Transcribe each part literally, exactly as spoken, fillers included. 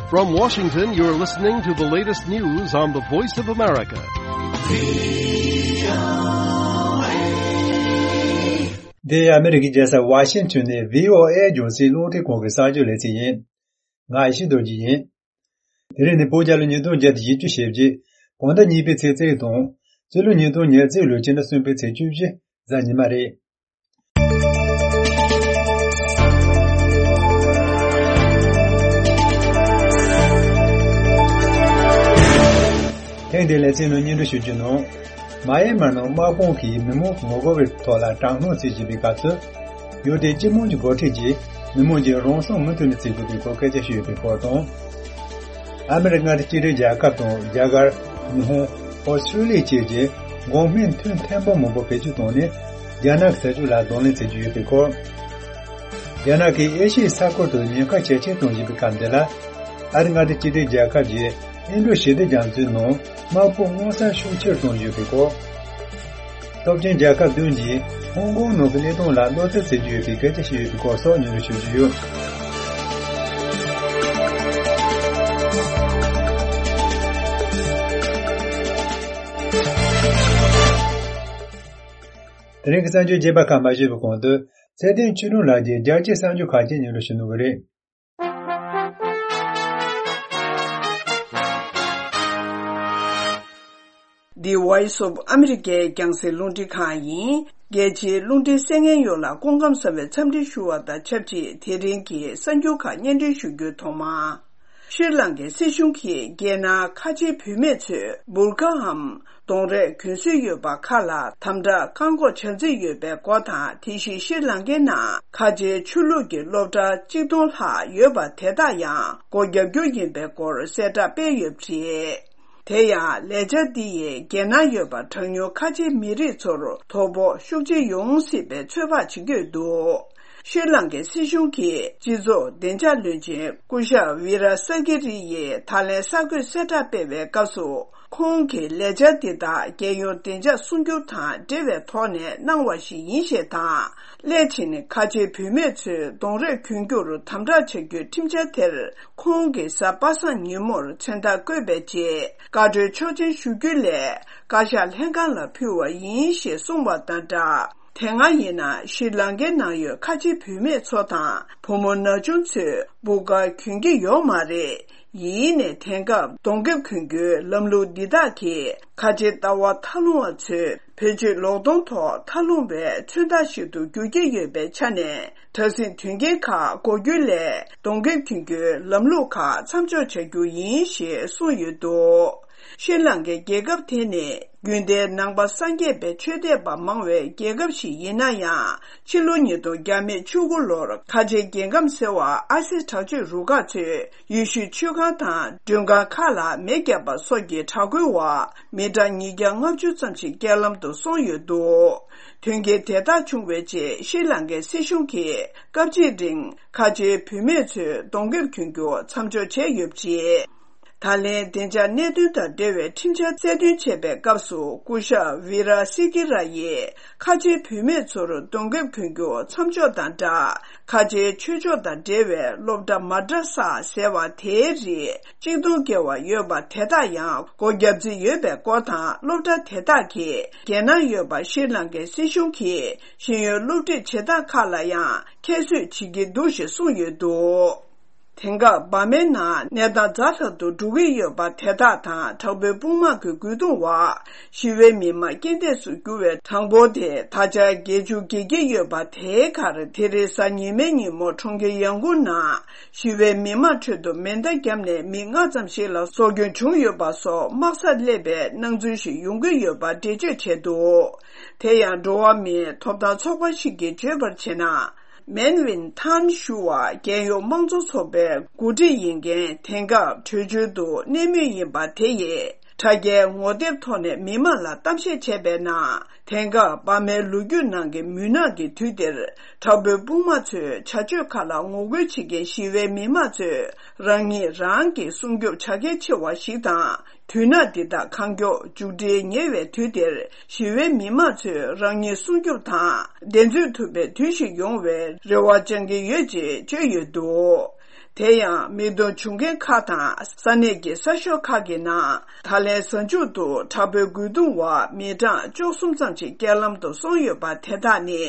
From Washington, you're listening to the latest news on the Voice of America. འདི་ཨ་མི་རི་ཀའི་རྒྱལ་ས་ཝ་ཤིང་ཊོན་ནས་བྷི་ཨོ་ཨེ་རྒྱང་སྲིང་རླུང་འཕྲིན་ཁང་གི་གསར་འགྱུར་ལེ་ཚན་ཡིན། ང་ཡེ་ཤེས་རྡོ་རྗེ་ཡིན། དེ་རིང་ནི་བོད་རྒྱལ་ལོ་ཉིས་སྟོང་བརྒྱ་དང་བཞི་བཅུ་ཞེ་བརྒྱད། བོད་ཟླ་གཉིས་པའི་ཚེས་བརྩི་དང་། སྤྱི་ལོ་ཉིས་སྟོང་ཉེར་གཅིག་ལོའི་ཕྱི་ཟླ་གསུམ་པའི་ཚེས་བཅུ་བཞི་གཟའ་ཉི་མ་རེད། ཐེངས་འདིའི་ལེ་ཚན་ནང་སྙན་སྒྲོན་ཞུ་རྒྱུ་ནང་། མ་ཡན་མར་ནང་དམག་དཔུང་གིས་མི་མང་ངོ་རྒོལ་བའི་ཐོག་ལ་དྲག་གནོན་བྱེད་བཞིན་པའི་སྐབས་སུ། ཡུལ་དེའི་སྤྱི་དམངས་ཀྱི་འགོ་ཁྲིད་ཀྱིས་མི་མང་གིས་རང་སྲོག་མུ་མཐུད་ནས་བརྩི་དགོས་པའི་སྐོར་སྐད་ཆ་ཞུས་ཡོད་པའི་སྐོར་དང་། ཨ་མི་རི་ཀ་མངའ་སྡེ་གཅིག་སྒྲིལ་རྒྱལ་ཁབ་དང་རྒྱ་གར། ཉི་ཧོང་། ཨོ་སི་ཀྲོ་ལི་ཡ་བཅས་ཀྱིས་འགོག་སྨན་ཐུན་ཐེངས་མང་པོ་བེད་སྤྱོད་བཏང་ནས། རྒྱ་ནག་གི་ཟ་ཆོག་ལ་གདོང་ལེན་བྱེད་ཀྱི་ཡོད་པའི་སྐོར། རྒྱ་ནག་གིས་ཨེ་ཤི་ཡའི་ས་ཁུལ་དུ་ཉེན་ཁ་ཇེ་ཆེར་གཏོང་བཞིན་པའི་སྐབས་འདི་ལ། ཨ་རི་མངའ་སྡེ་གཅིག་སྒྲིལ་རྒྱལ་ཁབ་ཀྱིས་ཨིན་ཌོ་ཞི་བདེ་རྒྱ་མཚོའི་ནང་དམག་དཔུང་མངོན་གསལ་ཤུགས་ཆེར་གཏོང་བཞིན་ཡོད་པའི་སྐོར། སྟོབས་ཆེན་རྒྱལ་ཁབ་བདུན་གྱིས་ཧོང་ཀོང་ནང་གི་གནས་སྟངས་ལ་གནོད་འཚེ་བྱེད་ཀྱི་ཡོད་པའི་སྐད་ཆ་བཤད་ཡོད་པའི་སྐོར་སོགས་སྙན་སྒྲོན་ཞུ་རྒྱུ་ཡོད། དེ་རིང་གི་གསར་འགྱུར་རྒྱས་པ་ཁག་མ་ཞུས་པའི་གོང་དུ། ཚེ་བརྟན་ཆོས་སྒྲོན་ལགས་ཀྱིས་རྒྱལ་སྤྱིའི་གསར་འགྱུར་ཁག་ཅིག་སྙན་སྒྲོན་ཞུ་གནང་གི་རེད། འདི་Voice of America རྒྱང་སྲིང་རླུང་འཕྲིན་ཁང་ཡིན། རྒྱལ་སྤྱིའི་རླུང་འཕྲིན་གསན་མཁན་ཡོངས་ལ་སྐུ་ཁམས་བཟང་བའི་འཚམས་འདྲི་ཞུ་བ་དང་ཆབས་ཅིག་དེ་རིང་གི་གསར་འགྱུར་ཁག་སྙན་སྒྲོན་ཞུ་རྒྱུ་ཐོག་མ། ཤྲི་ལང་ཀའི་སྲིད་གཞུང་གིས་རྒྱལ་ནང་ཁ་ཆེའི་བུད་མེད་ཚོས་འབུར་ཀ་འམ། གདོང་རས་གྱོན་སྲོལ་ཡོད་པ་ཁག་ལ་དམ་དྲག་བཀག་འགོག་བྱ་རྩིས་ཡོད་པའི་སྐོར་དང་། དེ་བཞིན་ཤྲི་ལང་ཀའི་ནང་ཁ་ཆེའི་ཆོས་ལུགས་ཀྱི་སློབ་གྲྭ་གཅིག་སྟོང་ལྷག་ཡོད་པ་དེ་དག་ཡང་སྒོ་བརྒྱབ་རྒྱུ་ཡིན་པའི་སྐོར་གསལ་བསྒྲགས་སྤེལ་ཡོད་པ་རེད། དེ་ཡང་ལས་འཆར་འདི་ཡིས་རྒྱལ་ནང་ཡོད་པ་གྲངས་ཉུང་ཁ་ཆེའི་མི་རིགས་ཚོར་དོ་ཕོག་ཤུགས་ཆེ་ཡོང་སྲིད་པའི་ཚོད་དཔག་བྱེད་ཀྱི་ཡོད་འདུག་ཤྲི་ལང་ཀའི་སྲིད་གཞུང་གི་སྤྱི་ཚོགས་བདེ་འཇགས་བློན་ཆེན་སྐུ་ཞབས་ཝི་ར་ས་ཀི་རི་ཡིས་ད་ལན་གསར་འགོད་གསལ་བསྒྲགས་སྤེལ་བའི་སྐབས་སུ། ཁོང་གིས་ལས་འཆར་འདི་དག་རྒྱལ་ཡོངས་བདེ་འཇགས་སྲུང་སྐྱོབ་དང་འབྲེལ་བའི་ཐོག་ནས་གནང་བ་ཞིག་ཡིན་ཞེས་དང་། སླད་ཕྱིན་ཁ་ཆེའི་བུད་མེད་ཚོས་གདོང་རས་གྱོན་རྒྱུར་དམ་དྲག་བྱ་རྒྱུའི་ཁྲིམས་འཆར་དེར། ཁོང་གིས་གཟའ་པ་སངས་ཉིན་མོར་མཚན་རྟགས་བཀོད་པའི་རྗེས། བཀའ་འཁྲོལ་ཆོག་མཆན་ཞུ་རྒྱུ་ལས། བཀའ་ཤག་ལྷན་ཁང་ལ་ཕུལ་བ་ཡིན་ཞེས་གསུངས་པ་དང་སྦྲགས། དེ་སྔ་ཡིན་ན་ཤྲི་ལང་ཀའི་ནང་ཡོད་ཁ་ཆེ་བུད་མེད་ཚོ་དང་བུ་མོ་ན་ཆུང་ཚོས་འབུར་ཀ་གྱོན་གྱི་ཡོད་མ་རེད། ཡིན་ནའི་དེང་སྐབས་གདོང་ཁེབས་གྱོན་རྒྱུའི་ལམ་ལུགས་འདི་དག་གིས་ཁ་ཆེ་ལྟ་བ་མཐའ་ལྷུང་བ་ཚོས་བེད་སྤྱོད་ལོག་གདོང་ཐོག་མཐའ་ལྷུང་བའི་མཚོན་རྟགས་ཤིག་ཏུ་འགྱུར་གྱི་ཡོད་པའི་ཆ་ནས། དྲག་ཟིང་དོན་རྐྱེན་ཁག་འགོག་རྒྱུ་ལས་གདོང་ཁེབས་གྱོན་རྒྱུའི་ལམ་ལུགས་ཁག་མཚམས་འཇོག་བྱ་རྒྱུ་ཡིན་ཞེས་གསུངས་ཡོད་འདུག་ཤྲི་ལང་ཀའི་རྒྱལ་ཁབ་དེ་ནི་རྒྱུན་ལྡན་ནང་པ་སངས་རྒྱས་པའི་ཆོས་དད་པ་མང་བའི་རྒྱལ་ཁབ་ཞིག་ཡིན་ན་ཡང་། ཕྱི་ལོ་ཉིས་སྟོང་བཅུ་དགུ་ལོར་ཁ་ཆེའི་རྒྱལ་ཁམས་ཟེར་བ་ཨ་སི་དྲག་སྤྱོད་རུ་ཁག་ཚོས་ཡེ་ཤུའི་ཆོས་ཁང་དང་མགྲོན་ཁང་ཁག་ལ་མེ་བརྒྱབ་པ་སོགས་ཀྱི་དྲག་རྒོལ་འོག་མི་གྲངས་ཉིས་བརྒྱ་ལྔ་བཅུ་ཙམ་ཞིག་རྐྱེན་ལམ་དུ་སོང་ཡོད་འདུག་དོན་རྐྱེན་དེ་དག་བྱུང་བའི་རྗེས་ཤྲི་ལང་ཀའི་སྲིད་གཞུང་གིས་སྐབས་གཅིག་རིང་ཁ་ཆེའི་བུད་མེད་ཚོས་གདོང་ཁེབས་གྱོན་རྒྱུ་མཚམས་འཇོག་བྱས་ཡོད་པ་རེད། ད་ལན་བདེ་འཇགས་གནད་དོན་དང་འབྲེལ་བའི་ཁྲིམས་འཆར་གསལ་སྟོན་བྱས་པའི་སྐབས་སུ་སྐུ་ཞབས་ཝི་ར་སི་ཀི་ར་ཡིས་ཁ་ཆེའི་བུད་མེད་ཚོར་གདོང་ཁེབས་གྱོན་རྒྱུ་མཚམས་འཇོག་དང་སྦྲགས། ཁ་ཆེའི་ཆོས་ཕྱོགས་དང་འབྲེལ་བའི་སློབ་གྲྭ་མ་དྲ་ས་ཟེར་བ་དེའི་རིགས་གཅིག་སྟོང་བརྒལ་བ་ཡོད་པ་དེ་དག་ཡང་སྒོ་བརྒྱབ་རྩིས་ཡོད་པའི་སྐོར་དང་། སློབ་གྲྭ་དེ་དག་གིས་རྒྱལ་ནང་ཡོད་པ་ཤྲི་ལང་ཀའི་སྲིད་གཞུང་གིས་ཤེས་ཡོན་སློབ་ཁྲིད་བྱེད་སྟངས་ཁག་ལ་ཡང་ཁྱད་གསོད་བྱེད་ཀྱི་འདུག་ཞེས་གསུངས་ཡོད་འདུག་དེང་སྐབས་འབར་མའི་ནང་གནས་སྟངས་ཛ་དྲག་ཏུ་འགྲོ་གི་ཡོད་པ་དེ་དག་དང་། དྲག་པོའི་དཔུང་དམག་གི་རྒོལ་རྡུང་འོག་ཞི་བའི་མི་མང་རྐྱེན་འདས་སུ་གྱུར་བའི་གྲངས་འབོར་དེ་ད་ཆ་བརྒྱད་ཅུ་བརྒལ་གྱི་ཡོད་པ་དེའི་ཁར། དེ་རིང་གཟའ་ཉི་མའི་ཉིན་མོ་གྲོང་ཁྱེར་ཡང་ཀུང་ནང་ཞི་བའི་མི་མང་ཁྲོད་དུ་མེ་མདའ་བརྒྱབ་ནས་མི་ལྔ་ཙམ་ཞིག་ལ་སྲོག་སྐྱོན་བྱུང་ཡོད་པ་སོགས་དམག་སར་སླེབས་པའི་སྣང་ཚུལ་ཞིག་ཡོང་གི་ཡོད་པ་འགྲེལ་བརྗོད་བྱས་འདུག་དེ་ཡང་འགྲོ་བ་མིའི་ཐོབ་ཐང་ཚོགས་པ་ཞིག་གིས་བརྗོད་པར་བྱས་ན། མེན་ཝིན་ཐན་ཞུ་བ་རྒྱལ་ཡོངས་དམངས་གཙོ་ཚོགས་པའི་འགོ་ཁྲིད་ཡིན་མཁན་དེང་སྐབས་བྲོས་བྱོལ་དུ་གནས་མུས་ཡིན་པ་དེ་ཡིས་དྲ་རྒྱའི་ངོ་དེབ་ཐོག་ནས་མི་མང་ལ་གཏམ་བཤད་བྱས་པའི་ནང་། དེང་སྐབས་འབར་མའི་ལོ་རྒྱུས་ནང་གི་མུན་ནག་གི་དུས་འདིར་དྲག་པོའི་དཔུང་དམག་ཚོའི་བྱ་སྤྱོད་ཁག་ལ་ངོ་རྒོལ་བྱེད་མཁན་ཞི་བའི་མི་མང་ཚོས་རང་ཉིད་རང་གིས་སྲུང་སྐྱོབ་བྱ་གལ་ཆེ་བ་ཞིག་དང་། དུས་ན་འདི་དག་གང་མགྱོགས་མཇུག་སྒྲིལ་ཉེ་བའི་དུས་འདིར་ཞི་བའི་མི་མང་ཚོས་རང་ཉིད་སྲུང་སྐྱོབ་དང་བདེན་འཚོལ་ཐུབ་པའི་དུས་ཤིག་ཡོང་བའི་རེ་བ་བཅང་གི་ཡོད་ཅེས་བརྗོད་ཡོད་འདུག་དེ་ཡང་མིག་མཐོང་བྱུང་མཁན་ཁག་དང་ས་གནས་ཀྱི་གསར་ཤོག་ཁག་གི་ནང་། ད་ལན་གཟའ་མཇུག་ཏུ་དྲག་པོའི་རྒོལ་རྡུང་འོག་མི་གྲངས་བཅུ་གསུམ་ཙམ་ཞིག་རྐྱེན་ལམ་དུ་སོང་ཡོད་པ་དེ་དག་ནི།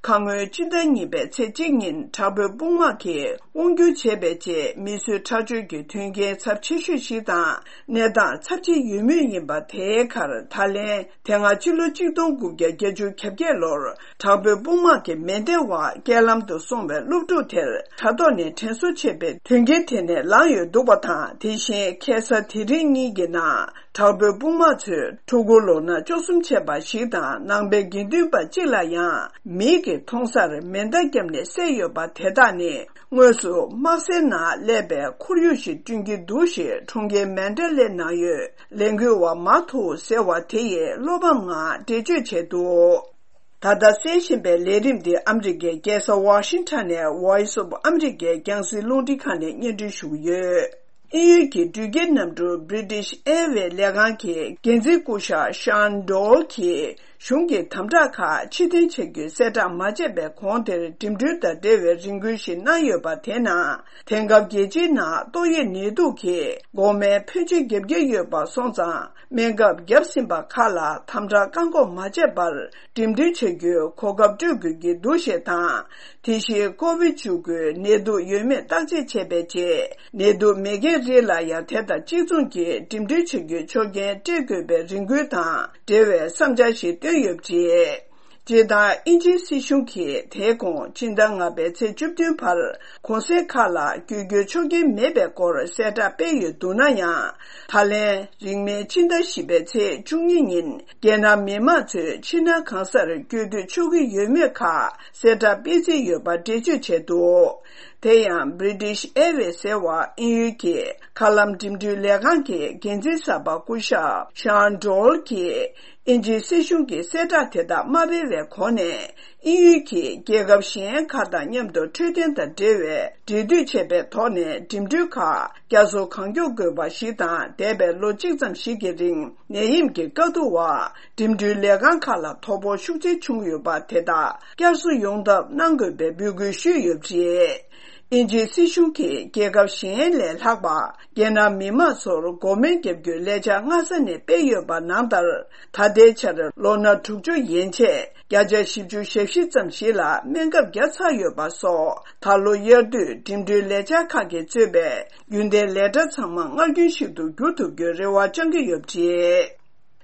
ཁ་སྔོན་སྤྱི་ཟླ་གཉིས་པའི་ཚེས་གཅིག་ཉིན་དྲག་པོའི་དཔུང་དམག་གིས་དབང་སྒྱུར་བྱས་པའི་རྗེས། མི་གསོད་ཁྲག་སྦྱོར་གྱི་དོན་རྐྱེན་ཚབས་ཆེ་ཤོས་ཤིག་དང་། གནས་སྟངས་ཚབས་ཆེ་ཡོད་མུས་ཡིན་པ། དེའི་ཁར་ད་ལན་དེ་སྔ་ཕྱི་ལོ་གཅིག་སྟོང་དགུ་བརྒྱ་བརྒྱད་ཅུ་གྱ་བརྒྱད་ལོར། དྲག་པོའི་དཔུང་དམག་གི་མེ་མདའི་འོག་རྐྱེན་ལམ་དུ་སོང་བའི་སློབ་ཕྲུག་དེར། དྲ་ཐོག་ནས་དྲན་གསོ་བྱས་པའི་དོན་རྐྱེན་དེ་ནས་ལངས་ཡོད་འདུག་པ་དང་། དེ་བཞིན་ཁ་སང་དེ་རིང་གཉིས་ཀྱི་ནང་། དྲག་པོའི་དཔུང་དམག་ཚོས་ཕྲུ་གུ་ལོ་ན་བཅུ་གསུམ་བྱས་པ་ཞིག་དང་། ནང་པའི་དགེ་འདུན་པ་གཅིག་ལ་ཡང་མིག་གིས་མཐོང་སར་མེ་མདའ་བརྒྱབ་ནས་བསད་ཡོད་པ། དེ་དག་ནི་དངོས་སུ་དམག་སའི་ནང་སླེབས་པའི་ཁོར་ཡུག་ཞིག་བསྐྲུན་གྱི་འདུག་ཞེས་ཁྲུང་ཆིང་མན་ཌ་ལའི་ནང་ཡོད་ལས་འགུལ་བ་མཱ་ཐུའུ་ཟེར་བ་དེ་ཡིས་བློ་ཕམ་ངང་འགྲེལ་བརྗོད་བྱས་འདུག་ད་ལྟ་གསན་བཞིན་པའི་ལས་རིམ་འདི་ཨ་མི་རི་ཀའི་རྒྱལ་ས་ཝ་ཤིང་ཊོན་ནས་Voice of America རྒྱང་སྲིང་རླུང་འཕྲིན་ཁང་ནས་སྙན་སྒྲོན་ཞུ་གི་ཡོད། དབྱིན་ཡུལ་གྱི་འགྲུལ་སྐྱེལ་གནམ་གྲུ་British Airways ལས་ཁང་གི་འགན་འཛིན་སྐུ་ཞབས་ཤཱན་ཌོལ་གྱིས། གཞུང་གི་དམ་དྲག་ཁག་ཕྱིར་འཐེན་བྱ་རྒྱུའི་གསལ་བསྒྲགས་མ་བྱས་པའི་གོང་དེར། འགྲིམ་འགྲུལ་དང་འབྲེལ་བའི་རེ་སྐུལ་ཞིག་གནང་ཡོད་པ། དེ་ནང་། དེང་སྐབས་རྒྱལ་སྤྱིའི་ནང་ཏོག་དབྱིབས་ནད་དུག་གིས་འགོག་སྨན་ཕོན་ཆེན་བརྒྱབ་ཀྱི་ཡོད་པ་སོང་ཙང་། སྨན་ཁབ་བརྒྱབ་ཟིན་པ་ཁག་ལ་དམ་དྲག་བཀག་འགོག་མ་བྱས་པར། འགྲིམ་འགྲུལ་བྱ་རྒྱུའི་གོ་སྐབས་སྤྲོད་དགོས་ཀྱི་འདུག་ཞེས་དང་། དེ་བཞིན་ཀོ་བིཌ་བཅུ་དགུ་ནད་དུག་ཡོད་མེད་བརྟག་དཔྱད་བྱས་པའི་རྗེས། ནད་དུག་མེད་མཁན་རིགས་ལ་ཡང་དེ་དང་གཅིག་མཚུངས་ཀྱིས་འགྲིམ་འགྲུལ་བྱ་རྒྱུའི་ཆོག་མཆན་སྤྲད་དགོས་པའི་རེ་སྐུལ་དང་འབྲེལ་བའི་བསམ་འཆར་ཞིག་བཏོན་ཡོད་པ་རེད། སྤྱིར་བཏང་དབྱིན་ཇིའི་སྲིད་གཞུང་གིས་དེའི་གོང་ཕྱི་ཟླ་ལྔ་པའི་ཚེས་བཅུ་བདུན་བར་གུང་སེང་ཁག་ལ་བསྐྱོད་རྒྱུའི་ཆོག་མཆན་མེད་པའི་སྐོར་གསལ་བསྒྲགས་སྤེལ་ཡོད་འདུག་ན་ཡང་། ད་ལན་རིང་མིན་ཕྱི་ཟླ་བཞི་པའི་ཚེས་བཅུ་གཉིས་ཉིན་རྒྱལ་ནང་མི་མང་ཚོས་ཕྱི་ནང་གང་སར་བསྐྱོད་སྡོད་ཆོག་གི་ཡོད་མེད་ཁག་གསལ་བསྒྲགས་སྤེལ་རྩིས་ཡོད་པ་འགྲེལ་བརྗོད་བྱས་འདུག་དེ་ཡང་British Airways ཟེར་བ་དབྱིན་ཡུལ་གྱི་མཁའ་ལམ་འགྲིམ་འགྲུལ་ལས་ཁང་གི་འགན་འཛིན་གསར་པ་སྐུ་ཞབས་ཤཱན་ཌོལ་གྱིས། དབྱིན་ཇིའི་སྲིད་གཞུང་གི་གསལ་བསྒྲགས་དེ་དག་མ་སྤེལ་བའི་གོང་ནས། དབྱིན་ཡུལ་གྱིས་རྒྱལ་ཁབ་གཞན་ཁག་དང་མཉམ་དུ་འཕྲོད་བསྟེན་དང་འབྲེལ་བའི་འབྲེལ་མཐུད་བྱས་པའི་ཐོག་ནས། འགྲིམ་འགྲུལ་ཁག་བསྐྱར་གསོ་གང་མགྱོགས་དགོས་པ་ཞིག་དང་། འདས་པའི་ལོ་གཅིག་ཙམ་ཞིག་གི་རིང་ནད་ཡམས་ཀྱི་དཀའ་སྡུག་འོག་འགྲིམ་འགྲུལ་ལས་ཁང་ཁག་ལ་དོ་ཕོག་ཤུགས་ཆེ་བྱུང་ཡོད་པ་དེ་དག་བསྐྱར་གསོ་ཡོང་ཐབས་གནང་དགོས་པའི་འབོད་སྐུལ་ཞུས་ཡོད་པ་རེད། དབྱིན་ཇིའི་སྲིད་གཞུང་གིས་རྒྱལ་ཁབ་གཞན་ལས་ལྷག་པ། རྒྱལ་ནང་མི་མང་ཚོར་འགོག་སྨན་བརྒྱབ་རྒྱུའི་ལས་འཆར་སྔ་ས་ནས་སྤེལ་ཡོད་པ་ནང་ལྟར། ད་ལྟའི་ཆར་ལོ་ན་དྲུག་ཅུ་ཡན་ཆད་བརྒྱ་ཆ་བཞི་བཅུ་ཞེ་བཞི་ཙམ་ཞིག་ལ་སྨན་ཁབ་བརྒྱབ་ཚར་ཡོད་པ་སོགས། ད་ལོ་དབྱར་དུས་འགྲིམ་འགྲུལ་ལས་འཆར་ཁག་གིས་གཙོས་པའི་རྒྱུན་ལྡན་ལས་གྲྭ་ཚང་མ་སྔར་རྒྱུན་བཞིན་དུ་བསྒྱུར་ཐུབ་རྒྱུའི་རེ་བ་བཅང་གི་ཡོད་པ་རེད།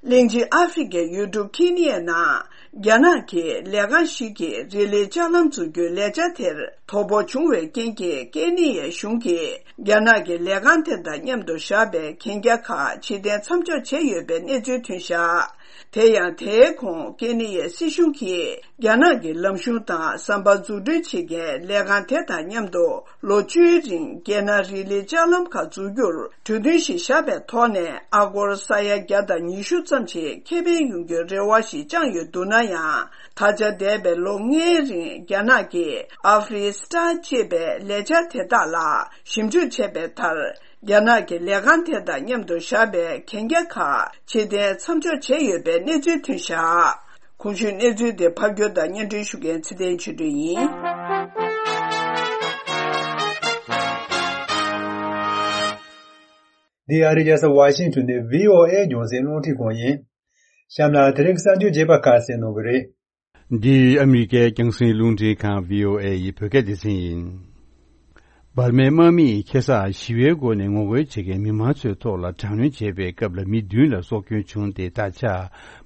གླིང་ཆེན་ཨ་ཧྥེ་རི་ཁའི་ཡུལ་གྲུ་ཁེ་ནི་ཡའི་ནང་། རྒྱ་ནག་གི་ལས་ཁང་ཞིག་གིས་རི་ལི་ལྕགས་ལམ་འཛུགས་རྒྱུའི་ལས་འཆར་དེར་དོ་ཕོག་བྱུང་བའི་རྐྱེན་གྱིས། ཀེ་ནི་ཡའི་གཞུང་གིས་རྒྱ་ནག་གི་ལས་ཁང་དེ་དང་མཉམ་དུ་བཞག་པའི་གན་རྒྱ་ཁག་ཕྱིར་འཐེན་མཚམས་འཇོག་བྱས་ཡོད་པའི་གནས་ཚུལ་ཐོན་བཞག་དེ་ཡང་དེའི་གོང་ཀེ་ནི་ཡའི་སྲིད་གཞུང་གིས་རྒྱ་ནག་གི་ལམ་གཞུང་དང་ཟམ་པ་འཛུགས་སྐྲུན་བྱེད་མཁན་ལས་ཁང་དེ་དང་མཉམ་དུ། ལོ་བཅུའི་རིང་རྒྱལ་ནང་རི་ལི་ལྕགས་ལམ་ཁག་འཛུགས་རྒྱུར་གྲོས་མཐུན་ཞིག་བཞག་པའི་ཐོག་ནས། ཨ་སྒོར་ས་ཡ་བརྒྱ་དང་ཉི་ཤུ་ཙམ་ཞིག་ཁེ་ཕན་ཡོང་རྒྱུའི་རེ་བ་ཞིག་བཅངས་ཡོད་འདུག་ན་ཡང་། ད་ཆ་འདས་པའི་ལོ་ལྔའི་རིང་རྒྱ་ནག་གིས་ཨ་ཧྥེ་རི་སི་ཊ་ཅེས་པའི་ལས་འཆར་དེ་དག་ལ་ཞིབ་འཇུག་བྱས་པའི་མཐར། རྒྱ་ནག་གི་ལས་ཁང་དེ་དང་མཉམ་དུ་བཞག་པའི་གན་རྒྱ་ཁག་ཕྱིར་འཐེན་མཚམས་འཇོག་བྱས་ཡོད་པའི་གནས་ཚུལ་ཐོན་བཞག་གོང་ཞུས་གནས་ཚུལ་དེ་ཕབ་སྒྱུར་དང་སྙན་སྒྲོན་ཞུ་མཁན་ཚེ་བརྟན་ཆོས་སྒྲོན་ཡིན། འདི་ཨ་རིའི་རྒྱལ་ས་ཝ་ཤིང་ཊོན་ནས་བྷི་ཨོ་ཨེ་རྒྱང་སྲིང་རླུང་འཕྲིན་ཁང་ཡིན། གཤམ་ལ་དེ་རིང་གསར་འགྱུར་རྒྱས་པ་ཁག་གསན་གནང་གི་རེད། འདི་ཨ་མི་རི་ཀའི་རྒྱང་སྲིང་རླུང་འཕྲིན་ཁང་བྷི་ཨོ་ཨེ་ཡི་བོད་སྐད་སྡེ་ཚན་ཡིན། འབར་མའི་དམག་མིས་ཁ་སང་ཞི་བའི་སྒོ་ནས་ངོ་རྒོལ་བྱེད་མཁན་མི་མང་ཚོའི་ཐོག་ལ་དྲག་གནོན་བྱས་པའི་སྐབས་ལ་མི་བདུན་ལ་སྲོག་སྐྱོན་བྱུང་སྟེ། ད་ཆ་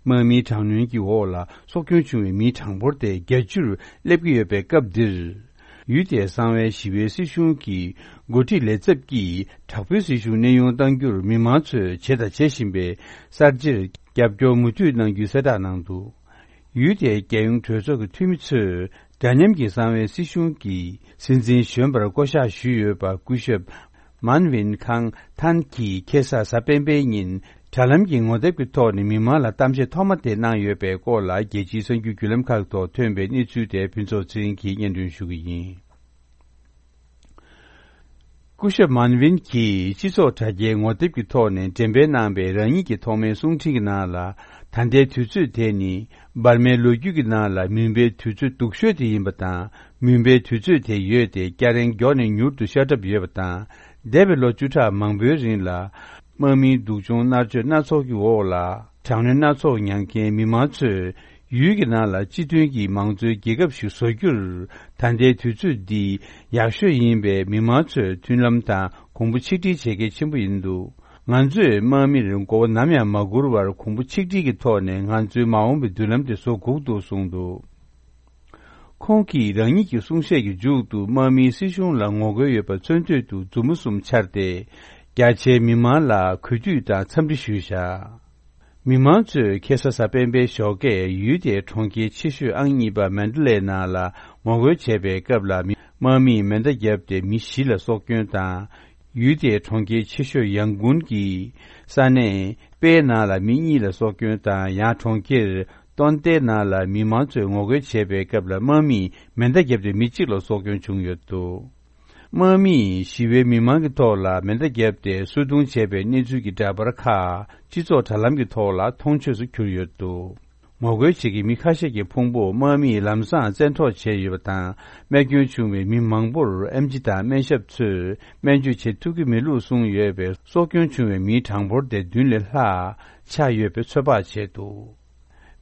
དམག་མིའི་དྲག་གནོན་གྱི་འོག་ལ་སྲོག་སྐྱོན་བྱུང་བའི་མིའི་གྲངས་འབོར་དེ་བརྒྱད་ཅུར་སླེབས་ཀྱི་ཡོད་པའི་སྐབས་འདིར། ཡུལ་དེའི་གསང་བའི་ཞི་བའི་སྲིད་གཞུང་གི་འགོ་ཁྲིད་ལས་ཚབ་ཀྱིས་དྲག་པོའི་སྲིད་གཞུང་གནས་དབྱུང་གཏང་རྒྱུར་མི་མང་ཚོས་བྱས་དང་བྱེད་བཞིན་པའི་གསར་བརྗེར་རྒྱབ་སྐྱོར་མུ་མཐུད་གནང་རྒྱུའི་གསལ་བསྒྲགས་གནང་འདུག་ཡུལ་དེའི་རྒྱལ་ཡོངས་གྲོས་ཚོགས་ཀྱི་འཐུས་མི་ཚོས་འདྲ་མཉམ་གྱི་གསང་བའི་སྲིད་གཞུང་གི་སྲིད་འཛིན་གཞོན་པར་བསྐོ་གཞག་ཞུས་ཡོད་པ་སྐུ་ཞབས་མཱན་ཝིན་ཁང་ཐན་གྱིས་ཁ་སང་གཟའ་སྤེན་པའི་ཉིན་དྲ་ལམ་གྱི་ངོ་དེབ་ཀྱི་ཐོག་ནས་མི་མང་ལ་གཏམ་བཤད་ཐོག་མ་དེ་གནང་ཡོད་པའི་སྐོར་ལ། རྒྱལ་སྤྱིའི་གསར་འགྱུར་བརྒྱུད་ལམ་ཁག་ཐོག་ཐོན་པའི་གནས་ཚུལ་དེ་ཕུན་ཚོགས་ཚེ་རིང་གིས་སྙན་སྒྲོན་ཞུ་གི་ཡིན། སྐུ་ཞབས་མཱན་ཝིན་གྱིས་སྤྱི་ཚོགས་དྲ་རྒྱའི་ངོ་དེབ་ཀྱི་ཐོག་ནས་འགྲེམས་སྤེལ་གནང་བའི་རང་ཉིད་ཀྱི་ཐོག་མའི་གསུང་འཕྲིན་གྱི་ནང་ལ། ད་ལྟའི་དུས་ཚོད་དེ་ནི་ འབར་མའི་ལོ་རྒྱུས་ཀྱི་ནང་ལ་མུན་པའི་དུས་ཚོད་སྡུག་ཤོས་དེ་ཡིན་པ་དང་། མུན་པའི་དུས་ཚོད་དེ་ཡོད་དེ་སྐྱ་རེངས་མགྱོགས་ནས་མྱུར་དུ་ཤར་གྲབས་ཡོད་པ་དང་། འདས་པའི་ལོ་བཅུ་ཕྲག་མང་པོའི་རིང་ལ། དམག་མིའི་སྡུག་སྦྱོང་མནར་གཅོད་སྣ་ཚོགས་ཀྱི་འོག་ལ། དྲག་གནོན་སྣ་ཚོགས་མྱངས་མཁན་མི་མང་ཚོས། ཡུལ་གྱི་ནང་ལ་སྤྱི་མཐུན་གྱི་མང་གཙོའི་རྒྱལ་ཁབ་ཞིག་བཟོ་རྒྱུར། ད་ལྟའི་དུས་ཚོད་འདི་ཡག་ཤོས་ཡིན་པས། མི་མང་ཚོས་མཐུན་ལམ་དང་གོང་བུ་ཆིག་སྒྲིལ་བྱེད་གལ་ཆེན་པོ་ཡིན་འདུག་ང་ཚོས་དམག་མིར་མགོ་བོ་ནམ་ཡང་མ་སྒུར་བར། གོང་བུ་ཆིག་སྒྲིལ་གྱི་ཐོག་ནས་ང་ཚོའི་མ་འོངས་པའི་མདུན་ལམ་དེ་བཟོ་དགོས་འདུག་གསུངས་འདུག་ཁོང་གིས་རང་ཉིད་ཀྱི་གསུང་བཤད་ཀྱི་མཇུག་ཏུ། དམག་མིའི་སྲིད་གཞུང་ལ་ངོ་རྒོལ་ཡོད་པ་མཚོན་དུས་དུ་མཛུབ་མོ་གསུམ་འཕྱར་ཏེ། རྒྱ་ཆེའི་མི་མང་ལ་གུས་འདུད་དང་འཚམས་འདྲི་ཞུས་བཞག་མི་མང་ཚོས་ཁ་སང་གཟའ་སྤེན་པའི་ཞོགས་ཀས་ཡུལ་དེའི་གྲོང་ཁྱེར་ཆེ་ཤོས་ཨང་གཉིས་པ་མན་ཌ་ལའི་ནང་ལ་ངོ་རྒོལ་བྱས་པའི་སྐབས་ལ། མི་དམག་མིས་མེ་མདའ་བརྒྱབ་སྟེ་མི་བཞི་ལ་སྲོག་སྐྱོན་དང་། ཡུལ་དེའི་གྲོང་ཁྱེར་ཆེ་ཤོས་ཡང་གུན་གྱི་ས་གནས་པེའི་ནང་ལ་མི་གཉིས་ལ་སྲོག་སྐྱོན་དང་། ཡང་གྲོང་ཁྱེར་ཏོན་ཏེའི་ནང་ལ་མི་མང་ཚོས་ངོ་རྒོལ་བྱས་པའི་སྐབས་ལ། དམག་མིས་མེ་མདའ་བརྒྱབ་སྟེ་མི་གཅིག་ལ་སྲོག་སྐྱོན་བྱུང་ཡོད་འདུག་དམག་མིས་ཞི་བའི་མི་མང་གི་ཐོག་ལ་མེ་མདའ་བརྒྱབ་སྟེ་གསོད་རྡུང་བྱས་པའི་གནས་ཚུལ་གྱི་འདྲ་པར་ཁག་སྤྱི་ཚོགས་དྲ་ལམ་གྱི་ཐོག་ལ་མཐོང་ཆོས་སུ་གྱུར་ཡོད་འདུག་ངོ་རྒོལ་བྱེད་མཁན་མི་ཁ་ཤས་ཀྱི་ཕུང་པོ་དམག་མིས་ལམ་སང་བཙན་འཕྲོག་བྱས་ཡོད་པ་དང་། རྨས་སྐྱོན་བྱུང་བའི་མི་མང་པོར་ཨེམ་ཆི་དང་སྨན་ཞབས་ཚོས་སྨན་བཅོས་བྱེད་ཐུབ་ཀྱི་མེད་ལུགས་གསུངས་ཡོད་པས། སྲོག་སྐྱོན་བྱུང་བའི་མིའི་གྲངས་འབོར་དེ་བདུན་ལས་ལྷག་ཆགས་ཡོད་པའི་ཚོད་དཔག་བྱས་འདུག་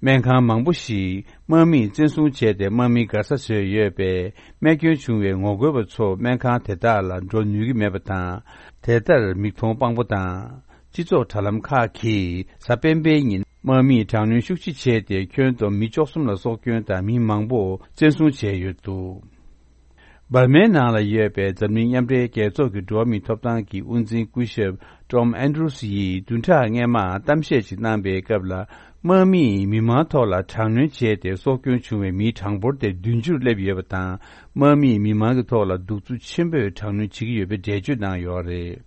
སྨན་ཁང་མང་པོ་ཞིག་དམག་མིས་བཙན་བཟུང་བྱས་ཏེ། དམག་མི་སྒར་ས་བཟོས་ཡོད་པས། རྨས་སྐྱོན་བྱུང་བའི་ངོ་རྒོལ་བ་ཚོ་སྨན་ཁང་དེ་དག་ལ་འགྲོ་ནུས་ཀྱི་མེད་པ་དང་། དེ་ལྟར་མིག་མཐོང་དཔང་པོ་དང་། སྤྱི་ཚོགས་དྲ་ལམ་ཁག་གིས་གཟའ་སྤེན་པའི་ཉིན་དམག་མིས་དྲག་གནོན་ཤུགས་ཆེ་བྱས་ཏེ། ཁྱོན་བསྡོམས་མི་བཅུ་གསུམ་ལ་སྲོག་སྐྱོན་དང་། མི་མང་པོ་བཙན་བཟུང་བྱས་ཡོད་འདུག་འབར་མའི་ནང་ལ་ཡོད་པའི་འཛམ་གླིང་མཉམ་འབྲེལ་རྒྱལ་ཚོགས་ཀྱི་འགྲོ་བ་མིའི་ཐོབ་ཐང་གི་དབུ་འཛིན་སྐུ་ཞབས་ཊོམ་ཨན་ཌྲུས་ཡིས་བདུན་ཕྲག་སྔོན་མ་གཏམ་བཤད་ཅིག་གནང་པའི་སྐབས་ལ། དམག་མིས་མི་མང་ཐོག་ལ་དྲག་གནོན་བྱས་ཏེ། སྲོག་སྐྱོན་བྱུང་བའི་མིའི་གྲངས་འབོར་དེ་བདུན་ཅུར་སླེབས་ཡོད་པ་དང་། དམག་མིས་མི་མང་གི་ཐོག་ལ་གདུག་རྩུབ་ཆེན་པོས་དྲག་གནོན་བྱེད་ཀྱི་ཡོད་པའི་འགྲེལ་བརྗོད་གནང་ཡོད་རེད།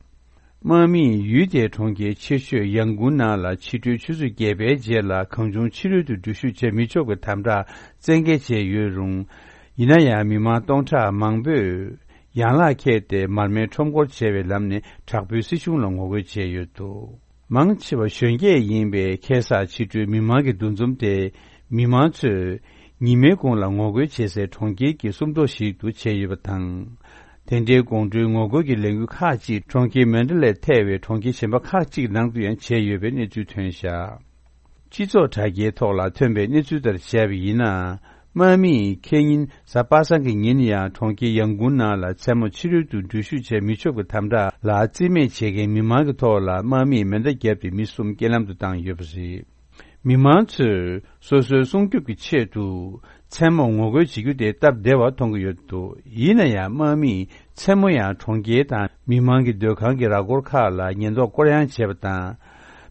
དམག་མིས་ཡུལ་དེའི་གྲོང་ཁྱེར་ཆེ་ཤོས་ཡང་གུན་ནང་ལ་ཕྱི་དྲོའི་ཆུ་ཚོད་བརྒྱད་པའི་རྗེས་ལ་གང་བྱུང་ཕྱི་རོལ་དུ་འགྲུལ་བཞུད་བྱེད་མི་ཆོག་པའི་དམ་དྲག་བཙན་འགེལ་བྱས་ཡོད་རུང་། ཡིན་ན་ཡང་མི་མང་སྟོང་ཕྲག་མང་པོས་ཡན་ལག་ཁྱེར་ཏེ་མར་མེ་ཁྲོམ་སྐོར་བྱས་པའི་ལམ་ནས་དྲག་པོའི་སྲིད་གཞུང་ལ་ངོ་རྒོལ་བྱས་ཡོད་འདུག་མང་ཆེ་བ་གཞོན་སྐྱེས་ཡིན་པས། ཁ་སང་ཕྱི་དྲོའི་མི་མང་གི་འདུ་འཛོམས་དེ་མི་མང་ཚོས་ཉི་མའི་གུང་ལ་ངོ་རྒོལ་བྱེད་སའི་གྲོང་ཁྱེར་གྱི་སུམ་མདོ་ཞིག་ཏུ་བྱས་ཡོད་པ་དང་། དེ་འདྲའི་དགོང་དྲོའི་ངོ་རྒོལ་གྱི་ལས་འགུལ་ཁག་ཅིག་གྲོང་ཁྱེར་མན་ཌ་ལའི་ཐེ་བའི་གྲོང་ཁྱེར་གཞན་པ་ཁག་ཅིག་ནང་དུ་ཡང་བྱས་ཡོད་པའི་གནས་ཚུལ་ཐོན་བཞག་སྤྱི་ཚོགས་དྲ་རྒྱའི་ཐོག་ལ་ཐོན་པའི་གནས་ཚུལ་ལྟར་བྱས་པ་ཡིན་ན། དམག་མིས་ཁེ་ཉིན་གཟའ་པ་སངས་ཀྱི་ཉིན་ཡང་གྲོང་ཁྱེར་ཡང་གུན་ནང་ལ་མཚན་མོ་ཕྱི་རོལ་དུ་འགྲུལ་བཞུད་བྱེད་མི་ཆོག་པའི་དམ་དྲག་ལ་རྩིས་མེད་བྱེད་མཁན་མི་མང་གི་ཐོག་ལ་དམག་མིས་མེ་མདའ་བརྒྱབ་སྟེ་མི་གསུམ་རྐྱེན་ལམ་དུ་བཏང་ཡོད་པ་རེད། མི་མང་ཚོས་སོ་སོའི་སྲུང་སྐྱོབ་ཀྱི་ཆེད་དུ་མཚན་མོ་ངོ་རྒོལ་བྱེད་རྒྱུ་དེ་སྟབས་བདེ་བ་མཐོང་གི་ཡོད་འདུག་ཡིན་ན་ཡང་དམག་མིས་མཚན་མོ་ཡང་གྲོང་ཁྱེར་དང་མི་མང་གི་སྡོད་ཁང་གི་ར་སྐོར་ཁག་ལ་ཉེན་རྟོག་སྐོར་གཡེང་བྱས་པ་དང་།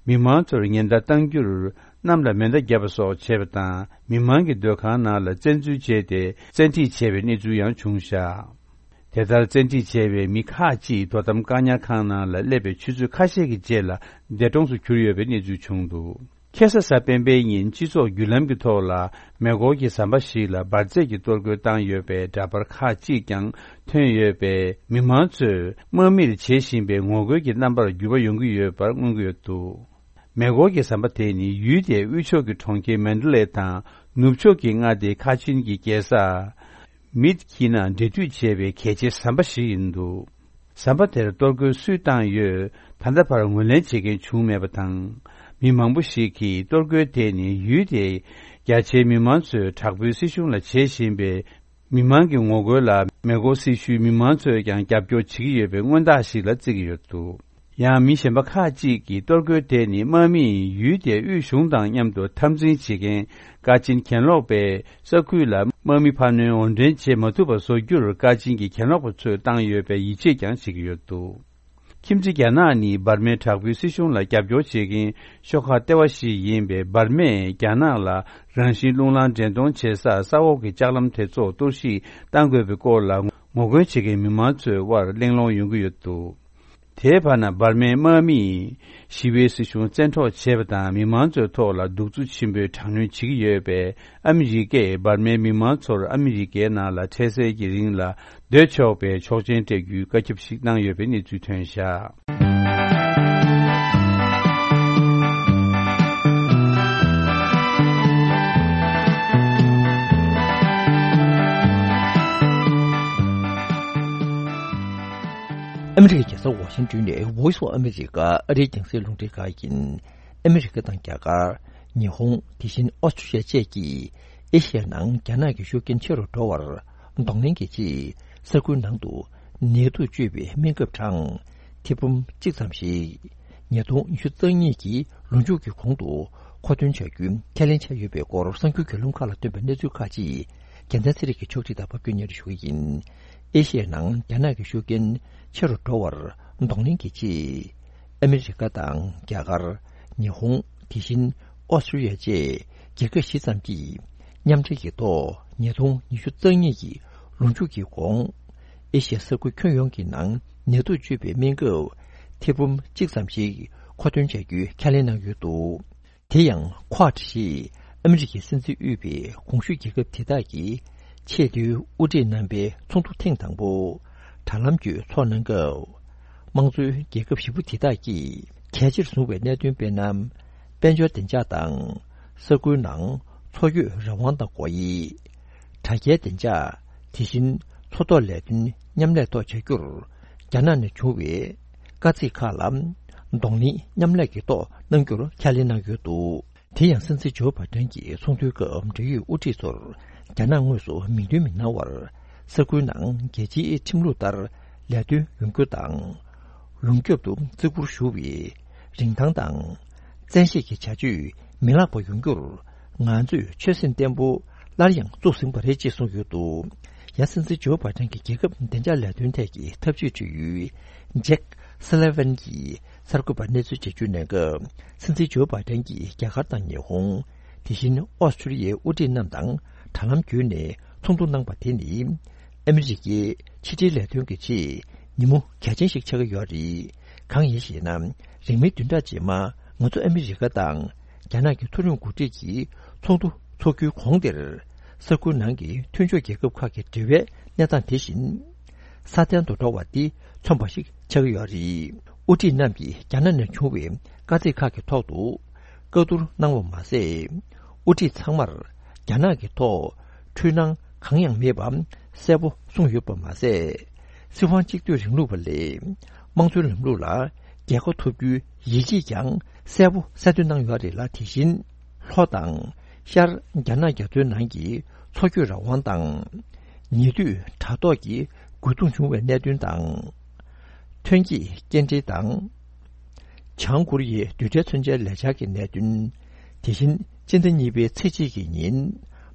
མི་མང་ཚོར་ཉེན་བརྡ་བཏང་རྒྱུར། གནམ་ལ་མེ་མདའ་བརྒྱབ་པ་སོགས་བྱས་པ་དང་། མི་མང་གི་སྡོད་ཁང་ནང་ལ་བཙན་འཛུལ་བྱས་ཏེ། བཙན་ཁྲིད་བྱས་པའི་གནས་ཚུལ་ཡང་བྱུང་བཞག་དེ་ལྟར་བཙན་ཁྲིད་བྱས་པའི་མི་ཁག་ཅིག་དོ་དམ་བཀག་ཉར་ཁང་ནང་ལ་སླེབས་པའི་ཆུ་ཚོད་ཁ་ཤས་ཀྱི་རྗེས་ལ་འདས་གྲོངས་སུ་གྱུར་ཡོད་པའི་གནས་ཚུལ་བྱུང་འདུག་ཁ་སང་གཟའ་སྤེན་པའི་ཉིན་སྤྱི་ཚོགས་བརྒྱུད་ལམ་གྱི་ཐོག་ལ། མེ་འཁོར་གྱི་ཟམ་པ་ཞིག་ལ་འབར་རྫས་ཀྱི་གཏོར་རྒོལ་བཏང་ཡོད་པའི་འདྲ་པར་ཁག་ཅིག་ཀྱང་ཐོན་ཡོད་པས། མི་མང་ཚོས་དམག་མིར་བྱེད་བཞིན་པའི་ངོ་རྒོལ་གྱི་རྣམ་པར་འགྱུར་བ་ཡོང་གི་ཡོད་པར་མངོན་གྱི་ཡོད་འདུག་མེ་འཁོར་གྱི་ཟམ་པ་དེ་ནི་ཡུལ་དེའི་དབུས་ཕྱོགས་ཀྱི་གྲོང་ཁྱེར་མན་ཌ་ལའི་དང་ནུབ་ཕྱོགས་ཀྱི་མངའ་སྡེ་ཁ་ཆིན་གྱི་རྒྱལ་ས་མིད་ཁི་ན་འབྲེལ་མཐུད་བྱས་པའི་གལ་ཆེའི་ཟམ་པ་ཞིག་ཡིན་འདུག་ཟམ་པ་དེར་གཏོར་རྒོལ་སུས་བཏང་ཡོད། ད་ལྟ་བར་ངོས་ལེན་བྱེད་མཁན་བྱུང་མེད་པ་དང་། མི་མང་པོ་ཞིག་གིས་གཏོར་རྒོལ་དེ་ནི་ཡུལ་དེའི་རྒྱ་ཆེའི་མི་མང་ཚོས་དྲག་པོའི་སྲིད་གཞུང་ལ་བྱེད་བཞིན་པའི་མི་མང་གི་ངོ་རྒོལ་ལ། མེ་འཁོར་སྲི་ཞུའི་མི་མང་ཚོས་ཀྱང་རྒྱབ་སྐྱོར་བྱེད་ཀྱི་ཡོད་པའི་མངོན་རྟགས་ཤིག་ལ་བརྩི་གི་ཡོད་འདུག་ཡང་མི་གཞན་པ་ཁག་ཅིག་གིས་གཏོར་རྒོལ་དེ་ནི་དམག་མིས་ཡུལ་དེའི་དབུས་གཞུང་དང་མཉམ་དུ་འཐབ་འཛིང་བྱེད་མཁན་ཀ་ཆིན་གྱེན་ལོག་པས་ས་ཁུལ་ལ་དམག་མི་འཕར་སྣོན་འོར་འདྲེན་བྱེད་མ་ཐུབ་པ་བཟོ་རྒྱུར་ཀ་ཆིན་གྱི་གྱེན་ལོག་པ་ཚོས་བཏང་ཡོད་པའི་ཡིད་ཆེས་ཀྱང་བྱེད་ཀྱི་ཡོད་འདུག་ཁྱིམ་མཚེས་རྒྱ་ནག་ནི་འབར་མའི་དྲག་པོའི་སྲིད་གཞུང་ལ་རྒྱབ་སྐྱོར་བྱེད་མཁན་ཤོག་ཁག་ལྟེ་བ་ཞིག་ཡིན་པས། འབར་མས་རྒྱ་ནག་ལ་རང་བཞིན་རླུང་ལངས་འདྲེན་གཏོང་བྱེད་ས་ས་འོག་གི་ལྕགས་ལམ་དེ་ཚོ་གཏོར་བཤིག་བཏང་དགོས་པའི་སྐོར་ལ་ངོ་རྒོལ་བྱེད་མཁན་མི་མང་ཚོའི་དབར་གླེང་སློང་ཡོང་གི་ཡོད་འདུག་དེའི་བར་ན་འབར་མའི་དམག་མིས་ཞི་བའི་སྲིད་གཞུང་བཙན་འཕྲོག་བྱས་པ་དང་། མི་མང་ཚོའི་ཐོག་ལ་གདུག་རྩུབ་ཆེན་པོས་དྲག་གནོན་བྱེད་ཀྱི་ཡོད་པས། ཨ་མི་རི་ཀས་འབར་མའི་མི་མང་ཚོར་ཨ་མི་རི་ཀའི་ནང་ལ་འཕྲལ་སེལ་གྱི་རིང་ལ་སྡོད་ཆོག་པའི་ཆོག་མཆན་སྤྲད་རྒྱུའི་བཀའ་ཁྱབ་ཞིག་གནང་ཡོད་པའི་གནས་ཚུལ་ཐོན་བཞག་ས་ཝ་ཤིང་ཏོན་ནས་Voice of America ཨ་རིའི་རྒྱང་སྲིང་རླུང་འཕྲིན་ཁང་ཡིན། ཨ་མི་རི་ཀ་དང་རྒྱ་གར། ཉི་ཧོང་། དེ་བཞིན་ཨོ་སི་ཀྲི་ཡ་བཅས་ཀྱིས་ཨེ་ཤི་ཡའི་ནང་རྒྱ་ནག་གི་ཤུགས་རྐྱེན་ཆེ་རུ་འགྲོ་བར་གདོང་ལེན་གྱི་ཆེད། ས་ཁུལ་ནང་དུ་ནད་དུག་བཅོས་པའི་སྨན་ཁབ་གྲངས་ཐེར་འབུམ་གཅིག་ཙམ་ཞིག་ཉིས་སྟོང་ཉི་ཤུ་རྩ་གཉིས་ཀྱི་ལོ་མཇུག་གི་གོང་དུ་མཁོ་འདོན་བྱ་རྒྱུའི་ཁས་ལེན་བྱས་ཡོད་པའི་སྐོར་གསར་འགྱུར་བརྒྱུད་ལམ་ཁག་ལ་བཏོན་པའི་གནས་ཚུལ་ཁག་ཅིག་རྒྱལ་མཚན་ཚེ་རིང་གིས་ཕྱོགས་སྒྲིག་དང་ཕབ་སྒྱུར་སྙན་སྒྲོན་ཞུ་གི་ཡིན། ཨེ་ཤི་ཡའི་ནང་རྒྱ་ནག་གི་ཤུགས་རྐྱེན་ཆེ་རུ་འགྲོ་བར་གདོང་ལེན་གྱི་ཆེད། ཨ་མི་རི་ཀ་དང་རྒྱ་གར། ཉི་ཧོང་། དེ་བཞིན་ཨོ་སི་ཀྲི་ཡ་བཅས་རྒྱལ་ཁབ་བཞི་ཙམ་གྱིས་མཉམ་འབྲེལ་གྱི་ཐོག་ཉིས་སྟོང་ཉི་ཤུ་རྩ་གཉིས་ཀྱི་ལོ་མཇུག་གི་གོང་། ཨེ་ཤི་ཡ་ས་ཁུལ་ཁྱོན་ཡོངས་ཀྱི་ནང་ནད་དུག་བཅོས་པའི་སྨན་ཁབ་ཐེར་འབུམ་གཅིག་ཙམ་ཞིག་མཁོ་འདོན་བྱ་རྒྱུའི་ཁས་ལེན་གནང་ཡོད་འདུག་དེ་ཡང་Quad ཞེས་ཨ་མི་རི་ཀའི་སྲིད་འཛིན་དབུས་པའི་གོང་ཞུས་རྒྱལ་ཁབ་དེ་དག་གི་ཆེས་མཐོའི་དབུ་ཁྲིད་རྣམ་པའི་ཚོགས་འདུ་ཐེངས་དང་པོ་དྲ་ལམ་བརྒྱུད་འཚོགས་གནང་སྐབས། དམངས་གཙོའི་རྒྱལ་ཁབ་བཞི་པོ་དེ་དག་གིས་གལ་ཆེར་བཟུང་བའི་གནད་དོན་དཔེར་ན། དཔལ་འབྱོར་བདེ་འཇགས་དང་། ས་ཁུལ་ནང་འཚོ་སྐྱོད་རང་དབང་དང་སྒོ་དབྱེ། དྲ་རྒྱའི་བདེ་འཇགས། དེ་བཞིན་མཚོ་ཐོག་ལས་དོན་མཉམ་ལས་ཐོག་བྱ་རྒྱུར། རྒྱ་ནག་ནས་བྱུང་བའི་དཀའ་ཚེགས་ཁག་ལ་གདོང་ལེན་མཉམ་ལས་ཀྱི་ཐོག་གནང་རྒྱུར་ཁས་ལེན་གནང་ཡོད་འདུག་དེ་ཡང་སྲིད་འཛིན་ཇོ་བྷ་ཏན་གྱིས་ཚོགས་འདུའི་སྐབས་འབྲེལ་ཡོད་དབུ་ཁྲིད་ཚོར་རྒྱ་ནག་དངོས་སུ་མིང་འདོན་མི་གནང་བར། ས་ཁུལ་ནང་རྒྱལ་སྤྱིའི་ཁྲིམས་ལུགས་ལྟར་ལས་དོན་ཡོང་རྒྱུ་དང་། ཡོངས་ཁྱབ་ཏུ་བརྩི་བཀུར་ཞུ་བའི་རིན་ཐང་དང་། བཙན་ཤེད་ཀྱི་བྱ་སྤྱོད་མི་ལྷག་པ་ཡོང་རྒྱུར། ང་ཚོས་ཆོད་སེམས་བརྟན་པོ་སླར་ཡང་བཙུགས་ཟིན་པ་རེད་ཅེས་གསུངས་ཡོད་འདུག་ཡང་སྲིད་འཛིན་ཇོ་བྷ་ཏན་གྱི་རྒྱལ་ཁབ་བདེ་འཇགས་ལས་དོན་ཐད་ཀྱི་ཐབས་ཇུས་དྲི་ཡུལ་ཇེག་སི་ལེ་ཝན་གྱིས་གསར་འགོད་པར་གནས་ཚུལ་འགྲེལ་བརྗོད་གནང་སྐབས། སྲིད་འཛིན་ཇོ་བྷ་ཏན་གྱིས་རྒྱ་གར་དང་ཉི་ཧོང་། དེ་བཞིན་ཨོ་སི་ཀྲི་ཡའི་དབུ་ཁྲིད་རྣམས་དང་དྲ་ལམ་བརྒྱུད་ནས་ཚོགས་འདུ་གནང་པ་དེ་ནི། ཨ་མི་རི་ཀའི་ཕྱི་འབྲེལ་ལས་དོན་གྱི་ཆེད་ཉིན་མོ་གལ་ཆེན་ཞིག་ཆགས་ཀྱི་ཡོད་རེད། གང་ཡིན་ཞེ་ན། རིང་མིན་བདུན་ཕྲག་རྗེས་མ་ང་ཚོ་ཨ་མི་རི་ཀ་དང་རྒྱ་ནག་གི་མཐོ་རིམ་འགོ་ཁྲིད་ཀྱི་ཚོགས་འདུ་འཚོགས་རྒྱུའི་གོང་དེར། ས་ཁུལ་ནང་གི་མཐུན་ཕྱོགས་རྒྱལ་ཁབ་ཁག་གི་འབྲེལ་བའི་གནས་སྟངས་དེ་བཞིན་སྲ་བརྟན་དུ་འགྲོ་བ་འདི་མཚོན་པ་ཞིག་ཆགས་ཀྱི་ཡོད་རེད། དབུ་ཁྲིད་རྣམས་ཀྱིས་རྒྱ་ནག་ནས་བྱུང་བའི་དཀའ་ཚེགས་ཁག་གི་ཐོག་ཏུ་བཀའ་བསྡུར་གནང་བ་མ་ཟད། དབུ་ཁྲིད་ཚང་མར་རྒྱ་ནག་གི་ཐོག་འཁྲུལ་སྣང་གང་ཡང་མེད་པ་གསལ་པོ་གསུངས་ཡོད་པ་མ་ཟད། སྲིད་དབང་གཅིག་སྡུད་རིང་ལུགས་པ་ལས་དམངས་གཙོའི་ལམ་ལུགས་ལ་རྒྱལ་ཁ་ཐོབ་རྒྱུའི་ཡིད་ཆེས་ཀྱང་གསལ་པོ་གསལ་སྟོན་གནང་ཡོད་རེད་ལ། དེ་བཞིན་ལྷོ་དང་ཤར་རྒྱ་ནག་རྒྱ་མཚོའི་ནང་གི་འཚོ་སྐྱོད་རང་དབང་དང་། ཉེ་དུས་དྲ་ཐོག་གི་རྒོལ་རྡུང་བྱུང་བའི་གནད་དོན་དང་། ཐོན་སྐྱེད་སྐྱེལ་འདྲེན་དང་། བྱང་ཀོ་རི་ཡའི་རྡུལ་ཕྲན་མཚོན་ཆའི་ལས་འཆར་གྱི་གནད་དོན། དེ་བཞིན་སྤྱི་ཟླ་གཉིས་པའི་ཚེས་གཅིག་གི་ཉིན།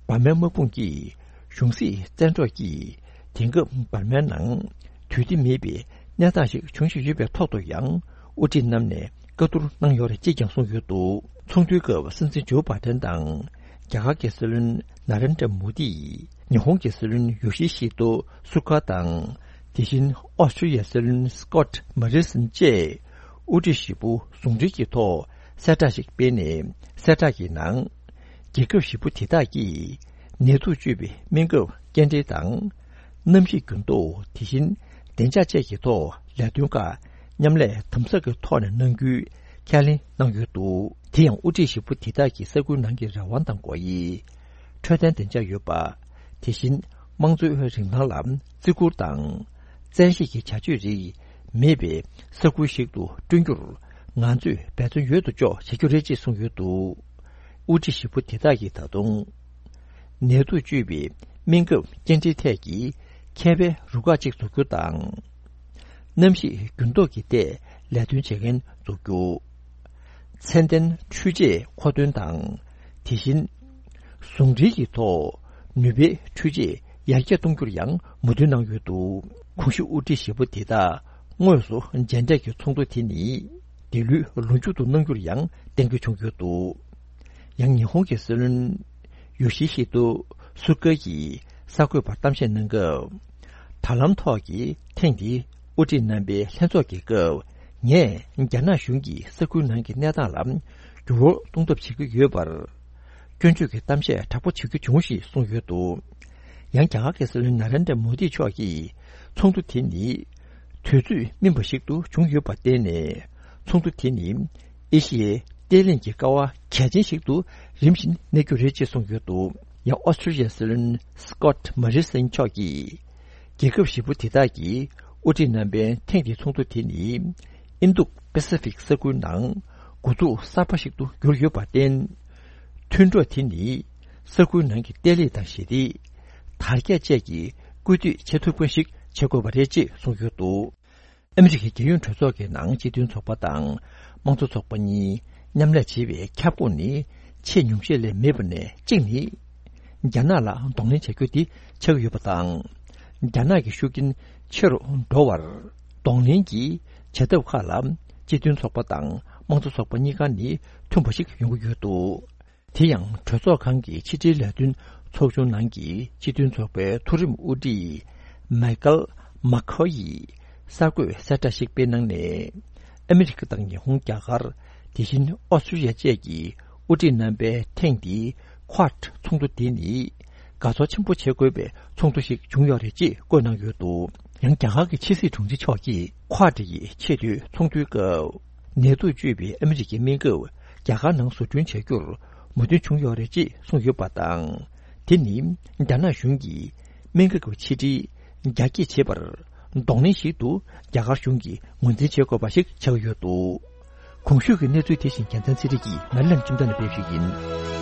འབར་མའི་དམག་དཔུང་གིས་གཞུང་སྲིད་བཙན་འཕྲོག་གིས་དེང་སྐབས་འབར་མའི་ནང་དུས་བདེ་མེད་པའི་གནས་སྟངས་ཤིག་འབྱུང་བཞིན་ཡོད་པའི་ཐོག་ཏུ་ཡང་། དབུ་ཁྲིད་རྣམས་ནས་བཀའ་བསྡུར་གནང་ཡོད་རེད་ཅེས་ཀྱང་གསུངས་ཡོད་འདུག་ཚོགས་འདུའི་སྐབས་སྲིད་འཛིན་ཇོ་བྷ་ཏན་དང་། རྒྱ་གར་གྱི་སྲིད་བློན་ན་རེན་དྲ་མོ་དི། ཉི་ཧོང་གི་སྲིད་བློན་ཡོ་ཤི་ཤི་ཏོ་སུ་ག་དང་། དེ་བཞིན་ཨོ་སི་ཀྲི་ཡའི་སྲིད་བློན་སི་ཀོད་མོ་རི་སན་བཅས་དབུ་ཁྲིད་བཞི་པོ་ཟུང་འབྲེལ་གྱི་ཐོག་གསལ་བསྒྲགས་ཤིག་སྤེལ་ནས། གསལ་བསྒྲགས་ཀྱི་ནང་། རྒྱལ་ཁབ་བཞི་པོ་དེ་དག་གིས་ནད་དུག་བཅོས་པའི་སྨན་ཁབ་སྐྱེལ་འདྲེན་དང་། གནམ་གཤིས་འགྱུར་ལྡོག་དེ་བཞིན་བདེ་འཇགས་བཅས་ཀྱི་ཐོག་ལས་དོན་ཁག་མཉམ་ལས་དམ་ཟབ་ཀྱི་ཐོག་ནས་གནང་རྒྱུའི་ཁས་ལེན་གནང་ཡོད་འདུག་དེ་ཡང་དབུ་ཁྲིད་བཞི་པོ་དེ་དག་གིས་ས་ཁུལ་ནང་གི་རང་དབང་དང་སྒོ་དབྱེ། འཕྲོད་བསྟེན་བདེ་འཇགས་ཡོད་པ། དེ་བཞིན་དམངས་གཙོའི་རིན་ཐང་ལ་བརྩི་བཀུར་དང་། བཙན་ཤེད་ཀྱི་བྱ་སྤྱོད་རིགས་མེད་པའི་ས་ཁུལ་ཞིག་ཏུ་བསྐྲུན་རྒྱུར་ང་ཚོས་འབད་བརྩོན་ཡོད་དོ་ཅོག་བྱེད་རྒྱུ་རེད་ཅེས་གསུངས་ཡོད་འདུག་དབུ་ཁྲིད་བཞི་པོ་དེ་དག་གིས་ད་དུང་། ནད་དུག་བཅོས་པའི་སྨན་ཁབ་སྐྱེལ་འདྲེན་ཐད་ཀྱི་མཁས་པའི་རུ་ཁག་ཅིག་འཛུགས་རྒྱུ་དང་། གནམ་གཤིས་འགྱུར་ལྡོག་གི་ཐད་ལས་དོན་བྱེད་མཁན་འཛུགས་རྒྱུ། ཚད་ལྡན་འཕྲུལ་ཆས་མཁོ་འདོན་དང་། དེ་བཞིན། ཟུང་འབྲེལ་གྱི་ཐོག་ནུས་པའི་འཕྲུལ་ཆས་ཡར་རྒྱས་གཏོང་རྒྱུར་ཡང་མོས་མཐུན་གནང་ཡོད་འདུག་གོང་ཞུས་དབུ་ཁྲིད་བཞི་པོ་དེ་དག་དངོས་སུ་མཇལ་འཕྲད་ཀྱི་ཚོགས་འདུ་དེ་ནི་འདི་ལོའི་ལོ་མཇུག་ཏུ་གནང་རྒྱུར་ཡང་གཏན་འཁེལ་བྱུང་ཡོད་འདུག་ཡང་ཉི་ཧོང་གི་སྲིད་བློན་ཡོ་ཤི་ཧི་ཏོ་སུ་ཀ་གིས་གསར་འགོད་པར་གཏམ་བཤད་གནང་སྐབས། དྲ་ལམ་ཐོག་གི་ཐེངས་འདིའི་དབུ་ཁྲིད་རྣམ་པའི་ལྷན་ཚོགས་ཀྱི་སྐབས། ངས་རྒྱ་ནག་གཞུང་གིས་ས་ཁུལ་ནང་གི་གནས་སྟངས་ལ་འགྱུར་བ་གཏོང་ཐབས་བྱེད་ཀྱི་ཡོད་པར། སྐྱོན་བརྗོད་ཀྱི་གཏམ་བཤད་དྲག་པོ་བྱེད་རྒྱུ་བྱུང་ཞེས་གསུངས་ཡོད་འདུག་ཡང་རྒྱ་གར་གྱི་སྲིད་བློན་ན་རེན་དྲ་མོ་དི་མཆོག་གིས་ཚོགས་འདུ་དེ་ནི་དུས་ཚོད་སྨིན་པ་ཞིག་ཏུ་བྱུང་ཡོད་པར་བརྟེན་ནས། ཚོགས་འདུ་དེ་ནི་ཨེ་ཤི་ཡའི་བརྟན་ལྷིང་གི་ཀ་བ་གལ་ཆེན་ཞིག་ཏུ་རིམ་བཞིན་གནས་རྒྱུ་རེད་ཅེས་གསུངས་ཡོད་འདུག་ཡང་ཨོ་སི་ཀྲི་ཡའི་སྲིད་བློན་སི་ཀོད་མོ་རི་སན་མཆོག་གིས། རྒྱལ་ཁབ་བཞི་པོ་དེ་དག་གིས་ དབུ་ཁྲིད་རྣམ་པའི་ཐེངས་འདིའི་ཚོགས་འདུ་དེ་ནི་ཨིན་རྡུ་པེ་སི་ཕིག་ས་ཁུལ་ནང་འགོ་འཛུགས་གསར་པ་ཞིག་ཏུ་གྱུར་ཡོད་པར་བརྟེན། མཐུན་གྲོགས་དེ་ནི་ས་ཁུལ་ནང་གི་བརྟན་ལྷིང་དང་ཞི་བདེ། དར་རྒྱས་བཅས་ཀྱི་སྐུལ་འདེད་བྱེད་ཐུབ་མཁན་ཞིག་བྱེད་དགོས་པ་རེད་ཅེས་གསུངས་ཡོད་འདུག་ཨ་མི་རི་ཀའི་རྒྱལ་ཡོངས་གྲོས་ཚོགས་ཀྱི་ནང་སྤྱི་མཐུན་ཚོགས་པ་དང་དམངས་གཙོ་ཚོགས་པ་གཉིས་མཉམ་ལས་བྱེད་པའི་ཁྱབ་ཁོངས་ནི་ཆེས་ཉུང་ཤས་ལས་མེད་པ་ནས་གཅིག་ནི། རྒྱ་ནག་ལ་གདོང་ལེན་བྱ་རྒྱུ་དེ་ཆགས་ཀྱི་ཡོད་པ་དང་། རྒྱ་ནག་གི་ཤུགས་རྐྱེན་ཆེ་རུ་འགྲོ་བར་གདོང་ལེན་གྱི་བྱ་ཐབས་ཁག་ལ་སྤྱི་མཐུན་ཚོགས་པ་དང་དམངས་གཙོ་ཚོགས་པ་གཉིས་ཀ་ནི་མཐུན་པ་ཞིག་ཡོང་གི་ཡོད་འདུག་དེ་ཡང་གྲོས་ཚོགས་ཁང་གི་ཕྱི་དྲིལ་ལས་དོན་ཚོགས་ཆུང་ནང་གི་སྤྱི་མཐུན་ཚོགས་པའི་མཐོ་རིམ་དབུ་ཁྲིད་མའི་ཀལ་མཱ་ཁོ་ཡིས་གསར་འགོད་གསལ་བསྒྲགས་ཤིག་སྤེལ་གནང་ནས། ཨ་མི་རི་ཀ་དང་ཉི་ཧོང་། རྒྱ་གར། དེ་བཞིན་ཨོ་སི་ཀྲི་ཡ་བཅས་ཀྱི་དབུ་ཁྲིད་རྣམ་པའི་ཐེངས་འདིའི་ཁོ་ཊ་ཚོགས་འདུ་དེ་ནི་དགའ་ཚོར་ཆེན་པོ་བྱེད་དགོས་པའི་ཚོགས་འདུ་ཞིག་བྱུང་ཡོད་རེད་ཅེས་བཀོད་གནང་ཡོད་འདུག་ཡང་རྒྱ་གར་གྱི་ཕྱི་སྲིད་དྲུང་ཆེ་མཆོག་གིས་ཁོ་ཊ་ཡི་ཆེས་མཐོའི་ཚོགས་འདུའི་སྐབས། ནད་དུག་བཅོས་པའི་ཨ་མི་རི་ཀའི་སྨན་ཁབ་རྒྱ་གར་ནང་བཟོ་སྐྲུན་བྱ་རྒྱུར་མོས་མཐུན་བྱུང་ཡོད་རེད་ཅེས་གསུངས་ཡོད་པ་དང་། དེ་ནི་རྒྱ་ནག་གཞུང་གིས་སྨན་ཁབ་ཀྱི་ཕྱི་འབྲེལ་རྒྱ་སྐྱེད་བྱེད་པར་གདོང་ལེན་ཞིག་ཏུ་རྒྱ་གར་གཞུང་གིས་ངོས་འཛིན་བྱེད་དགོས་པ་ཞིག་ཆགས་ཡོད་འདུག་གོང་ཞུས་ཀྱི་གནས་ཚུལ་དེ་བཞིན་རྒྱལ་མཚན་ཚེ་རིང་གིས་ང་ལན་ཁྲིམས་ཐང་ནས་སྤེལ་ཞུས་ཡིན།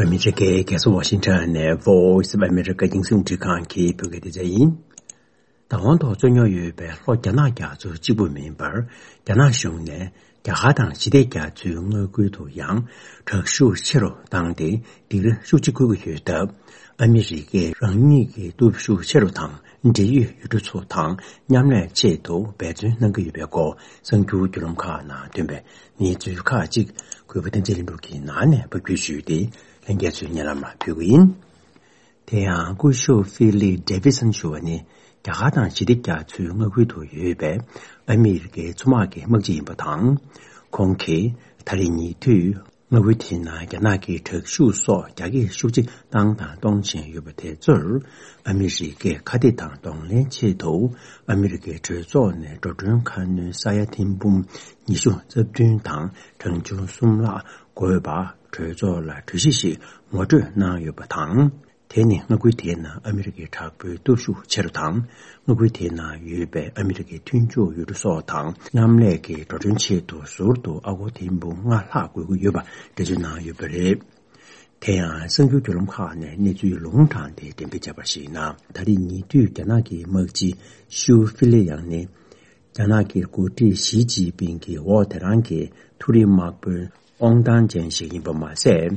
ཨ་མི་རི་ཀའི་རྒྱལ་ས་ཝ་ཤིང་ཊོན་ནས་Voice of America རྒྱང་སྲིང་རླུང་འཕྲིན་ཁང་གི་བོད་སྐད་སྡེ་ཚན་ཡིན། བདག་དབང་ཐོག་རྩོད་རྙོག་ཡོད་པའི་ལྷོ་རྒྱ་ནག་རྒྱ་མཚོ་གཅིག་པུ་མིན་པར། རྒྱ་ནག་གཞུང་ནས་རྒྱ་གར་དང་ཞི་བདེ་རྒྱ་མཚོའི་མངའ་ཁུལ་དུ་ཡང་དྲག་ཤུགས་ཆེ་རུ་བཏང་སྟེ། སྡིགས་ར་ཤུགས་ཆེ་སྐུལ་གྱི་ཡོད་སྟབས། ཨ་མི་རི་ཀས་རང་ཉིད་ཀྱི་སྟོབས་ཤུགས་ཆེ་རུ་དང་། འབྲེལ་ཡོད་ཡུལ་གྲུ་ཚོ་དང་མཉམ་ལས་ཆེད་དུ་འབད་བརྩོན་གནང་གི་ཡོད་པའི་སྐོར། གསར་འགྱུར་བརྒྱུད་ལམ་ཁག་ནང་ཐོན་པའི་གནས་ཚུལ་ཁག་ཅིག་གུས་པ་བསྟན་འཛིན་ལྷུན་གྲུབ་ཀྱིས་ནང་ནས་ཕབ་སྒྱུར་ཞུས་ཏེ། ལྷན་རྒྱས་ཚོའི་སྙན་ལམ་ལ་ཕུལ་གྱི་ཡིན། དེ་ཡང་སྐུ་ཞབས་ཧྥི་ལི་ཌེ་བྷི་སན་ཞུ་བ་ནི། རྒྱ་གར་དང་ཞི་བདེ་རྒྱ་མཚོའི་མངའ་ཁུལ་དུ་ཡོད་པའི་ཨ་མི་རི་ཀའི་མཚོ་དམག་གི་དམག་སྤྱི་ཡིན་པ་དང་། ཁོང་གིས་ད་རེས་ཉེ་དུས་མངའ་ཁུལ་དེའི་ནང་རྒྱ་ནག་གི་དྲག་ཤུགས་སོགས་རྒྱ་སྐྱེད་ཤུགས་ཆེ་བཏང་དང་གཏོང་བཞིན་ཡོད་པ་དེ་ཚོར། ཨ་མི་རི་ཀས་ཁ་གཏད་དང་གདོང་ལེན་ཆེད་དུ། ཨ་མི་རི་ཀའི་གྲོས་ཚོགས་ནས་འགྲོ་གྲོན་ཁ་སྣོན་ས་ཡ་ཐེར་འབུམ་ཉི་ཤུ་རྩ་བདུན་དང་གྲངས་ཆུང་གསུམ་ལྷག་དགོས་པ་གྲོས་ཚོགས་ལ་གྲོས་གཞི་ཞིག་ངོ་སྤྲོད་གནང་ཡོད་པ་དང་། དེ་ནི་མངའ་ཁུལ་དེའི་ནང་ཨ་མི་རི་ཀའི་དྲག་པོའི་སྟོབས་ཤུགས་ཆེ་རུ་དང་། མངའ་ཁུལ་དེའི་ནང་ཡོད་པའི་ཨ་མི་རི་ཀའི་མཐུན་ཕྱོགས་ཡུལ་གྲུ་སོགས་དང་མཉམ་ལས་ཀྱི་འགྲོ་གྲོན་ཆེད་དུ་ཟུར་དུ་ཨ་སྒོར་ཐེར་འབུམ་ལྔ་ལྷག་དགོས་ཀྱི་ཡོད་པ་འགྲེལ་བརྗོད་གནང་ཡོད་པ་རེད། དེ་ཡང་གསར་འགྱུར་བརྒྱུད་ལམ་ཁག་ནས་གནས་ཚུལ་ལུང་དྲངས་ཏེ་འགྲེམས་སྤེལ་བྱས་པར་གཞིགས་ན། ད་རེས་ཉེ་དུས་རྒྱ་ནག་གི་དམག་སྤྱི་ཞུ་ཧྥི་ལེ་ཡང་ནི། རྒྱ་ནག་གི་འགོ་ཁྲིད་ཞི་ཅིན་ཕིང་གི་འོག་དེ་རང་གི་མཐོ་རིམ་དམག་དཔོན་དབང་ཐང་ཅན་ཞིག་ཡིན་པ་མ་ཟད།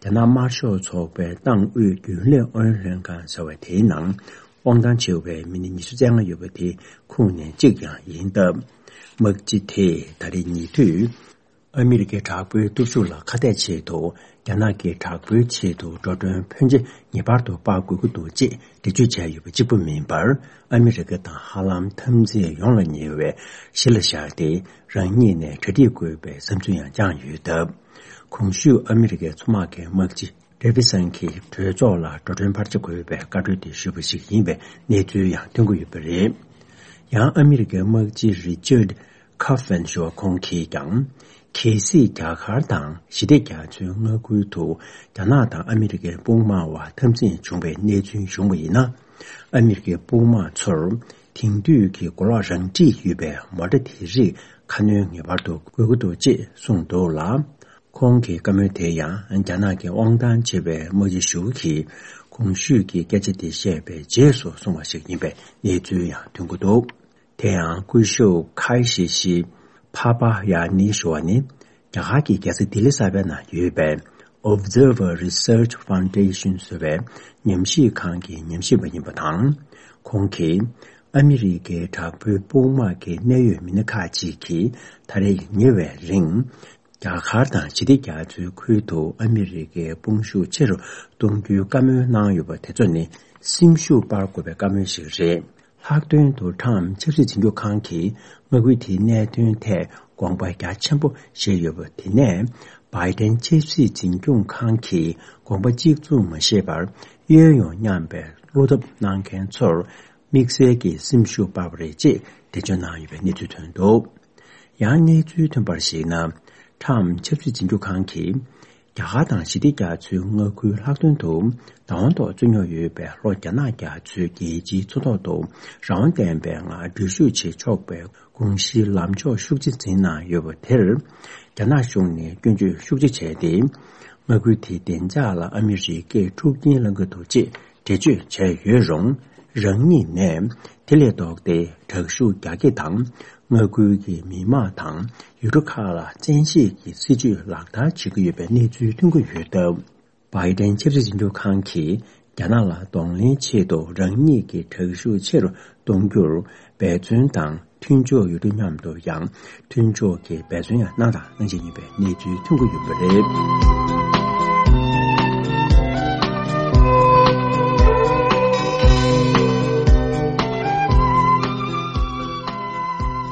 རྒྱ་ནག་དམར་ཤོག་ཚོགས་པའི་ཏང་ཨུད་རྒྱུན་ལས་ཨུ་ཡོན་ལྷན་ཁང་ཟེར་བ་དེའི་ནང་དབང་ཐང་ཆེ་བའི་མི་སྣ་ཉི་ཤུ་རྩ་ལྔ་ཡོད་པ་དེའི་ཁོངས་ནས་གཅིག་ཀྱང་ཡིན་སྟབས། དམག་སྤྱི་དེས་ད་རེས་ཉེ་དུས། ཨ་མི་རི་ཀའི་དྲག་པོའི་སྟོབས་ཤུགས་ལ་ཁ་གཏད་ཆེད་དུ། རྒྱ་ནག་གི་དྲག་པོའི་ཆེད་དུ་འགྲོ་གྲོན་ཕོན་ཆེ་ངེས་པར་དུ་སྤར་དགོས་ཀྱི་འདུག་ཅེས་འགྲེལ་བརྗོད་བྱས་ཡོད་པ་གཅིག་པུ་མིན་པར། ཨ་མི་རི་ཀ་དང་ཧ་ལམ་འཐབ་འཛིང་ཡོངས་ལ་ཉེ་བའི་གཞི་ལ་བཞག་སྟེ། རང་ཉིད་ནས་གྲ་སྒྲིག་དགོས་པའི་བསམ་ཚུལ་ཡང་བཅངས་ཡོད་སྟབས། གོང་ཞུས་ཨ་མི་རི་ཀའི་མཚོ་དམག་གི་དམག་སྤྱི་ཌེ་བྷི་སན་གྱིས་གྲོས་ཚོགས་ལ་འགྲོ་གྲོན་ཕར་ཆེ་དགོས་པའི་བཀའ་འཁྲོལ་དེ་ཞུས་པ་ཞིག་ཡིན་པའི་གནས་ཚུལ་ཡང་ཐོན་གྱི་ཡོད་པ་རེད། ཡང་ཨ་མི་རི་ཀའི་དམག་སྤྱི་རི་ཅར་ཁ་ཕན་ཞུ་བ་ཁོང་གིས་ཀྱང་། གལ་སྲིད་རྒྱ་གར་དང་ཞི་བདེ་རྒྱ་མཚོའི་མངའ་ཁུལ་དུ་རྒྱ་ནག་དང་ཨ་མི་རི་ཀའི་དཔུང་དམག་བར་འཐབ་འཛིང་བྱུང་བའི་གནས་ཚུལ་བྱུང་བ་ཡིན་ན། ཨ་མི་རི་ཀའི་དཔུང་དམག་ཚོར་དེང་དུས་ཀྱི་གོ་ལོག་རང་འཁྲིད་ཡོད་པའི་མོ་ཊ་དེ་རིགས་ཁ་སྣོན་ངེས་པར་དུ་དགོས་ཀྱི་འདུག་ཅེས་གསུངས་འདུག་ལ། ཁོང་གི་བཀའ་མོལ་དེ་ཡང་རྒྱ་ནག་གི་དབང་ཐང་ཆེ་བའི་དམག་སྤྱི་ཞུ་གིས་གོང་ཞུས་ཀྱི་སྐད་ཆ་དེ་བཤད་པའི་རྗེས་སུ་གསུངས་པ་ཞིག་ཡིན་པའི་གནས་ཚུལ་ཡང་ཐོན་གྱི་འདུག་དེ་ཡང་སྐུ་ཞབས་ཁའི་ཤི་ཤི་ཕ་པ་ཡ་ནི་ཞུ་བ་ནི། རྒྱ་གར་གྱི་རྒྱལ་ས་ལྡི་ལི་གསར་པའི་ནང་ཡོད་པའི་Observer Research Foundation ཟེར་བའི་ཉམས་ཞིབ་ཁང་གི་ཉམས་ཞིབ་པ་ཡིན་པ་དང་། ཁོང་གིས་ཨ་མི་རི་ཀའི་དྲག་པོའི་དཔུང་དམག་གི་གནད་ཡོད་མི་སྣ་ཁག་ཅིག་གིས་ད་རེས་ཉེ་བའི་རིང་། རྒྱ་གར་དང་ཞི་བདེ་རྒྱ་མཚོའི་ཁུལ་དུ་ཨ་མི་རི་ཀའི་དཔུང་ཤུགས་ཆེ་རུ་གཏོང་རྒྱུའི་བཀའ་མོལ་གནང་ཡོད་པ་དེ་ཚོ་ནི་སེམས་ཤུགས་སྤར་དགོས་པའི་བཀའ་མོལ་ཞིག་རེད། ལྷག་དོན་དུ་ཁྲམ་ཆབ་སྲིད་འཛིན་སྐྱོང་ཁང་གིས་མངའ་ཁུལ་དེའི་གནད་དོན་ཐད་དགོངས་པ་རྒྱ་ཆེན་པོ་བཞེས་ཡོད་པ་དེ་ནས། བྷའི་ཏན་ཆབ་སྲིད་འཛིན་སྐྱོང་ཁང་གིས་དགོངས་པ་གཅིག་མཚུངས་མ་བཞེས་པར། གཡས་གཡོན་མཉམ་པའི་བློ་འཐབ་གནང་མཁན་ཚོར། དམིགས་བསལ་གྱི་སེམས་ཤུགས་སྤར་བ་རེད་ཅེས་འགྲེལ་བརྗོད་གནང་ཡོད་པའི་གནས་ཚུལ་ཐོན་འདུག་ཡང་གནས་ཚུལ་ཐོན་པར་གཞིགས་ན། ཁྲམ་ཆབ་སྲིད་འཛིན་སྐྱོང་ཁང་གིས། རྒྱ་གར་དང་ཞི་བདེ་རྒྱ་མཚོའི་མངའ་ཁུལ་ལྷག་དོན་དུ་བདག་དབང་ཐོག་བཙུགས་མྱོང་ཡོད་པའི་ལྷོ་རྒྱ་ནག་རྒྱ་མཚོའི་རྒྱལ་སྤྱིའི་མཚོ་ཐོག་ཏུ་རང་དབང་ལྡན་པའི་ངང་འགྲུལ་བཞུད་བྱེད་ཆོག་པའི་དགོངས་གཞིའི་ལམ་ཕྱོགས་ཤུགས་ཆེ་འཛིན་གནང་ཡོད་པ་དེར། རྒྱ་ནག་གཞུང་ནས་སྐྱོན་བརྗོད་ཤུགས་ཆེ་བྱས་ཏེ། མངའ་ཁུལ་དེའི་བདེ་འཇགས་ལ་ཨ་མི་རི་ཀས་འཁྲུག་རྐྱེན་སློང་གི་འདུག་ཅེས་འགྲེལ་བརྗོད་བྱས་ཡོད་རུང་། རང་ཉིད་ནས་དེ་ལས་ལྡོག་སྟེ་དྲག་ཤུགས་རྒྱག་གི་དང་། མངའ་ཁུལ་གྱི་མི་དམངས་དང་ཡུལ་གྲུ་ཁག་ལ་བཙན་ཤེད་ཀྱི་སྲིད་བྱུས་ལག་བསྟར་བྱེད་ཀྱི་ཡོད་པའི་གནས་ཚུལ་ཐོན་གྱི་ཡོད་སྟབས། བྷའི་ཏན་ཆབ་སྲིད་འཛིན་སྐྱོང་ཁང་གིས་རྒྱ་ནག་ལ་གདོང་ལེན་ཆེད་དུ་རང་ཉིད་ཀྱི་དྲག་ཤུགས་ཆེ་རུ་གཏོང་རྒྱུར་འབད་བརྩོན་དང་། མཐུན་ཕྱོགས་ཡུལ་གྲུ་མཉམ་དུ་ཡང་མཐུན་ཕྱོགས་ཀྱི་འབད་བརྩོན་ཡང་གནང་དང་གནང་བཞིན་ཡོད་པའི་གནས་ཚུལ་ཐོན་གྱི་ཡོད་པ་རེད།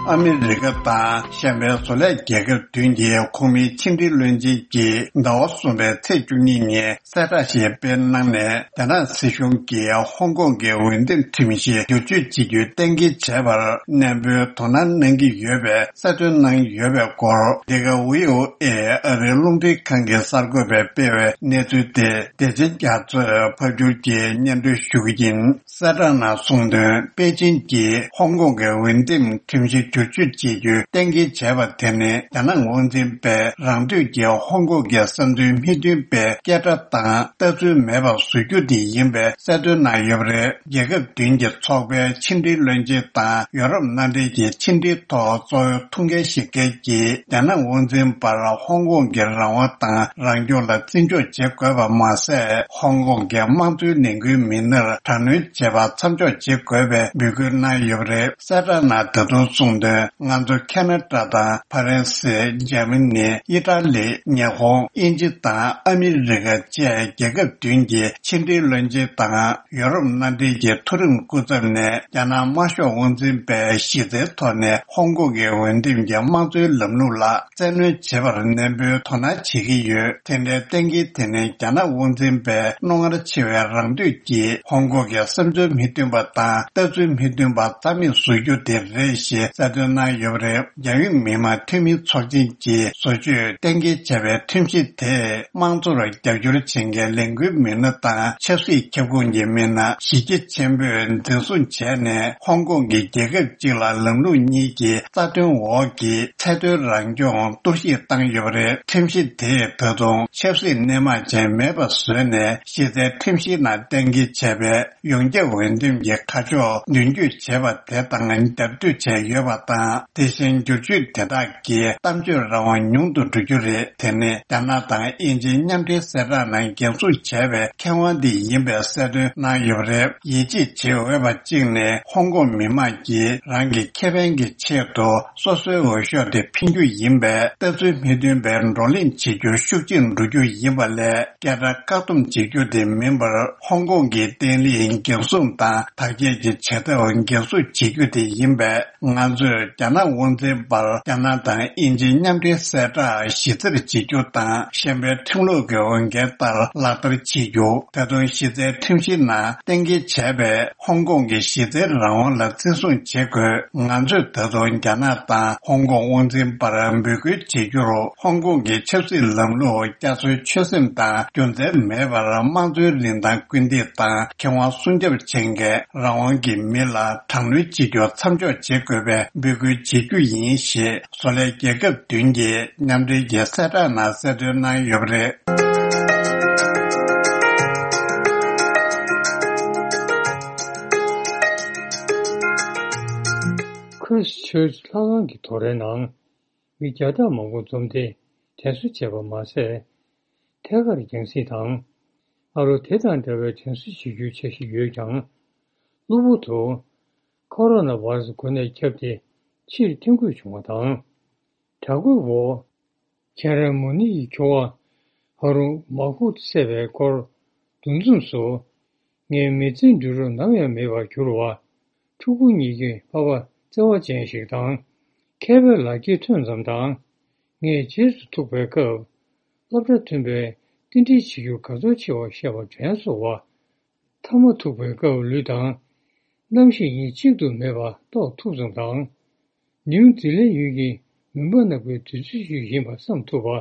ཨ་མི་རི་ཀ་དང་གཞན་པའི་བཟོ་ལས་རྒྱལ་ཁབ་བདུན་གྱི་ཁོངས་མིའི་ཕྱི་འབྲེལ་བློན་ཆེན་གྱིས་ཟླ་བ་གསུམ་པའི་ཚེས་བཅུ་གཉིས་ཉིན་གསལ་བསྒྲགས་ཤིག་སྤེལ་གནང་ནས། རྒྱ་ནག་སྲིད་གཞུང་གིས་ཧོང་ཀོང་གི་འོས་འདེམས་ཁྲིམས་གཞི་བསྒྱུར་བཅོས་བྱེད་རྒྱུའི་གཏན་འཁེལ་བྱས་པར་ནན་པོའི་དོ་སྣང་གནང་གི་ཡོད་པའི་གསལ་སྟོན་གནང་ཡོད་པའི་སྐོར། འདི་ག་ཝི་ཨོ་ཨེ་ཨ་རིའི་རླུང་འཕྲིན་ཁང་གི་གསར་འགོད་པས་སྤེལ་བའི་གནས་ཚུལ་དེ། བདེ་ཆེན་རྒྱ་མཚོས་ཕབ་སྒྱུར་གྱིས་སྙན་སྒྲོན་ཞུ་གི་ཡིན། གསལ་བསྒྲགས་ནང་གསུངས་དོན། པེ་ཅིན་གྱིས་ཧོང་ཀོང་གི་འོས་འདེམས་ཁྲིམས་གཞི་བསྒྱུར་བཅོས་བྱེད་རྒྱུའི་གཏན་འཁེལ་བྱས་པ་དེ་ནི། རྒྱ་ནག་དབང་འཛིན་པས་རང་འདོད་ཀྱིས་ཧོང་ཀོང་གི་བསམ་ཚུལ་མི་མཐུན་པའི་སྐད་སྒྲ་དང་ལྟ་ཚུལ་མེད་པར་བཟོ་རྒྱུ་དེ་ཡིན་པའི་གསལ་སྟོན་གནང་ཡོད་པ་རེད། རྒྱལ་ཁབ་བདུན་གྱི་ཚོགས་པའི་ཕྱི་འབྲེལ་བློན་ཆེན་དང་ཡོ་རོབ་མནའ་འབྲེལ་གྱི་ཕྱི་འབྲེལ་ཐོག་གཙོ་བོའི་ཐུགས་འགན་བཞེས་མཁན་གྱིས། རྒྱ་ནག་དབང་འཛིན་པར་ཧོང་ཀོང་གི་རང་དབང་དང་རང་སྐྱོང་ལ་བརྩི་འཇོག་བྱེད་དགོས་པ་མ་ཟད། ཧོང་ཀོང་གི་དམངས་གཙོའི་ལས་འགུལ་མི་སྣར་དྲག་གནོན་བྱེད་པ་མཚམས་འཇོག་བྱེད་དགོས་པའི་འབོད་སྐུལ་གནང་ཡོད་པ་རེད། གསལ་བསྒྲགས་ནང་ད་དུང་གསུངས་དོན། ང་ཚོ་ཁ་ན་ཌ་དང་ཕ་རན་སི། འཇར་མ་ནི། ཨི་ཊ་ལི། ཉི་ཧོང་། དབྱིན་ཇི་དང་ཨ་མི་རི་ཀ་བཅས་རྒྱལ་ཁབ་བདུན་གྱི་ཕྱི་འབྲེལ་བློན་ཆེན་དང་ཡོ་རོབ་མནའ་འབྲེལ་གྱི་མཐོ་རིམ་སྐུ་ཚབ་ནས། རྒྱ་ནག་དམར་ཤོག་དབང་འཛིན་པས་གཞི་རྩའི་ཐོག་ནས་ཧོང་ཀོང་གི་འོས་འདེམས་ཀྱི་དམངས་གཙོའི་ལམ་ལུགས་ལ་བཙན་གནོན་བྱེད་པར་ནན་པོའི་དོ་སྣང་བྱེད་ཀྱི་ཡོད། དེ་འདྲའི་གཏན་འཁེལ་དེ་ནི་རྒྱ་ནག་དབང་འཛིན་པས་རྣོ་ངར་ཆེ་བའི་རང་འདོད་ཀྱིས་ཧོང་ཀོང་གི་བསམ་ཚུལ་མི་མཐུན་པ་དང་ལྟ་ཚུལ་མི་མཐུན་པ་རྩ་མེད་བཟོ་རྒྱུ་དེ་རེད་ཞེས་གསལ་སྟོན་གནང་ཡོད་པ་རེད། རྒྱལ་ཡོངས་མི་དམངས་འཐུས་མིའི་ཚོགས་ཆེན་གྱིས་བཟོ་བཅོས་གཏན་འཁེལ་བྱས་པའི་ཁྲིམས་གཞི་དེས་དམངས་གཙོར་རྒྱབ་སྐྱོར་བྱེད་མཁན་ལས་འགུལ་མི་སྣ་དང་ཆབ་སྲིད་ཁྱབ་ཁོངས་ཀྱི་མི་སྣ་གཞི་རྒྱ་ཆེན་པོས་འཛིན་བཟུང་བྱས་ནས། ཧོང་ཀོང་གི་རྒྱལ་ཁབ་གཅིག་ལ་ལམ་ལུགས་གཉིས་ཀྱི་རྩ་དོན་འོག་གི་ཚད་མཐོའི་རང་སྐྱོང་གཏོར་བཤིག་བཏང་ཡོད་པ་རེད། ཁྲིམས་གཞི་དེས་ད་དུང་ཆབ་སྲིད་གནས་མལ་ཅན་མེད་པ་བཟོས་ནས། གཞི་རྩའི་ཁྲིམས་གཞིའི་ནང་གཏན་འཁེལ་བྱས་པའི་ཡོངས་ཁྱབ་འོས་འདེམས་ཀྱི་ཁ་ཕྱོགས་མདུན་སྐྱོད་བྱས་པ་དེ་དང་རྒྱབ་གཏོད་བྱས་ཡོད་པ་དང་། དེ་བཞིན་བསྒྱུར་བཅོས་དེ་དག་གིས་གཏམ་བརྗོད་རང་དབང་ཉུང་དུ་འགྲོ་རྒྱུ་རེད། དེ་ནི་རྒྱ་ནག་དང་དབྱིན་ཇིའི་མཉམ་འབྲེལ་གསལ་བསྒྲགས་ནང་འགན་སྲུང་བྱས་པའི་ཁེ་དབང་དེ་ཡིན་པའི་གསལ་སྟོན་གནང་ཡོད་པ་རེད། ཡིད་ཆེས་བྱེད་འོས་པ་གཅིག་ནི། ཧོང་ཀོང་མི་དམངས་ཀྱིས་རང་གི་ཁེ་ཕན་གྱི་ཆེད་དུ་སོ་སོའི་འོས་ཤོག་དེ་འཕེན་རྒྱུ་ཡིན་པས། ལྟ་ཚུལ་མི་མཐུན་པའི་བགྲོ་གླེང་བྱེད་རྒྱུ་ཤུགས་ཆེར་འགྲོ་རྒྱུ་ཡིན་པ་ལས། སྐད་སྒྲ་བཀག་སྡོམ་བྱེད་རྒྱུ་དེ་མིན་པར། ཧོང་ཀོང་གི་བརྟན་ལྷིང་འགན་སྲུང་དང་དར་རྒྱས་ཀྱི་བྱེད་ཐབས་འགན་སྲུང་བྱེད་རྒྱུ་དེ་ཡིན་པས། ང་ཚོས་རྒྱ་ནག་དབང་འཛིན་པར་རྒྱ་ནག་དང་དབྱིན་ཇིའི་མཉམ་འབྲེལ་གསལ་བསྒྲགས་གཞི་རྩར་བྱེད་རྒྱུ་དང་། གཞན་པའི་ཁྲིམས་ལུགས་ཀྱི་འོས་འགན་ལྟར་ལག་བསྟར་བྱེད་རྒྱུ། ད་དུང་གཞི་རྩའི་ཁྲིམས་གཞིའི་ནང་གཏན་འཁེལ་བྱས་པའི་ཧོང་ཀོང་གི་གཞི་རྩའི་རང་དབང་ལ་བརྩི་སྲུང་བྱེད་དགོས། ང་ཚོས་ད་དུང་རྒྱ་ནག་དང་ཧོང་ཀོང་དབང་འཛིན་པར་འབོད་སྐུལ་བྱེད་རྒྱུར། ཧོང་ཀོང་གི་ཆབ་སྲིད་ལམ་ལུགས་རྒྱ་མཚོའི་ཆོད་སེམས་དང་རྒྱུ་མཚན་མེད་པར་དམངས་གཙོའི་རིན་ཐང་སྐུལ་འདེད་དང་ཁེ་དབང་སྲུང་སྐྱོབ་བྱེད་མཁན་རང་དབང་གི་མི་ལ་དྲག་གནོན་བྱེད་རྒྱུ་མཚམས་འཇོག་བྱེད་དགོས་པའི་འབོད་སྐུལ་བྱེད་རྒྱུ་ཡིན་ཞེས། བཟོ་ལས་རྒྱལ་ཁབ་བདུན་གྱི་མཉམ་འབྲེལ་གྱི་གསལ་བསྒྲགས་ནང་གསལ་སྟོན་གནང་ཡོད་པ་རེད། ཁྲིས་ཆར་ཆི་ལྷ་ཁང་གི་དོ་རའི་ནང་མི་བརྒྱ་ཕྲག་མང་པོ་འཛོམས་ཏེ་དྲན་གསོ་བྱས་པ་མ་ཟད། ཐད་ཀར་རྒྱང་སྲིང་དང་། ཨ་རོ་དེ་དང་འདྲ་བའི་དྲན་གསོ་བྱེད་རྒྱུའི་འཆར་གཞི་ཡོད་ཀྱང་། གློ་བུར་དུ་ཁོ་རོ་ན་བྷ་ར་སི་འགོས་ནད་ཁྱབ་སྟེ་ཕྱིར་ཐོན་དགོས་བྱུང་བ་དང་། དྲག་རྒོལ་འོག་ཁྱེད་རང་མོ་ནི་ཡི་ཁྱོ་བ་ཧ་རུ་མ་ཧུ་བསད་པའི་སྐོར་འདུ་འཛོམས་སུ། ངའི་མི་ཚེའི་འགྲུལ་རོགས་ནམ་ཡང་མེད་པར་གྱུར་བ། ཕྲུ་གུ་གཉིས་ཀྱི་ཕ་པ་བརྩེ་བ་ཅན་ཞིག་དང་། མཁས་པའི་ལག་འཁྱེར་ཐོན་ཙམ་དང་། ངས་རྗེས་སུ་ཐུག་པའི་སྐབས། སློབ་གྲྭ་མཐུན་པའི་རྟེན་འབྲེལ་བྱེད་རྒྱུ་ག་ཚོད་ཆེ་བ་བཤད་པ་དྲན་སོང་བ། མཐའ་མ་ཐུག་པའི་སྐབས་ལུས་དང་། རྣམ་ཤེས་གཉིས་གཅིག་ཏུ་མེད་པ་རྟོགས་ཐུབ་ཙམ་དང་། ནིའུ་ཛི་ལན་ཡུལ་གྱི་ མུན་པ་ནག་པོའི་དུས་ཚོད་ཅིག་ཡིན་པ་བསམ་ཐུབ་པ།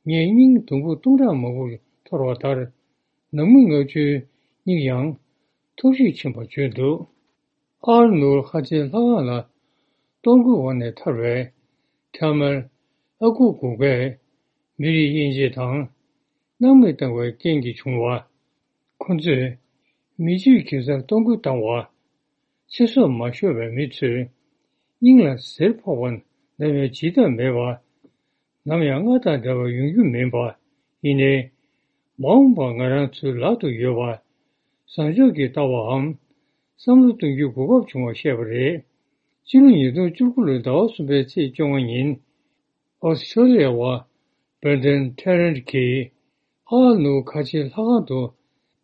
ངས་སྙིང་དུམ་བུ་སྟོང་ཕྲག་མང་པོ་འཐོར་བ་ལྟར། ནང་མི་ལྔ་བཅུའི་སྙིང་ཡང་ཐོར་ཞིག་ཕྱིན་པ་བརྗོད་འདུག། ཨར་ནུར་ཧ་ཅེ་ལྷ་ཁང་ལ་གཏོར་རྒོལ་འོག་ནས་ཐར་བའི་ཐ་མལ་ཨ་ཁུ་གུག་པས་མི་རིགས་དབྱེ་འབྱེད་དང་། སྣང་མེད་བཏང་བའི་རྐྱེན་གྱིས་བྱུང་བ། ཁོ་ཚོས་མི་ཆོས་གེ་སར་གཏོར་རྒོལ་བཏང་བ། ཚེ་སྲོག་མ་ཤོར་བའི་མི་ཚོས་སྙིང་ལ་གཟེར་ཕོག་པ་ནམ་ཡང་ཇི་ལྟར་མེད་པ། ནམ་ཡང་སྔར་དང་འདྲ་བར་ཡོང་རྒྱུ་མིན་པ། ཡིན་ནའི། མ་འོངས་པར་ང་རང་ཚོའི་ལག་ཏུ་ཡོད་པ། བཟང་ཕྱོགས་ཀྱི་ལྟ་བའམ། བསམ་བློ་གཏོང་རྒྱུའི་གོ་སྐབས་བྱུང་བ་བཤད་པ་རེད། སྤྱི་ལོ་ཉིས་སྟོང་བཅུ་དགུ་ལོའི་ཟླ་བ་གསུམ་པའི་ཚེས་བཅོ་ལྔ་ཉིན། ཨོ་སི་ཁྲོ་ལི་ཡ་བ་བྷར་ཌན་ཐེ་རན་གྱིས་ཨ་ནུ་ཁ་ཆེ་ལྷ་ཁང་དུ་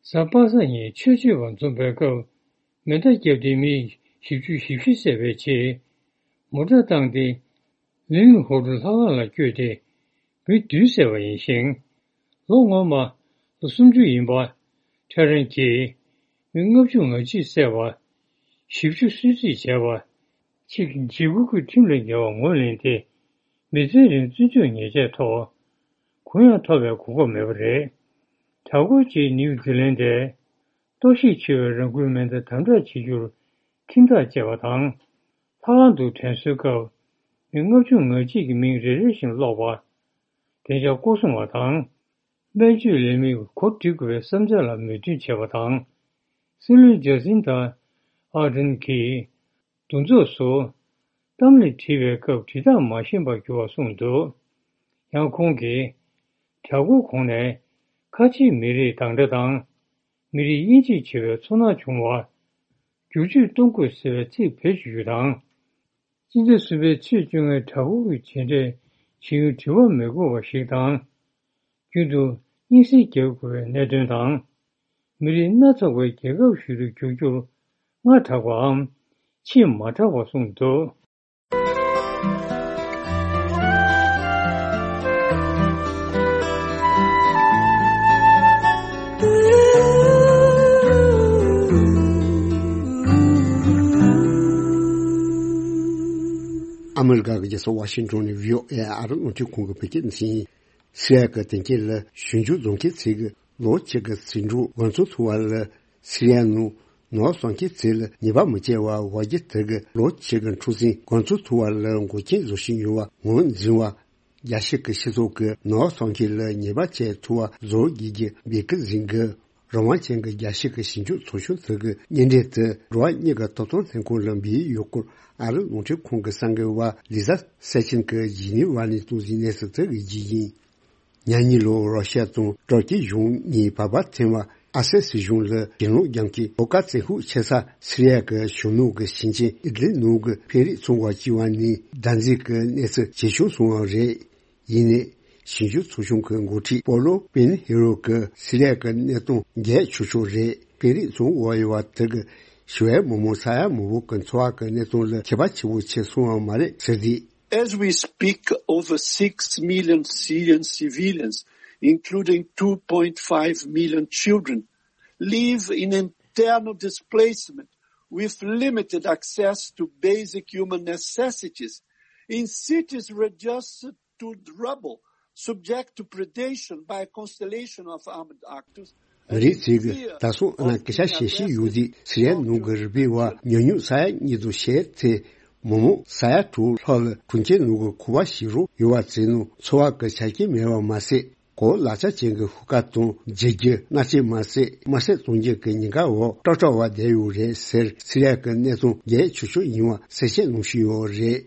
གཟའ་པ་སངས་ཉིན་ཆོས་སྤྱོད་པ་འཛོམས་པའི་སྐབས། མེ་མདའ་བརྒྱབ་སྟེ་མི་བཞི་བཅུ་ཞེ་བཞི་བསད་པའི་རྗེས། མོ་ཊ་བཏང་སྟེ་ལིན་ཧོ་ཏུ་ལྷ་ཁང་ལ་བསྐྱོད་དེ་མི་བདུན་བསད་པ་ཡིན་ཞིང་། ལོ་སྔོན་མ་ལོ་སུམ་ཅུ་ཡིན་པ་ཐེ་རན་གྱིས་མི་ལྔ་བཅུ་ང་གཅིག་བསད་པ། བཞི་བཅུ་གསོད་རྩིས་བྱས་པ། ཅིག་འཇིགས་སྐུལ་གྱི་ཁྲིམས་ལས་འགལ་བ་ངོས་ལེན་ཏེ། མི་ཚེ་རིང་བཙོན་འཇུག་ཉེས་ཆད་ཐོབ། གུ་ཡངས་ཐོབ་པའི་གོ་སྐབས་མེད་པ་རེད། གྲྭ་སྐོར་གྱིས་ནིའུ་ཛི་ལན་ཏེ། གཏོར་བཤིག་ཆེ་བའི་རང་འགུལ་མེ་མདའ་དམ་དྲག་བྱེད་རྒྱུར་ཁྱིམ་བདག་བཅས་པ་དང་། ལྷ་ཁང་དུ་དྲན་གསོའི་སྐབས་མི་ལྔ་བཅུ་ང་གཅིག་གི་མིང་རེ་རེ་བཞིན་ཀློག་པ། བདེ་འཇགས་སྐོར་སྲུང་བ་དང་། སྨན་བཅོས་ལས་མིར་གོ་སྒྲིག་དགོས་པའི་བསམ་འཆར་ལ་མོས་མཐུན་བྱས་པ་དང་། སྲིད་བློན་ཇ་སིན་ད་ཨར་ཌན་གྱིས། འདུ་ཚོགས་སུ་གཏམ་ལས་བྲིས་པའི་སྐབས་འབྲི་སྟངས་མ་ཤེས་པར་གྱུར་བ་གསུངས་འདུག། ཡང་ཁོང་གིས་གྲྭ་སྐོར་གོང་ནས་ཁ་ཆེའི་མི་རིགས་དང་འདྲ་དང་། མི་རིགས་དབྱེ་འབྱེད་བྱེད་པའི་ཚོར་སྣང་བྱུང་བ། བསྒྱུར་བཅོས་གཏོང་དགོས་ཟེར་བའི་ཚིག་བེད་སྤྱོད་རྒྱུ་དང་། སྤྱི་ཟླ་གསུམ་པའི་ཚེས་བཅོ་ལྔའི་གྲྭ་སྐོར་གྱི་མཇལ་འཕྲད་བྱེད་ཡུན་དྲི་བ་མི་དགོས་པ་ཞིག་དང་། རྒྱུན་དུ་སྙན་སེང་རྒྱག་དགོས་པའི་གནད་དོན་དང་། མི་རིགས་སྣ་ཚོགས་པའི་རྒྱལ་ཁབ་ཞིག་ཏུ་འགྱུར་རྒྱུར་སྔ་དྲགས་པའམ་ཕྱིས་མ་དྲགས་པ་གསུངས་འདུག། ཨ་མི་རི་ཀ་གི་རྒྱལ་ས་ཝ་ཤིང་ཊོན་ནས་བྷི་ཨོ་ཨེ་ཨ་རི་རླུང་འཕྲིན་ཁང་གི་བོད་སྐད་སྡེ་ཚན་ཡིན། སི་རི་ཡ་གི་དོན་རྐྱེན་ལ་ཞིབ་འཇུག་རྫོང་ཁྱིམ་ཚང་གི་ལོ་གཅིག་གི་ཟིང་འཁྲུག་འགོ་ཚུགས་ཐུབ་པ་ལ། སི་རི་ཡ་ནང་ནོར་བ་གསོག་མཁན་ཚོ་ལ་ཉེས་པ་མི་བྱེད་པར་འོ་བརྒྱལ་དེ་གི་ལོ་གཅིག་གི་འཁྲུག་ཟིང་འགོ་ཚུགས་ཐུབ་པ་ལ་འགོག་རྐྱེན་བཟོ་བཞིན་ཡོད་པ་ངོས་འཛིན་པ། རྒྱལ་སྤྱི་གི་སྤྱི་ཚོགས་ཀྱི་ནོར་བ་གསོག་མཁན་ལ་ཉེས་པ་བྱེད་ཐུབ་པ་བཟོ་དགོས་ཀྱི་འབོད་སྐུལ་ཟིན་གི། རང་དབང་ཅན་གྱི་རྒྱལ་སྤྱི་གི་ཞིབ་འཇུག་ཚོགས་ཆུང་དེ་གི་སྙན་འགྲེལ་དེ་འགྲོ་བ་མིའི་ཐོབ་ཐང་ལྷན་ཁང་ལ་འབུལ་ཡོད་སྐོར་ཨ་རི་རླུང་འཕྲིན་ཁང་གི་གསར་འགོད་པ་ལི་ཟ་སེ་ཆིན་གྱིས་ཇི་ནི་ཝ་ནས་གཏོང་ཟིན་གནས་ཚུལ་དེ་གི་རྒྱུ་ཡིན། ཉ་ཉི་ལོར་རོ་ཤ་དང་ཏུར་ཀི་གཞུང་གཉིས་བར་པར་འཐེན་པ། ཨ་སད་སྲིད་གཞུང་ལ་གྱེན་ལོག་རྒྱབ་མཁན་ལྷོ་ཁ་བཙན་ཤུགས་ཆེ་ས་སི་རི་ཡ་གི་གཞོན་ནུ་གི་ཞིང་ཆེན་ཨི་ལི་ནུ་གི་ཕན་རེས་ཚོང་པ་གཅིག་བ་ནས་བདག་འཛིན་གྱི་གནས་ཚུལ་ཇེ་ཆུང་སོང་བ་རེད། ཡིན་ནའི་ཞིབ་འཇུག་ཚོགས་ཆུང་གི་འགོ་ཁྲིད་པོ་ལོ་པིན་ཧེ་རོ་གིས་སི་རི་ཡ་གི་གནས་སྟངས་རྒྱས་ཆོག་ཆོག་རེད། ཕན་རེས་ཚོང་པ་ཡོད་པ་དེ་གིས་ཞི་བའི་མི་མང་ས་ཡ་མང་པོ་གི་འཚོ་བ་གི་གནས་སྟངས་ལ་ཁྱད་པར་ཆེན་པོ་ཕྱིན་སོང་བ་མ་རེད་ཟེར་ཏེ། As we speak, over six million Syrian civilians, including two point five million children, live in internal displacement with limited access to basic human necessities, in cities reduced to rubble, subject to predation by a constellation of armed actors. མི་རིགས་ཚོས་ད་སོང་ཨ་ན་སྐད་ཆ་བཤད་བཞིན་ཡོད་དུས་སི་རི་ཡ་ནང་གི་རུ་སྦལ་བ་ཉུང་ཉུང་ས་ཡ་གཉིས་དང་ཕྱེད་ཚེ། མི་མང་ས་ཡ་དྲུག་ལྷག་ལ་གྲོང་ཁྱེར་ནང་གི་ཁང་པ་ཞིག་རུ་ཡོད་པ་ཚོའི་ནང་འཚོ་བ་གི་ཆ་རྐྱེན་མེད་པ་མ་ཟད། གོ་ལག་ཆ་ཅན་གྱི་ཤུགས་ཀ་དང་འཇིབ་རྒྱུ། མནར་གཅོད་མ་ཟད་དམར་གསོད་གཏོང་རྒྱུ་གི་ཉེན་ཁ་འོག་སྐྲག་སྐྲག་པ་བསྡད་ཡོད་རེད་ཟེར། སི་རི་ཡ་གི་གནས་སྟངས་རྒྱས་ཆོག་ཆོག་ཡིན་པ་གསལ་བཤད་གནང་བཞིན་ཡོད་རེད།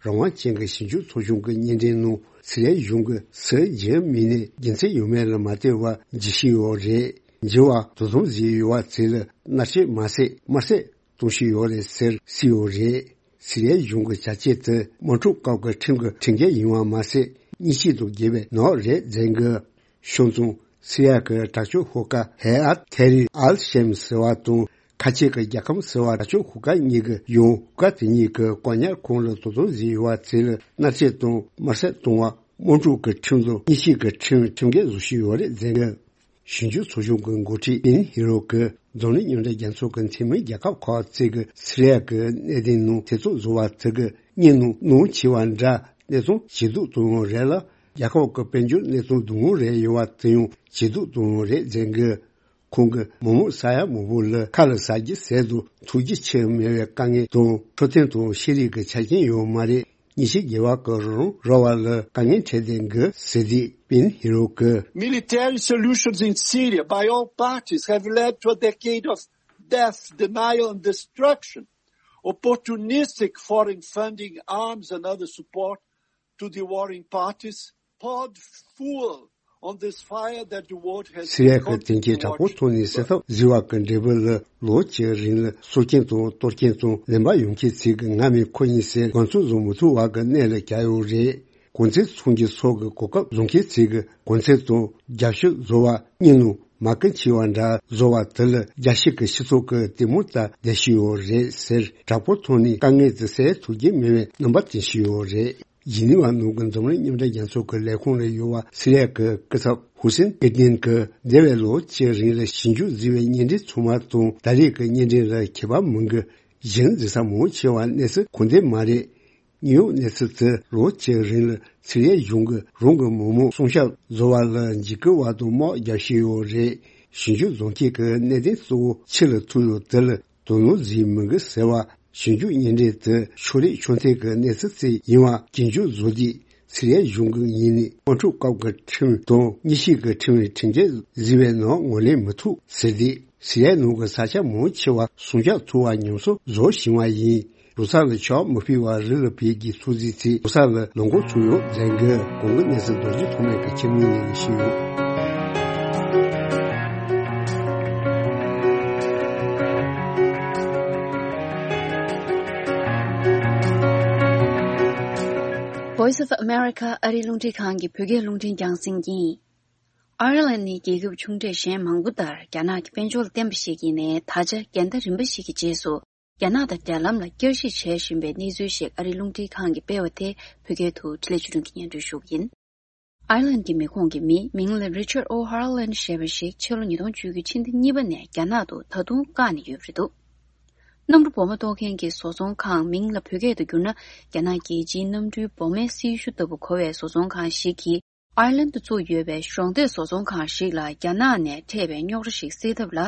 རང་དབང་ཅན་གྱི་ཞིབ་འཇུག་ཚོགས་ཆུང་གི་སྙན་འགྲེལ་ནང་སི་རི་ཡའི་གཞུང་གིས་སུ་འཇིབ་མིན་ནས་རྒྱུ་མཚན་ཡོད་མེད་ལ་མ་ལྟོས་པར་འཇིབ་བཞིན་ཡོད་རེད། འཇིབ་པ་དོ་དམ་བཟོས་ཡོད་པ་ཚོ་ལ་མནར་གཅོད་མ་ཟད་དམར་གསོད་གཏོང་བཞིན་ཡོད་རེད་ཟེར་གསུངས་ཡོད་རེད། སི་རི་ཡའི་གཞུང་གི་བྱ་སྤྱོད་དེ་དམག་འཁྲུག་སྐབས་ཀྱི་ཁྲིམས་ཀྱི་ཁྲིམས་འགལ་ཡིན་པ་མ་ཟད་སྙན་ཞུ་དང་འགལ་བའི་ནོར་རེད་ཟེར་གི། བྱས་ཙང་སི་རི་ཡ་གི་དྲག་སྤྱོད་ཤོག་ཁག་ཧེ་ཨ་ཐེ་རི་ཨལ་ཤེམ་ཟེར་བ་དང་ཁ་ཆེ་གི་རྒྱལ་ཁམས་ཟེར་བ་དྲག་སྤྱོད་ཤོག་ཁག་གཉིས་ཀྱི་ཡང་ཤོག་ཁག་དེ་གཉིས་ཀྱི་བཀག་ཉར་ཁང་ལ་དོ་དམ་བཟོས་ཡོད་པ་ཚོ་ལ་མནར་གཅོད་དང་དམར་གསོད་གཏོང་བ། དམག་འཁྲུག་གི་ཁྲིམས་དང་སྙན་ཞུ་གི་ཁྲིམས་ཁྲིམས་འགལ་བཟོ་བཞིན་ཡོད་རེད་ཟེར་གི། ཞིབ་འཇུག་ཚོགས་ཆུང་གི་འགོ་ཁྲིད་པིན་ཧི་རོ་གིས་འཛམ་གླིང་མཉམ་འབྲེལ་རྒྱལ་ཚོགས་ཀྱི་འཐུས་མི་རྒྱལ་ཁབ་ཁག་ཅིག་གིས་སི་རི་ཡ་གི་གནད་དོན་ནང་ཐེ་ཚོམ་བཟོ་བ་དེ་གི་སྙིང་ནང་གནོད་ཆེ་བ་འདྲ། གནས་སྟངས་ཇེ་སྡུག་ཏུ་ཡོང་རེད་ལ། རྒྱལ་ཁབ་ཀྱི་དཔལ་འབྱོར་གནས་སྟངས་སྡུག་མོ་རེད་ཡོད་པ་དེ་ཡང་ཇེ་སྡུག་ཏུ་ཡོང་རེད་ཟེར་གི། ཁོང་གིས་མི་མང་ས་ཡ་མང་པོ་ལ་ཁ་ལ་ཟ་རྒྱུ་ཟད་དུ་ཐུག་རྒྱུ་ཆེར་མེད་པའི་དཀའ་ངལ་དང་འཕྲོད་བསྟེན་དང་ཤེས་རིག་གི་ཆ་རྐྱེན་ཡོད་མ་རེད། ཉིན་ཤས་རྒྱལ་བ་གི་རང་ར་བ་ལ་དཀའ་ངལ་འཕྲད་བསྡད་འགི་ཟེར་དུས་པིན་ཧི་རོ་གི། Military solutions in Syria by all parties have led to a decade of death, denial and destruction. Opportunistic foreign funding, arms and other support to the warring parties poured fuel on this fire that the world has སི་རི་ཡ་གི་བརྟེན་ཆའི་དྲག་པོ་ཐོག་ནས་སེལ་ཐབས་བཟོས་པ་གི་འབྲས་བུ་ལ་ལོ་གཅིག་རིང་ལ་སྲོག་སྐྱོན་དང་གཏོར་སྐྱོན་དང་ལན་པ་ཡོང་མཁན་ཚོས་གི་ང་མི་ཁོ་ཡིན་ཟེར་དགོངས་ཚུལ་བཟོ་མི་ཐུབ་པ་གི་གནས་ལ་གྱར་ཡོད་རེད། གོང་ཚད་ཚོང་གི་ཚོགས་ཀྱི་གོ་སྐབས་བཟུང་མཁན་ཚོས་གི་གོང་ཚད་དང་རྒྱབ་ཤོག་བཟོ་བ་གཉིས་ནང་མ་ཀི་ཆེ་བ་འདྲ་བཟོ་བ་དེ་ལ་རྒྱལ་སྤྱི་གི་སྤྱི་ཚོགས་ཀྱི་ལྟད་མོ་ལྟ་བསྡད་ཤི་ཡོད་རེད་ཟེར། དྲག་པོ་ཐོག་ནས་དཀའ་ངལ་དེ་སེལ་ཐུབ་ཀྱི་མེད་པའི་རྣམ་པ་སྟོན་ཤི་ཡོད་རེད། ཇི་ནི་ཝ་ནང་གི་འཛམ་གླིང་མཉམ་འབྲེལ་རྒྱལ་ཚོགས་ཀྱི་ལས་ཁུངས་ལ་ཡོད་པ་སི་རི་ཡ་གི་སྐུ་ཚབ་ཧུ་སེན་ཨེ་ཏིན་གྱིས་འདས་པའི་ལོ་གཅིག་རིང་ལ་ཞིབ་འཇུག་བཟོས་པའི་བརྙན་འཕྲིན་ཚང་མ་དང་ད་རེས་ཀྱི་བརྙན་འཕྲིན་ལ་ཁྱད་པར་མི་འགི། གཞན་འཛིན་ས་མང་ཆེ་བ་གནས་ཚུལ་གང་ལྡན་མ་རེད། དངོས་ཡོད་གནས་ཚུལ་དེ་ལོ་གཅིག་རིང་ལ་སི་རི་ཡའི་གཞུང་གིས་རང་གི་མི་མང་སྲུང་སྐྱོབ་བཟོ་བ་ལ་འཇིགས་སྐུལ་བ་དང་དམག་རྒྱག་བཞིན་ཡོད་རེད། ཞིབ་འཇུག་བཟོ་མཁན་གྱི་གནད་དོན་གཙོ་བོ་ཕྱི་ལ་ཐུག་ཡོད་དེ་ལ་དོ་སྣང་བཟོས་མི་འགི་ཟེར་བ། ཞིབ་འཇུག་བརྙན་འཕྲིན་དེ་ཕྱོགས་རིས་ཕྱོགས་མཐུན་གྱི་གནས་ཚུལ་ཅིག་ཡིན་པ་རྒྱུན་འཁྱོངས་བཟོ་དུས་སི་རི་ཡའི་གཞུང་གི་ངོས་ནས་དམག་འཁྲུག་སྐབས་ཀྱི་ཁྲིམས་དང་གཉིས་ཤིག་གི་ཁྲིམས་ཁྲིམས་འགལ་བཟོས་པའི་ནང་ངོས་ལེན་མི་ཐུབ་ཟེར་ཏེ། སི་རི་ཡའི་ནང་གི་ས་ཆ་མང་ཆེ་བ་སྲུང་སྐྱོབ་ཐུབ་པ་ཉམས་གསོ་བཟོ་བཞིན་པ་ཡིན། རུ་ས་ལ་ཆག་མི་ཕོད་པ་རི་ལ་བུད་ཀྱི་ཚོད་རྫས་ཚོས་རུ་ས་ལ་ལངས་འགོ་ཚུགས་ཡོད་ཟེར་གི། གོང་གི་གནས་ཚུལ་རྡོ་རྗེ་ཐོགས་མེད་ཀྱིས་ཁྱིམ་ནས་ལས་ཀྱི་ཞུས་ཡོད། Voice of America ཨ་རིའི་རླུང་འཕྲིན་ཁང་གི་བོད་སྐད་རླུང་འཕྲིན་རྒྱང་སྲིང་ཡིན། ཨའེར་ལན་ནི་རྒྱལ་ཁབ་ཆུང་གྲས་གཞན་མང་པོ་ལྟར་རྒྱ་ནག་གི་དཔལ་འབྱོར་ལ་བརྟེན་པ་ཞིག་ཡིན་ནའི་ད་ཆ་འགལ་ཟླ་རིམ་པ་ཞིག་གི་རྗེས་སུ་རྒྱ་ནག་དང་འབྲེལ་ལམ་ལ་བསྐྱར་ཞིབ་བྱེད་བཞིན་པའི་གནས་ཚུལ་ཞིག་ཨ་རིའི་རླུང་འཕྲིན་ཁང་གིས་སྤེལ་བ་དེ་བོད་སྐད་དུ་འཕྲིན་ལས་ཆོས་སྒྲོན་གྱིས་སྙན་སྒྲོན་ཞུ་གི་ཡིན། ཨའེར་ལན་གྱི་མི་ཁོངས་ཀྱི་མི་མིང་ལ་Richard O'Halloran ཞེས་པ་ཞིག་ཕྱི་ལོ་ཉིས་སྟོང་བཅུ་དགུ་ཕྱི་ཟླ་གཉིས་པ་ནས་རྒྱ་ནག་ཏུ་ད་དུང་བཀག་ནས་ཡོད་པ་རེད་འདུག་གནམ་གྲུ་འབབ་མ་གཏོང་མཁན་གྱི་བཟོ་ཚོང་ཁང་མིང་ལ་བོད་སྐད་དུ་བསྒྱུར་ན་རྒྱ་ནག་རྒྱལ་སྤྱིའི་གནམ་གྲུའི་འབབ་མའི་སྲི་ཞུ་ལྟ་བུ་གོ་བའི་བཟོ་ཚོང་ཁང་ཞིག་གིས། ཨའེར་ལན་དུ་བཙུགས་ཡོད་པའི་གཞོགས་འདེགས་བཟོ་ཚོང་ཁང་ཞིག་ལ་རྒྱ་ནག་ནས་འཕྲད་པའི་རྙོག་དྲ་ཞིག་སེལ་ཐབས་ལ།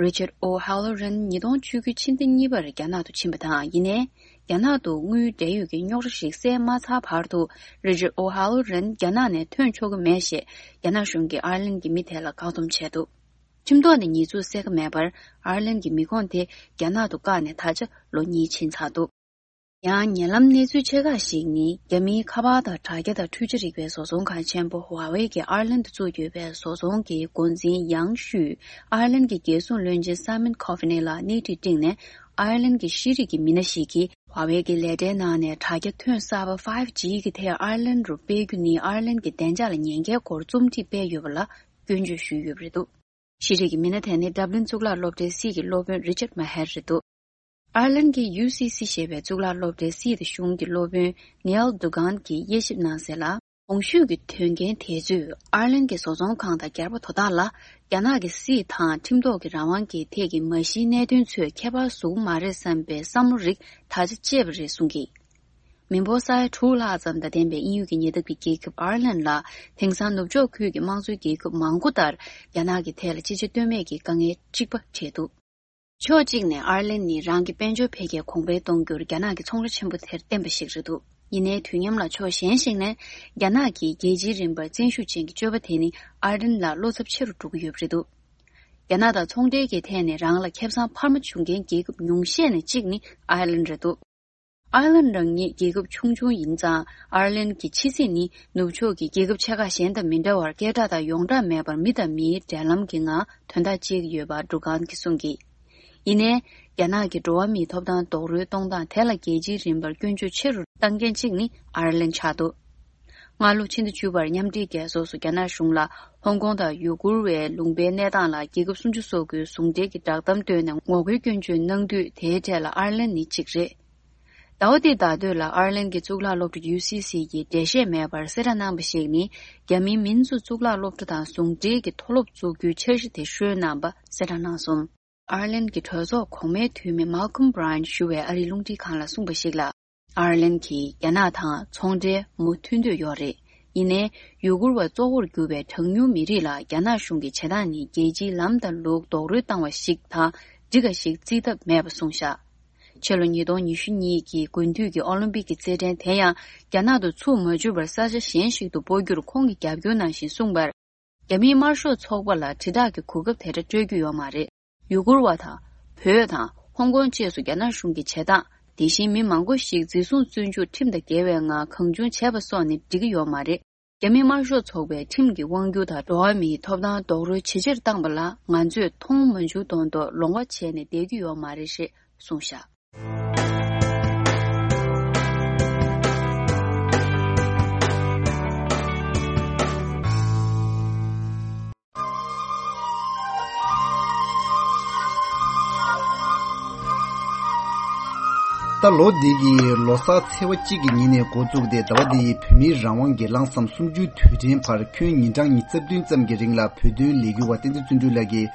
Richard O'Halloran ཉིས་སྟོང་བཅུ་དགུ་ཕྱི་ཟླ་གཉིས་པར་རྒྱ་ནག་ཏུ་ཕྱིན་པ་དང་། ཡིན་ནའི། རྒྱ་ནག་ཏུ་དངུལ་འབྲེལ་ཡོད་ཀྱི་རྙོག་དྲ་ཞིག་སེལ་མ་ཚར་བར་དུ། Richard O'Halloran རྒྱ་ནག་ནས་ཐོན་ཆོག་གི་མེད་ཞེས་རྒྱ་ནག་གཞུང་གིས་ཨའེར་ལན་གྱི་མི་དེ་ལ་བཀག་སྡོམ་བྱས་འདུག་ཁྲིམས་ཐོག་ནས་ཉེས་འཛུགས་གསལ་ཁ་མེད་པར། ཨའེར་ལན་གྱི་མི་ཁོངས་དེ་རྒྱ་ནག་ཏུ་བཀག་ནས་ད་ཆ་ལོ་གཉིས་ཕྱིན་ཚར་འདུག་ཡང་ཉེ་ལམ་གནས་ཚུལ་ཆེ་ཁག་ཞིག་ནི། རྒྱ་མིའི་ཁ་པར་དང་དྲ་རྒྱ་དང་འཕྲུལ་ཆས་རིག་པའི་བཟོ་ཚོང་ཁང་ཆེན་པོ་ཧྭ་ཝེ་གིས་ཨར་ལན་དུ་བཙུགས་ཡོད་པའི་བཟོ་ཚོང་གི་འགོ་འཛིན་ཡང་ཤུས། ཨར་ལན་གྱི་རྒྱལ་སྲུང་བློན་ཆེན་སཱི་མོན་ཁོ་ཧྥི་ནི་ལ་སྣེ་ཁྲིད་བསྒྲིགས་ནས། ཨར་ལན་གྱི་ཤེས་རིག་གི་མི་སྣ་ཞིག་གིས་ཧྭ་ཝེ་གི་ལས་གྲྭའི་ནང་ནས་དྲ་རྒྱ་ཐོན་གསར་པ་ཕའིབ་ཇི་གི་ཐད་ཨར་ལན་རུ་སྤེལ་རྒྱུ་ནི། ཨར་ལན་གྱི་བདེ་འཇགས་ལ་ཉེན་ཁའི་སྐོར་རྩོམ་སྒྲིག་སྤེལ་ཡོད་པ་ལ་སྐྱོན་བརྗོད་ཞུས་ཡོད་པ་རེད་འདུག་ཤེས་རིག་གི་མི་སྣ་དེ་ནི་ཌབ་ལིན་གཙུག་ལག་སློབ་གྲྭའི་སྲིད་ཀྱི་སློབ་དཔོན་རི་ཅར་མ་ཧེར་རེད་འདུག་ཨར་ལན་གྱི་ཡུ་སི་སི་ཞེས་པའི་གཙུག་ལག་སློབ་གྲྭའི་སྲིད་དང་གཞུང་གི་སློབ་དཔོན་ནེལ་ཌུ་གན་གྱིས་དབྱེ་ཞིབ་གནང་གསལ་ལ། གོང་ཞུས་ཀྱི་དོན་རྐྱེན་དེ་ཚོས་ཨར་ལན་གྱི་བཟོ་ཚོང་ཁང་དང་སྒེར་པ་དོ་བདག་ལ་རྒྱ་ནག་གི་སྲིད་དང་ཁྲིམས་ཐོག་གི་རང་དབང་གི་ཐད་ཀྱི་མ་གཞིའི་གནད་དོན་ཚོས་ཁྱད་པར་བཟོ་གི་མ་རེད་བསམ་པའི་བསམ་བློ་རིགས་ད་ཆ་སྐྱེས་པ་རེད་གསུངས་ཀྱིས། མི་འབོར་ས་ཡ་དྲུག་ལྷག་ཙམ་དང་ལྡན་པའི་དབྱིན་ཡུལ་གྱི་ཉེ་འདབས་ཀྱི་རྒྱལ་ཁབ་ཨར་ལན་ལ། དེང་སང་ནུབ་ཕྱོགས་ཁུལ་གྱི་དམངས་གཙོའི་རྒྱལ་ཁབ་མང་པོ་ལྟར་རྒྱ་ནག་གི་ཐད་ལ་ཅི་བྱ་གཏོལ་མེད་ཀྱི་དཀའ་ངལ་གཅིག་པ་འཕྲད་འདུག་ཕྱོགས་གཅིག་ནས་ཨར་ལན་ནི་རང་གི་དཔལ་འབྱོར་འཕེལ་རྒྱས་གོང་འཕེལ་གཏོང་རྒྱུར་རྒྱ་ནག་གི་ཚོང་ར་ཆེན་པོ་དེར་བརྟེན་པ་ཞིག་རེད་འདུག་ཡིན་ནའི་དུས་མཉམ་ལ་ཕྱོགས་གཞན་ཞིག་ནས་རྒྱ་ནག་གིས་རྒྱལ་སྤྱིའི་རིམ་པར་བཙན་ཤུགས་ཅན་གྱི་སྤྱོད་པ་དེ་ནི་ཨར་ལན་ལ་བློ་འཚབ་ཆེ་རུ་འགྲོ་གི་ཡོད་པ་རེད་འདུག་རྒྱ་ནག་དང་ཚོང་འབྲེལ་གྱི་ཐད་ནས་རང་ལ་ཁེ་བཟང་འཕར་མ་བྱུང་མཁན་རྒྱལ་ཁབ་ཉུང་ཤས་ནས་གཅིག་ནི་ཨར་ལན་རེད་འདུག་ཨར་ལན་རང་ཉིད་རྒྱལ་ཁབ་ཆུང་ཆུང་ཡིན་ཙང་། ཨར་ལན་གྱི་ཕྱི་སྲིད་ནི་ནུབ་ཕྱོགས་ཀྱི་རྒྱལ་ཁབ་ཆེ་ཁག་གཞན་དང་མི་འདྲ་བར་སྐད་གྲགས་དང་ཡོངས་གྲགས་མེད་པར་མི་དང་མིའི་འབྲེལ་ལམ་གྱི་ངང་དོན་དག་བྱེད་ཀྱི་ཡོད་པ་ཌུ་གན་གྱིས་གསུངས་ཀྱིས། ཡིན་ནའི། རྒྱ་ནག་གི་འགྲོ་བ་མིའི་ཐོབ་ཐང་རྡོག་རོལ་གཏོང་སྟངས་དེ་ལ་རྒྱལ་སྤྱིའི་རིམ་པར་སྐྱོན་བརྗོད་ཆེ་རུ་བཏང་མཁན་གཅིག་ནི་ཨར་ལན་ཆགས་འདུག་སྔ་ལོ་ཕྱི་ཟླ་བཅུ་པར་མཉམ་འབྲེལ་རྒྱལ་ཚོགས་སུ་རྒྱ་ནག་གཞུང་ལ་ཧོང་ཀོང་དང་ཡུ་གུར་བའི་ལུང་པའི་གནས་སྟངས་ལ་རྒྱལ་ཁབ་སུམ་ཅུ་སོ་དགུའི་ཟུང་འབྲེལ་གྱི་བསྒྲགས་གཏམ་བཏོན་ནས་ངོ་རྒོལ་སྐྱོན་བརྗོད་གནང་དུས། དེའི་གྲས་ལ་ཨར་ལན་ནི་གཅིག་རེད། ཟླ་བ་འདིའི་ཟླ་སྟོད་ལ་ཨར་ལན་གྱི་གཙུག་ལག་སློབ་གྲྭ་ཡུ་སི་སི་ཡིས་འགྲེལ་བཤད་མེད་པར་གསལ་བསྒྲགས་གནང་བ་ཞིག་ནི། རྒྱ་མིའི་མིན་ཙུ་གཙུག་ལག་སློབ་གྲྭ་དང་ཟུང་འབྲེལ་གྱི་མཐོ་སློབ་བཙུགས་རྒྱུའི་འཆར་གཞི་དེ་ཧྲོལ་གནང་པ་གསལ་བསྒྲགས་གནང་སོང་། ཨར་ལན་གྱི་གྲོས་ཚོགས་གོང་མའི་འཐུས་མི་མཱལ་ཁོམ་བྷི་རའེན་ཞུ་བས་ཨ་རིའི་རླུང་འཕྲིན་ཁང་ལ་གསུངས་པ་ཞིག་ལ། ཨར་ལན་གྱིས་རྒྱ་ནག་དང་ཚོང་འབྲེལ་མུ་མཐུད་འདོད་ཡོད་རེད། ཡིན་ནའི་ཡུ་གུར་བ་གཙོ་བོར་གྱུར་པའི་གྲངས་ཉུང་མི་རིགས་ལ་རྒྱ་ནག་གཞུང་གི་བྱེད་སྟངས་ནི་རྒྱལ་སྤྱིའི་ལམ་དང་ལུགས་རྡོག་རོལ་བཏང་བ་ཞིག་དང་འགྲིག་ག་ཞིག་བརྩི་ཐབས་མེད་པ་གསུངས་བཞག་ཕྱི་ལོ་ཉིས་སྟོང་ཉི་ཤུ་གཉིས་ཀྱི་དགུན་དུས་ཀྱི་ཨོ་ལིམ་པིག་གི་རྩེད་འགྲན་དེ་ཡང་རྒྱ་ནག་ཏུ་ཚུགས་མ་བཅུག་པར་ས་ཆ་གཞན་ཞིག་ཏུ་སྤོ་རྒྱུར་ཁོང་གི་རྒྱབ་སྐྱོར་ནང་བཞིན་གསུངས་པར། རྒྱ་མིའི་དམར་ཤོག་ཚོགས་པ་ལ་དྲིལ་བསྒྲགས་ཀྱི་གོ་སྐབས་དེ་འདྲ་སྤྲོད་རྒྱུ་ཡོད་མ་རེད། ཡུ་གུར་བ་དང་། བོད་དང་། ཧོང་ཀོང་བཅས་སུ་རྒྱ་ནག་གཞུང་གི་བྱེད་སྟངས། དེ་བཞིན་མི་མང་པོ་ཞིག་འཛིན་བཟུང་བཙོན་འཇུག་ཁྲིམས་དང་འགལ་བའི་ངང་གང་བྱུང་བྱས་པ་སོགས་ནི་འགྲིག་གི་ཡོད་མ་རེད། རྒྱ་མིའི་དམར་ཤོག་ཚོགས་པས་ཁྲིམས་ཀྱི་དབང་སྒྱུར་དང་འགྲོ་བ་མིའི་ཐོབ་ཐང་རྡོག་རོལ་ཇེ་ཆེར་བཏང་པ་ལ་ང་ཚོས་མཐོང་མ་བྱུང་དོན་དུ་ལོང་བ་བྱས་ནས་བསྡད་རྒྱུ་ཡོད་མ་རེད་ཞེས་གསུངས་བཞག་ད་ལོ་འདི་གི་ལོ་གསར་ཚེས་པ་གཅིག་གི་ཉིན་ནས་འགོ་བཙུགས་ཏེ་ཟླ་བ་འདིའི་བོད་མིའི་རང་དབང་གི་ལྷག་བསམ་གསུམ་བཅུའི་དུས་དྲན་བར་ཁྱོན་ཉིན་གྲངས་ཉི་ཤུ་རྩ་བདུན་ཙམ་གྱི་རིང་ལ་བོད་དོན་ལས་འགུལ་བ་བསྟན་འཛིན་བརྩོན་འགྲུས་ལགས་ཀྱིས་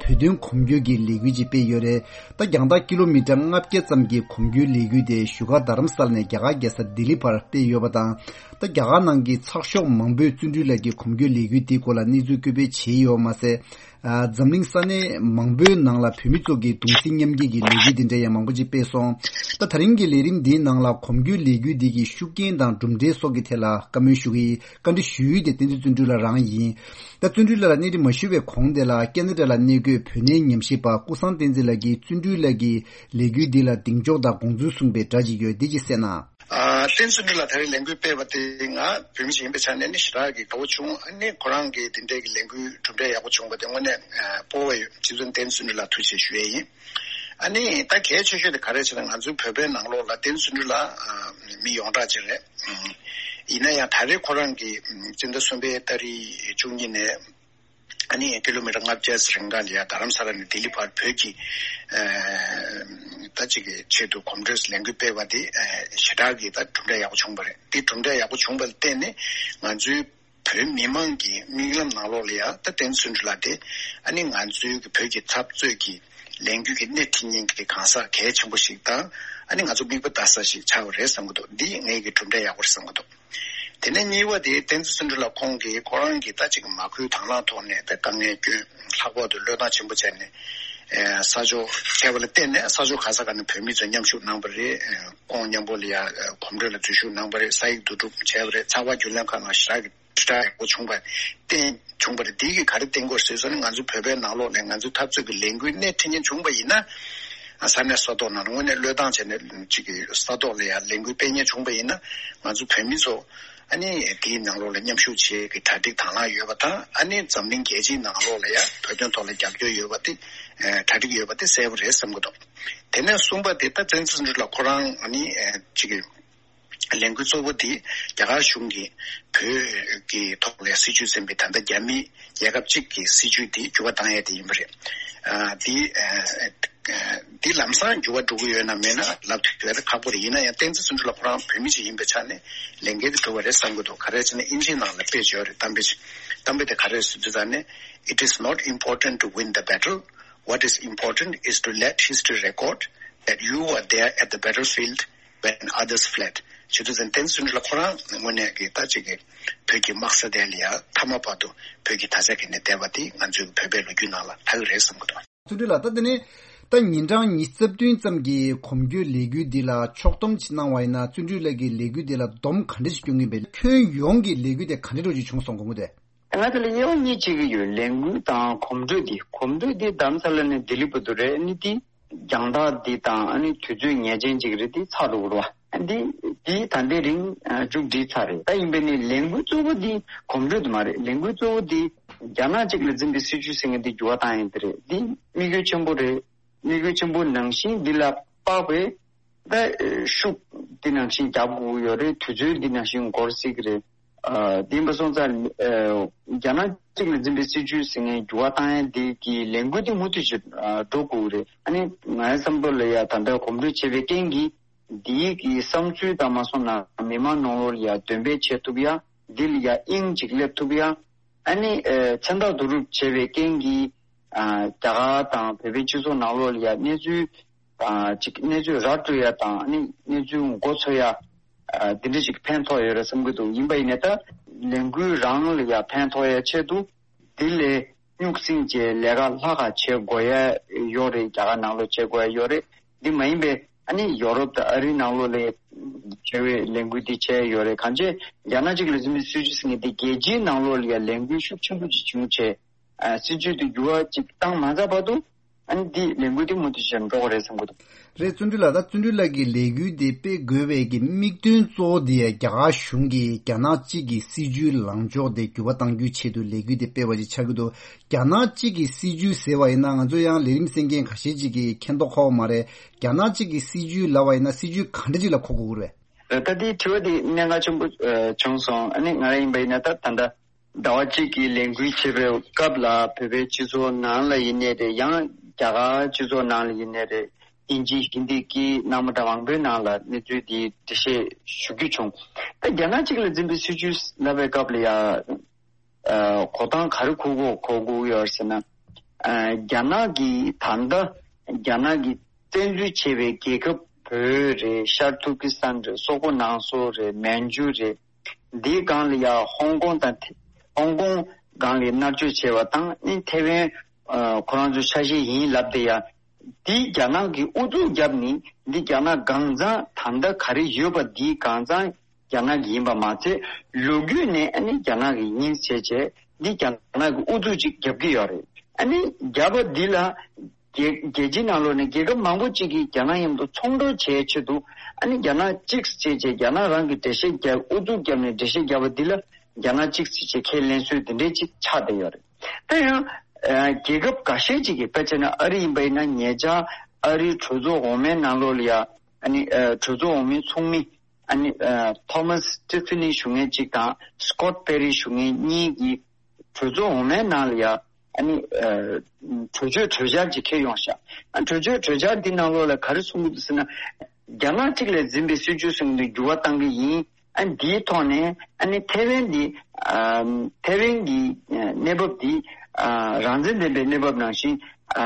བོད་དོན་གོམ་བགྲོད་ཀྱི་ལས་འགུལ་ཅིག་སྤེལ་ཡོད་རེད། ད་རྒྱང་ཐག་ཀི་ལོ་མི་ཊར་ལྔ་བརྒྱ་ཙམ་གྱི་གོམ་བགྲོད་ལས་འགུལ་དེ་བཞུགས་སྒར་རྡ་རམ་ས་ལ་ནས་རྒྱ་གར་རྒྱལ་ས་ལྡི་ལི་བར་སྤེལ་ཡོད་པ་དང་། ད་རྒྱ་གར་ནང་གི་ཚགས་ཤོག་མང་པོས་བརྩོན་འགྲུས་ལགས་ཀྱི་གོམ་བགྲོད་ལས་འགུལ་འདིའི་སྐོར་ལ་གནས་ཚུལ་བཀོད་སྤེལ་བྱས་ཡོད་མ་ཟད། ཨ། འཛམ་གླིང་ས་གནས་མང་པོའི་ནང་ལ་བོད་མི་ཚོ་གིས་གདུང་སེམས་མཉམ་སྐྱེད་ཀྱི་ལས་འགུལ་འདི་འདྲ་ཡང་མང་པོ་ཅིག་སྤེལ་སོང་། ད་ད་རིང་གི་ལས་རིམ་འདིའི་ནང་ལ་གོམ་བགྲོད་ལས་འགུལ་འདི་གི་ཤུགས་རྐྱེན་དང་གྲུབ་འབྲས་སོགས་ཀྱི་ཐད་ལ་བཀའ་མོལ་ཞུ་གི་ཡིན། བཀའ་འདྲི་ཞུ་ཡུལ་དེ་བསྟན་འཛིན་བརྩོན་འགྲུས་ལགས་རང་ཡིན། ད་བརྩོན་འགྲུས་ལགས་ལ་གནས་འདྲི་མ་ཞུ་བའི་གོང་དེ་ལ་ཁེ་ན་ཌ་ལ་གནས་འཁོད་བོད་གནས་ཉམས་ཞིབ་པ་ཀུན་བཟང་བསྟན་འཛིན་ལགས་ཀྱིས་བརྩོན་འགྲུས་ལགས་ཀྱི་ལས་འགུལ་འདི་ལ་གདེང་འཇོག་དང་དགོངས་ཚུལ་གསུངས་པའི་སྒྲ་ཅིག་ཡོད། འདི་ཅིག་གསན་ན། ཨ། བསྟན་འཛིན་བརྩོན་འགྲུས་ལགས་ད་རེས་ལས་འགུལ་སྤེལ་བ་དེ་ང་བོད་མི་ཞིག་ཡིན་པའི་ཆ་ནས་ནི་ཞེ་དྲག་གི་དགའ་བོ་བྱུང་། ཨ་ནི་ཁོ་རང་གི་དེ་འདྲའི་གི་ལས་འགུལ་གྲུབ་འབྲས་ཡག་པོ་བྱུང་བ་དེ་དངོས་གནས་ཨ་སྤོབས་པ་ཡོད། རྗེ་བཙུན་བསྟན་འཛིན་བརྩོན་འགྲུས་ལགས་ཐུགས་རྗེ་ཆེ་ཞུ་ཡས་ཡིན། ཨ་ནི་ད་གལ་ཆེ་ཤོས་དེ་ག་རེ་ཟེར་ན་ང་ཚོའི་བོད་པའི་ནང་ལོགས་ལ་བསྟན་འཛིན་བརྩོན་འགྲུས་ལགས་ཨ་མི་ཡོངས་གྲགས་ཅིག་རེད། ཡིན་ན་ཡང་ད་རེས་ཁོ་རང་གི་སྤྱི་ཟླ་གསུམ་པའི་ཏ་རིག་བཅུ་གཉིས་ནས། ཨ་ནི་ཀི་ལོ་མི་ཊར་ལྔ་བརྒྱ་ཙམ་རིང་ག་ལ་ཡ་རྡ་རམ་ས་ལ་ནས་ལྡི་ལི་བར་བོད་ཀྱི་ཨ་ད་ཅིག་གི་ཆེད་དུ་གོམ་བགྲོད་ལས་འགུལ་སྤེལ་བ་དེ་ཨ་ཞེ་དྲག་གི་ད་གྲུབ་འབྲས་ཡག་པོ་བྱུང་བ་རེད། དེ་གྲུབ་འབྲས་ཡག་པོ་བྱུང་བ་ལ་བརྟེན་ནས་ང་ཚོའི་བོད་མི་མང་གི་མིག་ལམ་ནང་ལོགས་ལ་ཡ་ད་བསྟན་འཛིན་བརྩོན་འགྲུས་ལགས་དེ་ཨ་ནི་ང་ཚོའི་གི་བོད་ཀྱི་འཐབ་རྩོད་ཀྱི་ལས་འགུལ་གྱི་སྣེ་ཁྲིད་མཁན་གྱི་གང་ཟག་གལ་ཆེན་པོ་ཞིག་དང་། ཨ་ནི་ང་ཚོ་མིག་དཔེ་ལྟ་ས་ཞིག་ཆགས་པ་རེད་བསམ་གྱི་འདུག་འདི་ངའི་གི་གྲུབ་འབྲས་ཡག་པོ་རེད་བསམ་གྱི་འདུག་དེ་ནས་གཉིས་པ་དེ་བསྟན་འཛིན་བརྩོན་འགྲུས་ལགས་ཁོང་གིས་ཁོ་རང་གིས་ད་ཅིག་མ་ཁུལ་དང་བླངས་ཐོག་ནས་ད་དཀའ་ངལ་བསྐྱོན། ལྷག་པར་དུ་བློས་བཏང་ཆེན་པོ་བྱས་ནས་ཨེ་ས་ཕྱོགས་བྱས་པ་ལ་བརྟེན་ནས་ས་ཕྱོགས་ག་ས་ག་ནས་བོད་མི་ཚོ་མཉམ་ཞུགས་གནང་བ་རེད། ཨེ་ཁོང་མཉམ་པོ་ལ་ཡ་ཨེ་གོམ་བགྲོད་ལ་འཛུལ་ཞུགས་གནང་བ་རེད། ས་ཡིག་བསྡུ་སྒྲུབ་བྱས་པ་རེད། ཚགས་པར་བརྒྱུད་ལམ་ཁག་ནང་ཞེ་དྲག་གི་དྲིལ་བསྒྲགས་ཡག་པོ་བྱུང་བ་བརྟེན་བྱུང་བ་རེད། འདི་གིས་ག་རེ་བསྟན་དགོས་ཟེར་སོང་ན་ང་ཚོ་བོད་པའི་ནང་ལོགས་ནས་ང་ཚོའི་འཐབ་རྩོད་ཀྱི་ལས་འགུལ་སྣེ་ཁྲིད་མཁན་བྱུང་བ་ཡིན་ན། ས་གནས་ས་ཐོག་ནང་ལ་དངོས་གནས་བློས་བཏང་བྱས་ནས་ཅིག་གི་ས་ཐོག་ལ་ཡང་ལས་འགུལ་སྤེལ་མཁན་བྱུང་བ་ཡིན་ན་ང་ཚོ་བོད་མི་ཚོ་ཨ་ནི་དེའི་ནང་ལོགས་ལ་མཉམ་ཞུགས་བྱེད་ཀྱི་གྲ་སྒྲིག་དང་བླངས་ཡོད་པ་དང་། ཨ་ནི་འཛམ་གླིང་རྒྱལ་སྤྱིའི་ནང་ལོགས་ལ་ཡང་བོད་དོན་ཐོག་ལ་རྒྱབ་སྐྱོར་ཡོད་པ་དེ་གྲ་སྒྲིག་ཡོད་པ་དེ་གསལ་པོ་རེད་བསམ་གྱི་འདུག་དེ་ནས་གསུམ་པ་དེ་ད་བཙན་འཛུལ་ལ་ཁོ་རང་ཨ་ནི་ཅིག་གི་ལས་འགུལ་གཙོ་བོ་དེ་རྒྱ་གར་གཞུང་གིས་བོད་ཀྱི་ཐོག་ལ་སྲིད་ཇུས་ཟིན་པའི་ད་ལྟ་རྒྱ་མི་རྒྱལ་ཁབ་གཅིག་གི་སྲིད་ཇུས་དེ་འགྱུར་བ་བཏང་ཡས་དེ་ཡིན་པ་རེད། ཨ་དེ་ཨ་དེ་ལམ་སང་འགྱུར་བ་འགྲོ་གི་ཡོད་ན་མེད་ན་ལབ་ཐུབ་ཡས་ཁག་པོ་རེད། ཡིན་ན་ཡང་བསྟན་འཛིན་བརྩོན་འགྲུས་ལགས་ཁོ་རང་བོད་མི་ཅིག་ཡིན་པའི་ཆ་ནས་ལས་འགན་དེ་གྲུབ་པ་རེད་བསམ་གྱི་འདུག་ག་རེ་བྱས་ན་ཨིན་ཇིའི་ནང་ལ་དཔེ་བརྗོད་རེད། གཏམ་དཔེ་ཅིག་གཏམ་དཔེ་དེ་ག་རེ་ཟེར་དུས་ད་ནི། It is not important to win the battle. What is important is to let history record that you were there at the battlefield when others fled. བྱེད་དུས་ཙམ་བསྟན་འཛིན་བརྩོན་འགྲུས་ལགས་ཁོ་རང་དངོས་གནས་ཀྱི་ད་ཅིག་གི་བོད་ཀྱི་དམག་ས་དེ་ལ་ཡ་མཐའ་མ་བར་དུ་བོད་ཀྱི་དར་ཆ་འཁྱེར་ནས་བསྡད་པ་དེ་ང་ཚོའི་བོད་པའི་ལོ་རྒྱུས་ནང་ལ་ལྷག་གི་རེད་བསམ་གྱི་འདུག་བརྩོན་འགྲུས་ལགས། ད་དེ་ནས་ད་ཉིན་གྲངས་ཉི་ཤུ་རྩ་བདུན་ཙམ་གྱི་གོམ་བགྲོད་ལས་འགུལ་འདི་ལ་ཕྱོགས་བསྡོམས་ཅིག་གནང་བ་ཡིན་ན་བརྩོན་འགྲུས་ལགས་ཀྱི་ལས་འགུལ་འདི་ལ་སྡོམ་ག་འདྲ་ཞིག་སྐྱོན་གྱིན་པས། ཁྱོན་ཡོངས་ཀྱི་ལས་འགུལ་དེ་ག་འདྲ་འདྲ་ཞིག་བྱུང་སོང་དགོངས་ཀྱི་འདུག་ང་ཚོ་ལ་དབྱེ་བ་གཉིས་ཕྱེ་གི་ཡོད། ལས་འགུལ་དང་གོམ་བགྲོད་དེ། གོམ་བགྲོད་དེ་རྡ་རམ་ས་ལ་ནས་ལྡི་ལི་བར་དུ་རེད། ཨ་ནི་དེ་རྒྱང་ཐག་འདི་དང་ཨ་ནི་དུས་ཚོད་ངེས་ཅན་ཅིག་རེད། དེ་ཚར་འགྲོ་གི་རེད་བ། འདི་འདི་ད་ལྟའི་རིང་མཇུག་སྒྲིལ་ཚར་རེད། ད་ཡིན་པས་ནི་ལས་འགུལ་གཙོ་བོ་འདི་གོམ་བགྲོད་དེ་མ་རེད། ལས་འགུལ་གཙོ་བོ་འདི་རྒྱ་ནག་གཅིག་ལ་འཛིན་པའི་སྲིད་ཇུས་ཟེར་མཁན་འདི་འགྱུར་བ་བཏང་ཡས་དེ་རེད། འདི་དམིགས་ཡུལ་ཆེན་པོ་རེད། དམིགས་ཡུལ་ཆེན་པོ་ནང་བཞིན་འདི་ལ་དཔག་པའི་ད་ཤུགས་འདི་ནང་བཞིན་རྒྱབ་དགོས་ཀྱི་ཡོད་རེད། དུས་ཚོད་འདི་ནང་བཞིན་འགོར་སྲིད་ཀྱི་རེད། ཨ་དེ་ཡིན་པ་སོང་ཙང་ཨ་རྒྱ་ནག་གཅིག་ལ་འཛིན་པའི་སྲིད་ཇུས་ཟེར་མཁན་འགྱུར་བ་བཏང་ཡས་འདི་གི་ལས་འགུལ་འདི་མུ་མཐུད་ཅིག་ཨ་འགྲོ་དགོས་ཀྱི་རེད། ཨ་ནི་ངའི་བསམ་བློ་ལ་ཡ་ད་ལྟ་གོམ་བགྲོད་བྱས་པའི་རྐྱེན་གྱིས་འདིའི་གི་བསམ་ཚུལ་དང་མ་སོང་ན་མི་མང་ནང་ལོགས་ལ་ཡ་འདོན་སྤེལ་བྱེད་ཐུབ་ཡ། འདི་ལ་ཡ་དབྱིངས་ཅིག་སླེབས་ཐུབ་ཡ། ཨ་ནི་ཨ་མཚན་རྟགས་བསྡུ་རུབ་བྱས་པའི་རྐྱེན་གྱིས་ཨ་རྒྱ་གར་དང་བོད་པའི་སྤྱི་ཚོགས་ནང་ལོགས་ལ་ཡ་གནས་ཚུལ་ དང་ཅིག་གནས་ཚུལ་ར་སྤྲོད་ཡ་དང་ཨ་ནི་གནས་ཚུལ་མགོ་འཚོས་ཡ་ཨ་འདི་འདྲ་ཅིག་ཕན་ཐོགས་ཡོད་རེད་བསམ་གྱི་འདུག་ཡིན་པ་ཡིན་ནའི་ད་ལས་འགུལ་རང་ལ་ཡ་ཕན་ཐོགས་ཡ་ཆེད་དུ་འདི་ལས་སྨྱུག་སྲིང་བཅས་ལས་ཀ་ལྷག་ག་བྱེད་དགོས་ཡ་ཡོད་རེད། རྒྱ་གར་ནང་ལོགས་བྱེད་དགོས་ཡ་ཡོད་རེད། འདི་མ་ཡིན་པའི་ཨ་ནི་ཡོ་རོབ་དང་ཨ་རིའི་ནང་ལོགས་ལ་བྱ་བའི་ལས་འགུལ་འདི་བྱས་ཡོད་རེད། གང་ཅི་རྒྱ་ནག་གཅིག་ལ་འཛིན་པའི་སྲིད་བྱུས་ཟེར་མཁན་འདི་རྒྱལ་སྤྱིའི་ནང་ལོགས་ལ་ཡ་ལས་འགུལ་ཤུགས་ཆེན་པོ་ཅིག་བྱུང་བྱས་ཨ་སྲིད་བྱུས་འདི་འགྱུར་བ་ཅིག་བཏང་མ་ཚར་བར་དུ་ཨ་ནི་འདི་ལས་འགུལ་འདི་མུ་མཐུད་བྱས་འགྲོ་དགོས་རེད་བསམ་གྱི་འདུག་རེད། བརྩོན་འགྲུས་ལགས། ད་བརྩོན་འགྲུས་ལགས་ཀྱིས་ལས་འགུལ་འདི་སྤེལ་དགོས་པའི་གི་དམིགས་དོན་གཙོ་བོ་འདི་རྒྱ་གར་གཞུང་གིས་རྒྱ་ནག་གཅིག་གི་སྲིད་བྱུས་ལངས་ཕྱོགས་དེ་འགྱུར་བ་གཏང་རྒྱུའི་ཆེད་དུ་ལས་འགུལ་འདི་སྤེལ་བ་ཅིག་ཆགས་ཀྱི་འདུག་རྒྱ་ནག་གཅིག་གི་སྲིད་བྱུས་ཟེར་བ་ཡིན་ན་ང་ཚོ་ཡང་ལས་རིམ་གསན་མཁན་ཁ་ཤས་ཅིག་གིས་མཁྱེན་རྟོགས་འཁོར་བ་མ་རེད། རྒྱ་ནག་གཅིག་གི་སྲིད་བྱུས་ལབ་པ་ཡིན་ན་སྲིད་བྱུས་ག་འདྲ་ཅིག་ལ་གོ་དགོས་ཀྱི་རེད། ད་དེའི་དྲི་བ་དེ་གནད་འགག་ཆེན་པོ་ཨ་བྱུང་སོང་། ཨ་ནི་ང་རང་ཡིན་པ་ཡིན་ན་ད་ད་ལྟ་ཟླ་བ་གཅིག་གི་ལས་འགུལ་བྱེད་པའི་སྐབས་ལ་བོད་པའི་སྤྱི་ཚོགས་ནང་ལ་ཡིན་ནའི་རེད། ཡང་རྒྱ་གར་སྤྱི་ཚོགས་ནང་ལ་ཡིན་ནའི་རེད། དབྱིན་ཇི་ཧིན་དི་སྐད་གནང་མ་འདྲ་མང་པོའི་ནང་ལ་གནས་ཚུལ་འདི་འགྲེལ་བཤད་ཞུ་རྒྱུ་བྱུང་། ད་རྒྱ་ནག་གཅིག་ལ་འཛིན་པའི་སྲིད་བྱུས་ལབ་པའི་སྐབས་ལ་ཡང་ཨ་གོ་སྟངས་ག་རེ་གོ་དགོས་གོ་དགོས་ཡོད་ཟེར་ན། ཨ་རྒྱ་ནག་གི་ད་ལྟ་རྒྱ་ནག་གི་བཙན་འཛུལ་བྱས་པའི་རྒྱལ་ཁབ་བོད་རེད། ཤར་ཐུར་ཀི་སི་ཐན་རེད། སོག་པོ་ནང་སོག་རེད། མན་ཇུ་རེད། འདིའི་སྒང་ལ་ཡ་ཧོང་ཀོང་དང་ཧོང་ཀོང་སྒང་ལ་མནར་གཅོད་བྱས་པ་དང་ཨ་ནི་ཐེ་ཝན་ཨ་ཁོ་རང་ཚོའི་ཆ་ཤས་ཡིན་ལབ་བསྡད་ཡ། འདི་རྒྱ་ནག་གི་ཨུ་ཚུགས་བརྒྱབ་ནས་འདི་རྒྱ་ནག་གང་ཚང་ད་ལྟ་ག་རེ་ཡོད་པ་འདི་གང་ཚང་རྒྱ་ནག་གི་ཡིན་པ་མ་ཚད་ལོ་རྒྱུས་ནས་ཨ་ནི་རྒྱ་ནག་གི་ཡིན་བྱས་བྱས་འདི་རྒྱ་ནག་གི་ཨུ་ཚུགས་ཅིག་བརྒྱབ་ཀྱི་ཡོད་རེད། ཨ་ནི་བརྒྱབ་པ་འདི་ལ་རྒྱལ་རྒྱལ་སྤྱིའི་ནང་ལོགས་ནས་རྒྱལ་ཁབ་མང་པོ་ཅིག་གིས་རྒྱ་ནག་མཉམ་དུ་ཚོང་འབྲེལ་བྱེད་ཆེད་དུ་ཨ་ནི་རྒྱ་ནག་གཅིག་བྱས་བྱས་རྒྱ་ནག་རང་གི་འགྲེལ་བཤད་བརྒྱབ་ཨུ་ཚུགས་བརྒྱབ་ནས་འགྲེལ་བཤད་བརྒྱབ་པ་འདི་ལ་རྒྱ་ནག་གཅིག་བྱས་བྱས་ཁས་ལེན་སྲོལ་འདི་འདྲའི་ཅིག་ཆགས་བསྡད་ཡོད་རེད། ད་ཡང་ཨ་རྒྱལ་ཁབ་འགའ་ཤས་ཅིག་གིས་དཔེ་བྱས་ན་ཨ་རི་ཡིན་པ་ཡིན་ན་ཉེ་ཆར་ཨ་རིའི་གྲོས་ཚོགས་འོག་མའི་ནང་ལོགས་ལ་ཡ་ཨ་ནི་ཨ་གྲོས་ཚོགས་འོག་མའི་ཚོགས་མི་ཨ་ནི་ཨ་ཐོ་མཱས་ཊི་ཕི་ནི་ཞུ་མཁན་གཅིག་དང་སི་ཀོཊ་པེ་རི་ཞུ་མཁན་གཉིས་ཀྱིས་གྲོས་ཚོགས་འོག་མའི་ནང་ལ་ཡ་ཨ་ནི་ཨ་གྲོས་ཆོད་གྲོས་འཆར་ཅིག་འཁྱེར་ཡོང་ཤག་ཨ་གྲོས་ཆོད་གྲོས་འཆར་འདི་ནང་ལོགས་ལ་ག་རེ་གསུང་གི་འདུག་ཟེར་ན། རྒྱ་ནག་གཅིག་ལ་འཛིན་པའི་སྲིད་བྱུས་གསུང་གི་འདུག་འགྱུར་བ་གཏང་གི་ཡིན། ཨ་འདིའི་ཐོག་ནས་ཨ་ནི་ཐེ་ཝན་འདི་ཨ་ཐེ་ཝན་གྱི་ཨ་གནས་བབ་འདི་ཨ་རང་བཙན་ལྡན་པའི་གནས་བབ་ནང་བཞིན་ཨ་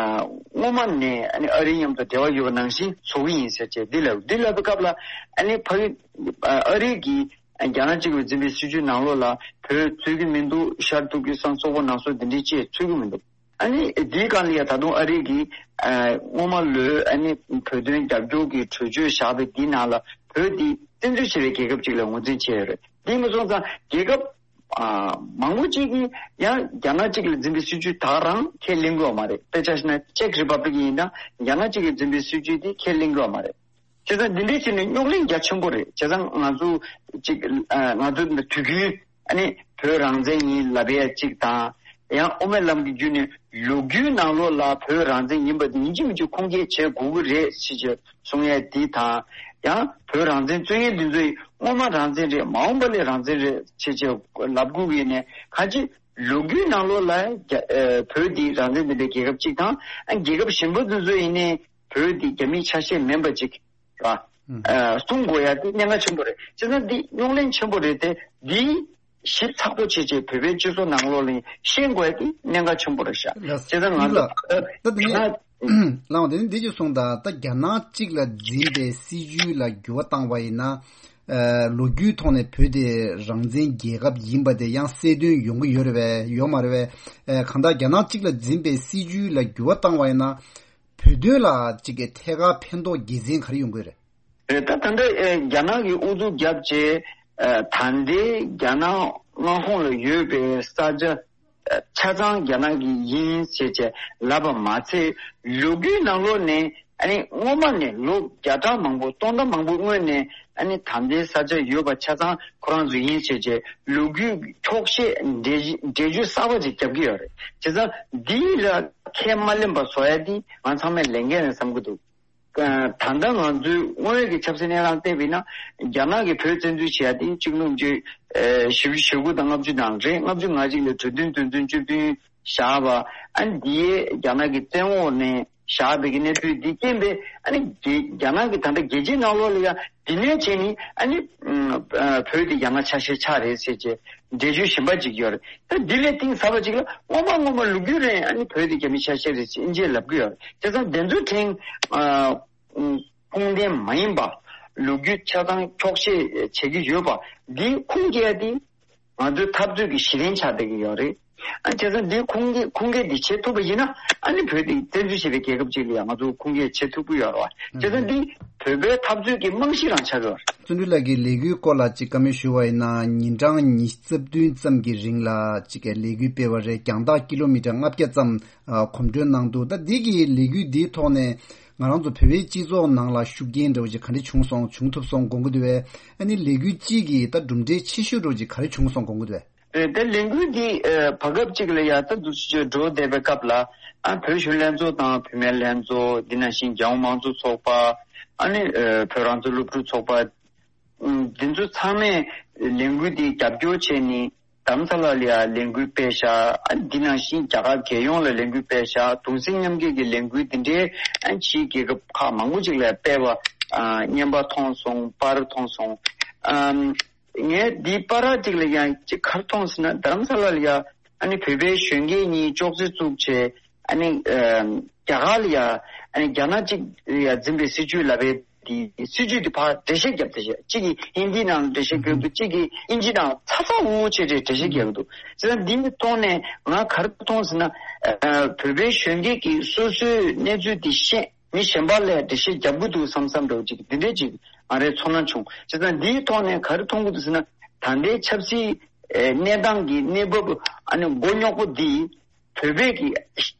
སྔོན་མ་ནས་ཨ་ནི་ཨ་རི་མཉམ་དུ་འབྲེལ་བ་ཡོད་པ་ནང་བཞིན་བཟོ་གི་ཡིན་ཟེར་བྱས་འདི་ལབ་འདི་ལབ་པའི་སྐབས་ལ་ཨ་ནི་ཕ་གི་ཨ་ཨ་རི་གི་ཨ་རྒྱ་ནག་གཅིག་ལ་འཛིན་པའི་སྲིད་བྱུས་ནང་ལོགས་ལ་བོད་ཚུད་ཀྱི་མི་འདུག་ཤར་ཐུར་ཀི་སི་ཐན་སོག་པོ་ནང་སོག་འདི་འདྲའི་ཅིག་ཚུད་ཀྱི་མི་འདུག་ཨ་ནི་འདིའི་སྒང་ལ་ཡ་ད་དུང་ཨ་རི་གིས་ཨ་སྔོན་མ་ལོས་ཨ་ནི་བོད་དོན་རྒྱབ་སྐྱོར་གྱི་གྲོས་ཆོད་བཞག་པའི་འདི་ནང་ལ་བོད་འདི་བཙན་འཛུལ་བྱས་པའི་རྒྱལ་ཁབ་ཅིག་ལ་ངོས་འཛིན་བྱས་ཡོད་རེད། འདི་མ་སོང་ཙང་རྒྱལ་ཁབ་ཨ་མང་པོ་ཅིག་གིས་ཡང་རྒྱ་ནག་གཅིག་ལ་འཛིན་པའི་སྲིད་བྱུས་ད་ག་རང་ཁས་ལེན་གྱི་ཡོད་མ་རེད། དཔེ་ཆ་བཞག་ན་ཅེཀ་རི་པབ་ལིག་ཡིན་ན་རྒྱ་ནག་གཅིག་ལ་འཛིན་པའི་སྲིད་བྱུས་འདི་ཁས་ལེན་གྱི་ཡོད་མ་རེད། བྱས་ཙང་འདི་འདྲའི་ཕྱིར་ནས་རྙོག་གླེང་རྒྱ་ཆེན་པོ་རེད། བྱས་ཙང་ང་ཚོ་གཅིག་ཨ་ང་ཚོ་འདི་དུས་རྒྱུན་ཨ་ནི་བོད་རང་བཙན་ཡིན་ལབ་ཡས་གཅིག་དང་། ཡང་དབུ་མའི་ལམ་གྱི་བརྒྱུད་ནས་ལོ་རྒྱུས་ནང་ལོགས་ལ་བོད་རང་བཙན་ཡིན་པ་འདི་ཡིན་གཅིག་མིན་གཅིག་ཁུངས་སྐྱེལ་བྱེད་དགོས་ཀྱི་རེད་ཟེར་གྱི་གསུང་ཡས་འདི་དང་། ཡང་བོད་རང་བཙན་རྩོད་མཁན་འདི་ཚོས་སྔོན་མ་རང་བཙན་རེད། མ་འོངས་པ་ལ་རང་བཙན་རེད་ཟེར་གྱི་ལབ་དགོས་ཀྱི་ཡིན་ནའི་གང་ཅི་ལོ་རྒྱུས་ནང་ལོགས་ལ་རྒྱ་ཨ་བོད་འདི་རང་བཙན་ལྡན་པའི་རྒྱལ་ཁབ་གཅིག་དང་། ཨ་རྒྱལ་ཁབ་གཞན་པ་འདི་ཚོ་ཡིན་ནའི་བོད་འདི་རྒྱ་མིའི་ཆ་ཤས་མིན་པ་ཅིག་ར། ཨ་གསུང་དགོས་ཡ་འདི་གནད་འགག་ཆེན་པོ་རེད། བྱས་ཙང་འདི་རྙོག་གླེང་ཆེན་པོ་རེད་དེ། འདི་ཞིབ་ཚགས་པོ་བྱས་བྱས་བོད་པའི་སྤྱི་ཚོགས་ནང་ལོགས་ལ་ཤེས་དགོས་ཡ་འདི་གནད་འགག་ཆེན་པོ་རེད་ཤག་ལགས་བྱས་ཙང་ང་ཚོ་ལགས། ད་དེ་ནས་ད་ལགས་འོང་། དེ་ནས་འདི་ཅིག་གསུངས་དང་། ད་རྒྱ་ནག་གཅིག་ལ་འཛིན་པའི་སྲིད་བྱུས་ལ་འགྱུར་བ་བཏང་བ་ཡིན་ན། ཨ་ལོ་རྒྱུས་ཐོག་ནས་བོད་དེ་རང་བཙན་རྒྱལ་ཁབ་ཡིན་པ་དེ་ཡང་གསལ་སྟོན་ཡོང་གི་ཡོད་རེད་པས། ཡོད་མ་རེད་པས། ཨ་གང་ལྟར་རྒྱ་ནག་གཅིག་ལ་འཛིན་པའི་སྲིད་བྱུས་ལ་འགྱུར་བ་བཏང་བ་ཡིན་ན། བོད་དོན་ལ་གཅིག་གི་ཐད་ཀར་ཕན་ཐོགས་དགེ་མཚན་ག་རེ་ཡོང་གི་རེད། རེད། ད་ད་ལྟ་ཨེ་རྒྱ་ནག་གིས་ཨུ་ཚུགས་བརྒྱབ་བྱས་ཨ་ད་ལྟའི་རྒྱ་ནག་མངའ་ཁོངས་ལ་ཡོད་པའི་ས་ཆ་ཨ་ཆ་ཚང་རྒྱ་ནག་གི་ཡིན་ཟེར་བྱས་ལབ་པ་མ་ཚད། ལོ་རྒྱུས་ནང་ལོགས་ནས་ཨ་ནི་སྔོན་མ་ནས་ལོ་བརྒྱ་ཕྲག་མང་པོ་སྟོང་ཕྲག་མང་པོ་སྔོན་ནས་ཨ་ནི་ད་ལྟའི་ས་ཆ་ཡོད་པ་ཆ་ཚང་ཁོ་རང་ཚོ་ཡིན་ཟེར་བྱས་ལོ་རྒྱུས་འཁྱོག་བཤད་འགྲེལ་འགྲེལ་བརྗོད་གསར་པ་ཅིག་རྒྱབ་ཀྱི་ཡོད་རེད། བྱས་ཙང་འདི་ལ་ཁས་མ་ལེན་པ་བཟོ་ཡ་འདི་ང་ཚང་མས་ལས་འགན་རེད་བསམ་གྱི་འདུག་ད་ལྟ་ང་ཚོའི་དངོས་ཡོད་ཀྱི་ཆབ་སྲིད་གནས་སྟངས་བལྟས་པ་ཡིན་ན། རྒྱ་ནག་གིས་བོད་བཙན་འཛུལ་བྱས་ཏེ་གཅིག་སྟོང་དགུ་བརྒྱ་ཞེ་དགུ་དང་ལྔ་བཅུ་ནང་རེད། ལྔ་བཅུ་ང་གཅིག་ལ་གྲོས་མཐུན་དོན་ཚན་བཅུ་བདུན་བཞག་པ། ཨ་ནི་འདིའི་རྒྱ་ནག་གི་བཙན་འོག་ནས་བཞག་པའི་གི་གནས་ཚུལ་འདི་རྐྱེན་པས། ཨ་ནི་རྒྱ་རྒྱ་ནག་གི་ད་ལྟ་རྒྱལ་སྤྱིའི་ནང་ལོགས་ལ་ཡང་འདི་ནས་བྱས་ནས་ཨ་ནི་བོད་དེ་རྒྱ་ནག་ཆ་ཤས་ཆགས་རེད་ཟེར་བྱས་འགྲེལ་བརྗོད་གཞན་པ་ཅིག་ཡོད་རེད། ད་འདི་ལས་གཏིང་ཟབ་པ་ཅིག་ལ་སྔོན་མ་སྔོན་མ་ལོ་རྒྱུས་རིང་ཨ་ནི་བོད་དེ་རྒྱ་མི་ཆ་ཤས་རེད་ཅེས་ཨིན་ཇིས་ལབ་གི་ཡོད་རེད། བྱས་ཙང་དེ་ཚོའི་ཕྲན་ཨ་ ཨུམ། ཁུངས་ལྡན་མ་ཡིན་པ། ལོ་རྒྱུས་ཆ་ཚང་འཁྱོག་བཤད་བྱེད་ཀྱི་ཡོད་པ། འདི་ཁུངས་སྐྱེལ་ཡ་དེ་ང་ཚོའི་འཐབ་རྩོད་ཀྱི་གཞི་རྟེན་ཆགས་བསྡད་ཀྱི་ཡོད་རེད། ཨ་བྱས་ཙང་འདི་ཁུངས་སྐྱེལ་ཁུངས་སྐྱེལ་འདི་བྱེད་ཐུབ་པ་ཡིན་ན། ཨ་ནི་བོད་འདི་བཙན་འཛུལ་བྱས་པའི་རྒྱལ་ཁབ་ཅིག་ལ་ཡང་ང་ཚོ་ཁུངས་སྐྱེལ་བྱེད་ཐུབ་ཀྱི་ཡོད་རེད་བ། བྱས་ཙང་འདི་བོད་པའི་འཐབ་རྩོད་ཀྱི་རྨང་གཞི་རང་ཆགས་ཀྱི་ཡོད་རེད། བརྩོན་འགྲུས་ལགས་ཀྱིས་ལས་འགུལ་སྐོར་ལ་ཅིག་བཀའ་མོལ་ཞུ་བ་ཡིན་ན། ཉིན་གྲངས་ཉི་ཤུ་རྩ་བདུན་ཙམ་གྱི་རིང་ལ་ཅིག་ལས་འགུལ་སྤེལ་བ་རེད། རྒྱང་ཐག་ཀི་ལོ་མི་ཊར་ལྔ་བརྒྱ་ཙམ་ཨ་གོམ་བགྲོད་གནང་འདུག་ད་འདི་གི་ལས་འགུལ་འདིའི་ཐོག་ནས་ང་རང་ཚོ་བོད་པའི་སྤྱི་ཚོགས་ནང་ལ་ཤུགས་རྐྱེན་འདྲ་བོ་ཅིག་ག་འདྲ་བྱུང་སོང་། བྱུང་ཐུབ་སོང་དགོངས་ཀྱི་འདུག་བས། ཨ་ནི་ལས་འགུལ་གཅིག་གི་ད་གྲུབ་འབྲས་ཆེ་ཤོས་འདྲ་བོ་ཅིག་ག་རེ་བྱུང་སོང་དགོངས་ཀྱི་འདུག་བས། ཨེ། ད་ལས་འགུལ་འདི་ཨེ་བར་སྐབས་གཅིག་ལ་ཡ་ད་འདུག་སེ་འགྲོ་བསྡད་པའི་སྐབས་ལ། ཨ་བོད་གཞོན་ལྷན་ཚོགས་དང་བུད་མེད་ལྷན་ཚོགས། འདི་ནང་བཞིན་རྒྱལ་ཡོངས་མང་གཙོ་ཚོགས་པ། ཨ་ནི་ཨེ་བོད་རང་བཙན་སློབ་ཕྲུག་ཚོགས་པ། ཨུམ། འདི་ཚོ་ཚང་མས་ལས་འགུལ་འདི་རྒྱབ་སྐྱོར་བྱས་ནས་རྡ་རམ་ས་ལ་ལ་ཡ་ལས་འགུལ་སྤེལ་ཤག་ཨ་འདི་ནང་བཞིན་རྒྱ་གར་རྒྱལ་ཡོངས་ལ་ལས་འགུལ་སྤེལ་ཤག་གདུང་སེམས་མཉམ་སྐྱེད་ཀྱི་ལས་འགུལ་འདི་འདྲའི་ཨ་ཕྱིའི་རྒྱལ་ཁབ་ཁག་མང་པོ་ཅིག་ལ་སྤེལ་བ་ཨ་བརྙན་པར་མཐོང་སོང་། པར་མཐོང་སོང་། ཨམ། ངས་འདིའི་པར་ཅིག་ལ་ཡང་ཅིག་ག་རེ་མཐོང་ཟེར་ན། རྡ་རམ་ས་ལ་ལ་ཡ་ཨ་ནི་བོད་པའི་གཞོན་སྐྱེས་གཉིས་ཅོག་ཙེ་བཙུགས་བྱས། ཨ་ནི་ཨམ། རྒྱ་གར་ལ་ཡ་ཨ་ནི་རྒྱ་ནག་ཅིག་ལ་ཡ་འཛིན་པའི་སྲིད་བྱུས་ལབ་པའི་དེ་སྲིད་བྱུས་དེ་ཕར་འགྲེལ་བཤད་བརྒྱབ་བསྡད་བྱས། གཅིག་གིས་ཧིན་དི་ནང་འགྲེལ་བཤད་རྒྱག་འདུག་གཅིག་གིས་དབྱིན་ཇི་ནང་ཚ་ཚ་འུར་འུར་བྱས་བྱས་འགྲེལ་བཤད་རྒྱག་གི་འདུག་བྱས་ཙང་འདི་ནི་ཐོག་ནས་ང་ག་རེ་མཐོང་ཟེར་ན། ཨ་བོད་པའི་གཞོན་སྐྱེས་ཀྱིས་སོ་སོའི་གནས་ཚུལ་དེ་ཤེས། མི་གཞན་པ་ལ་འགྲེལ་བཤད་རྒྱབ་ཀྱི་འདུག་བསམ་བསམ་འདྲ་བོ་ཅིག་འདི་འདྲའི་ཅིག་ང་རའི་ཚོར་སྣང་བྱུང་། བྱས་ཙང་འདིའི་ཐོག་ནས་ག་རེ་མཐོང་གི་འདུག་ཟེར་ན། ད་ལྟའི་ཆབ་སྲིད་ཨེ་གནས་སྟངས་ཀྱི་གནས་བབ་ཨ་ནི་མགོ་རྙོག་པོ་འདི་བོད་པས་ཀྱི་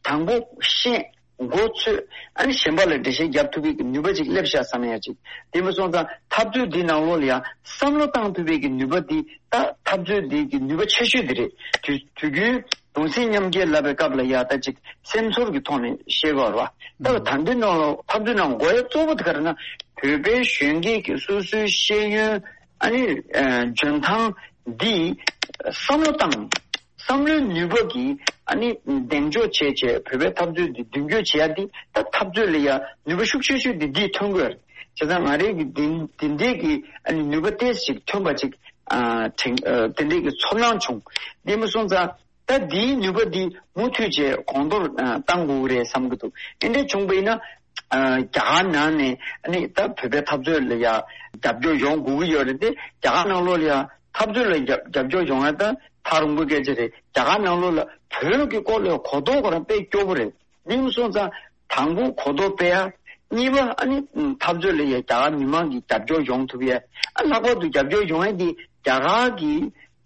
དང་པོ་ཤེས། མགོ་ཚོས། ཨ་ནི་གཞན་པ་ལ་འགྲེལ་བཤད་རྒྱབ་ཐུབ་པའི་གི་ནུས་པ་ཅིག་སླེབས་ཤག་བསམ་ཡ་ཅིག་དེ་མ་སོང་ཙང་འཐབ་རྩོད་འདི་ནང་ལོགས་ལ་ཡང་བསམ་བློ་བཏང་ཐུབ་པའི་གི་ནུས་པ་འདི་ད་འཐབ་རྩོད་འདི་གི་ནུས་པ་ཆེ་ཤོས་འདི་རེད། དུས་དུས་རྒྱུན་གདུང་སེམས་མཉམ་སྐྱེད་ལབ་པའི་སྐབས་ལ་ཡ་ད་ཅིག་སེམས་ཚོར་གྱི་ཐོག་ནས་བཤད་དགོས་རེད་བ། ད་ད་འདི་ནང་ལ་འཐབ་རྩོད་ནང་དགོས་ཡ་གཙོ་བོ་དེ་ག་རེ་ན། བོད་པའི་གཞོན་སྐྱེས་ཀྱི་སོ་སོའི་ཤེས་ཡོན་ཨ་ནི་ཨ་འཇོན་ཐང་འདི་བསམ་བློ་བཏང་། བསམ་བློའི་ནུས་པ་གིས་ཨ་ནི་གདེང་འཇོག་བྱས་བྱས་བོད་པའི་འཐབ་རྩོད་འདི་མདུན་སྐྱོད་བྱེད་ཡ་འདི་ད་འཐབ་རྩོད་ལ་ཡ་ནུས་པ་ཤུགས་ཆེ་ཤོས་འདི་འདིས་ཐོན་དགོས། བྱས་ཙང་ང་རའི་གི་འདི་འདི་འདྲའི་གི་ཨ་ནི་ནུས་པ་ཏོག་ཙམ་ཅིག་ཐོན་པ་ཅིག་ཨ་དྲན་ཨ་དེ་འདྲའི་གི་ཚོར་སྣང་བྱུང་། དེ་མ་སོང་ཙང་ད་འདིའི་ནུས་པ་འདི་མུ་མཐུད་བྱས་གོང་མཐོར་ཨ་བཏང་དགོས་ཀྱི་རེད་བསམ་གྱི་འདུག་དེ་འདྲ་བྱུང་པ་ཡིན་ན། ཨ་རྒྱ་གར་ནང་ནས་ཨ་ནི་ད་བོད་པའི་འཐབ་རྩོད་ལ་ཡ་རྒྱབ་སྐྱོར་ཡོང་དགོས་ཀྱི་ཡོད་རེད་དེ། རྒྱ་གར་ནང་ལོགས་ལ་ཡ་འཐབ་རྩོད་ལ་རྒྱབ་རྒྱབ་སྐྱོར་ཡོང་ཡ་ད་ཐག་རིང་པོའི་སྐད་ཆ་རེད། རྒྱ་གར་ནང་ལོགས་ལ་བོད་ཀྱི་སྐོར་ལ་གོ་རྟོགས་ཁོ་རང་དཔེ་སྐྱོ་པོ་རེད། དེ་མ་སོང་ཙང་དང་པོ་གོ་རྟོགས་སྤེལ་ཡ། གཉིས་པ་ཨ་ནི་འཐབ་རྩོད་ལ་ཡ་རྒྱ་གར་མི་མང་གི་རྒྱབ་སྐྱོར་ཡོང་ཐུབ་ཡ། ཨ་ལྷག་པར་དུ་རྒྱབ་སྐྱོར་ཡོང་ཡ་དེ་རྒྱ་གར་གྱི་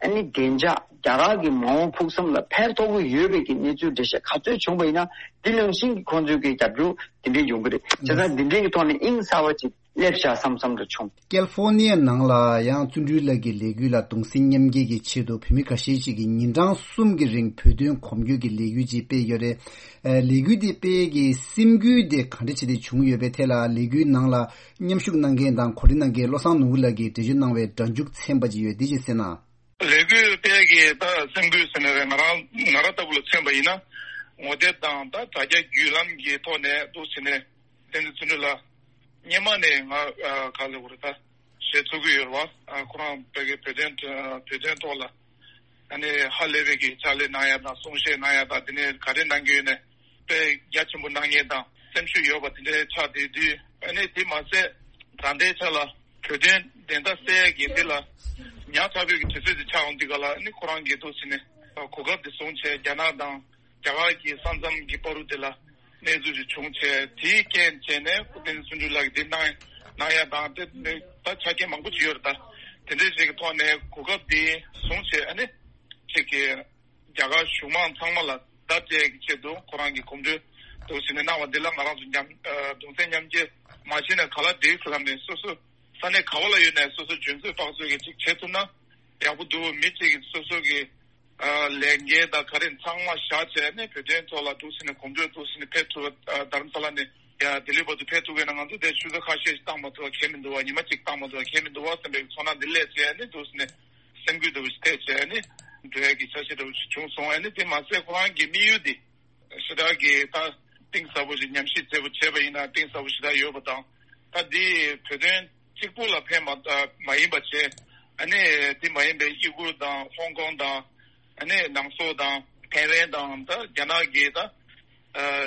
ཨ་ནི་བདེ་འཇགས། རྒྱ་གར་གྱི་མ་འོངས་ཕུགས་བསམ་ལ་ཕན་ཐོགས་ཀྱི་ཡོད་པའི་གི་གནས་ཚུལ་འགྲེལ་བཤད་ག་ཚོད་བྱུང་པ་ཡིན་ན། འདི་ནང་བཞིན་གྱི་ཁོང་ཚོའི་གི་རྒྱབ་སྐྱོར་དེ་འདྲས་ཡོང་གི་རེད། བྱས་ཙང་འདི་འདྲས་ཀྱི་ཐོག་ནས་དབྱིངས་གསར་བ་ཅིག་སླེབས་ཤག་བསམ་བསམ་འདྲ་བྱུང་། ཀེལ་ཧྥོ་ནི་ཡ་ནང་ལ་ཡང་བརྩོན་འགྲུས་ལགས་ཀྱི་ལས་འགུལ་ལ་གདུང་སེམས་མཉམ་སྐྱེད་ཀྱི་ཆེད་དུ་བོད་མི་ཁ་ཤས་ཤིག་གིས་ཉིན་གྲངས་གསུམ་གྱི་རིང་བོད་དོན་གོམ་བགྲོད་ཀྱི་ལས་འགུལ་ཅིག་སྤེལ་ཡོད་རེད། ཨ་ལས་འགུལ་འདི་སྤེལ་གྱི་སེམས་འགུལ་དེ་ག་འདྲ་བྱས་ཏེ་བྱུང་ཡོད་པའི་ཐད་ལ། ལས་འགུལ་ནང་ལ་མཉམ་ཞུགས་གནང་མཁན་དང་གོ་སྒྲིག་གནང་མཁན་བློ་བཟང་ནོར་བུ་ལགས་ཀྱིས་འགྲེལ་བརྗོད་གནང་བའི་སྒྲ་འཇུག་ཚན་པ་ཅིག་ཡོད། འདི་ཅིག་གསན་ན། ལས་འགུལ་སྤེལ་གྱི་ད་སེམས་འགུལ་ཟེར་ནས་རེད། ང་རང་ང་རང་ལྟ་བུ་ལ་མཚོན་པ་ཡིན་ན། ངོ་དེབ་དང་ད་དྲ་རྒྱ་བརྒྱུད་ལམ་གྱི་ཐོག་ནས་འདུག་ཟེར་ནས་བསྟན་འཛིན་བརྩོན་འགྲུས་ལགས་སྔོན་མ་ནས་ང་ཨ་ག་ལ་བར་ད་བཤད་ཚུགས་ཀྱི་ཡོད་རེད་བ། ཨ་ཁོ་རང་བོད་ཀྱི་བོད་དོན་བོད་དོན་ཐོག་ལ་ཨ་ནི་ཧ་ལས་པའི་གི་ཕྱག་ལས་གནང་ཡ་དང་། གསུང་བཤད་གནང་ཡ་དང་། དེ་ནས་ག་རེ་གནང་གི་ཡོད་ནས་དཔེ་རྒྱ་ཆེན་པོ་གནང་མཁན་དང་སེམས་ཤུགས་ཡོད་པ་དེ་འདྲའི་ཆགས་བསྡད་དུས། ཨ་ནི་དེ་མ་ཟད་ད་ལྟའི་ཆ་ལ་བོད་དོན་བདེན་མཐའ་གསལ་ཡ་གི་འདི་ལ་ཉག་ཕྲ་བོད་ཀྱི་དུས་ཚོད་དེ་ཆགས་འོང་དུས་ག་ལ། ཨ་ནི་ཁོ་རང་གིས་འདུག་ཟེར་ནས་གོ་སྐབས་དེ་བཟུང་བྱས་རྒྱ་ནག་དང་རྒྱ་གར་གྱི་ས་མཚམས་ཀྱི་བར་དུ་དེ་ལ་གནས་ཚུལ་ཞིག་བྱུང་བྱས། དེའི་རྐྱེན་བྱས་ནས་སྐུ་བསྟན་བརྩོན་འགྲུས་ལགས་ཀྱིས་འདི་གནང་གནང་ཡ་དང་། དེ་ནི་ད་ཆ་རྐྱེན་མང་པོ་ཅིག་ཡོད་རེད། ད་དེ་འདྲའི་ཞིག་གི་ཐོག་ནས་གོ་སྐབས་འདི་བཟུང་བྱས། ཨ་ནི་ཅིག་གི་རྒྱ་གར་གཞུང་མང་ཚང་མ་ལ་བརྡ་སྤྲད་ཀྱི་ཆེད་དུ་ཁོ་རང་གི་གོམ་བགྲོད་འདུག་ཟེར་ནས་གནང་བ་འདི་ལ་ང་རང་ཚོ་མཉམ་ཨ་གདུང་སེམས་མཉམ་སྐྱེད་མ་བྱས་ན་ག་ལ་འགྲིག་ཟེར་ལབ་ནས། སོ་སོ་ས་གནས་ག་བ་ལ་ཡོད་ནས་སོ་སོ་འཇོན་ཚོད་དཔག་ཚོད་ཀྱིས་ཅིག་བྱེད་ཐུབ་ན་ཡག་པོ་འདུག་མི་གཅིག་གིས་སོ་སོ་གི་ཨ་ལས་འགན་དང་ག་རེ་ཚང་མ་བཞག་བྱས་ནས་བོད་དོན་ཐོག་ལ་འདུག་ཟེར་ནས་གོམ་བགྲོད་འདུག་ཟེར་ནས་ཕེབས་ཐུབ་པ། ཨ་རྡ་རམ་ས་ལ་ནས་ཡ་ལྡི་ལི་བར་དུ་ཕེབས་ཐུབ་མཁན་ན་ང་ཚོ་དེ་ཆུ་ཚོད་ཁ་ཤས་ཤིག་བཏང་མ་ཐུབ་པ་ཁྱད་མི་འདུག་བ། ཉི་མ་གཅིག་བཏང་མ་ཐུབ་པ་ཁྱད་མི་འདུག་བ་བསམ་པའི་ཚོར་སྣང་འདི་སླེབས་བྱས་ནས་འདུག་ཟེར་ནས་སེམས་འགུལ་འདྲ་བོ་ཞིག་ཐེབས་བྱས་ནས་འགྲོ་ཡ་གི་ཆ་ཤས་འདྲ་བོ་ཞིག་བྱུང་སོང་། ཨ་ནི་དེ་མ་ཟད་ཁོ་རང་གི་དམིགས་ཡུལ་འདི་ཞེ་དྲག་གི་ད་གཏིང་ཟབ་པོ་ཞིག་ཉམས་ཞིབ་མཛད་པོ་བྱས་པ་ཡིན་ན་གཏིང་ཟབ་པོ་ཞེ་དྲག་ཡོད་པ་དང་། ད་འདི་བོད་དོན་གཅིག་པུ་ལ་ཕན་མ་མ་ཡིན་པ་བྱས། ཨ་ནི་དེ་མ་ཡིན་པའི་ཡུ་གུར་དང་ཧོང་ཀོང་དང་། ཨ་ནི་ནང་སོག་དང་ཐའེ་ཝན་དང་། ད་རྒྱ་ནག་གི་ད་ཨ་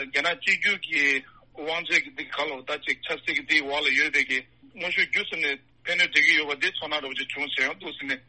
རྒྱ་ནག་གཅིག་གྱུར་གྱི་ དབང་ཆ་གི་འདི་ག་ལོ་ད་ཅིག་ཆབ་སྲིད་ཀྱི་འདི་འོག་ལ་ཡོད་པའི་གི་དངོས་ཤུགས་བརྒྱུད་ཟིན་ནས་ཕན་གནོད་འདྲེས་ཀྱི་ཡོད་པ་འདི་ཚོར་སྣང་འདྲ་བོ་ཅིག་བྱུང་ཟེར་ཡང་འདུག་ཟིན་ནས།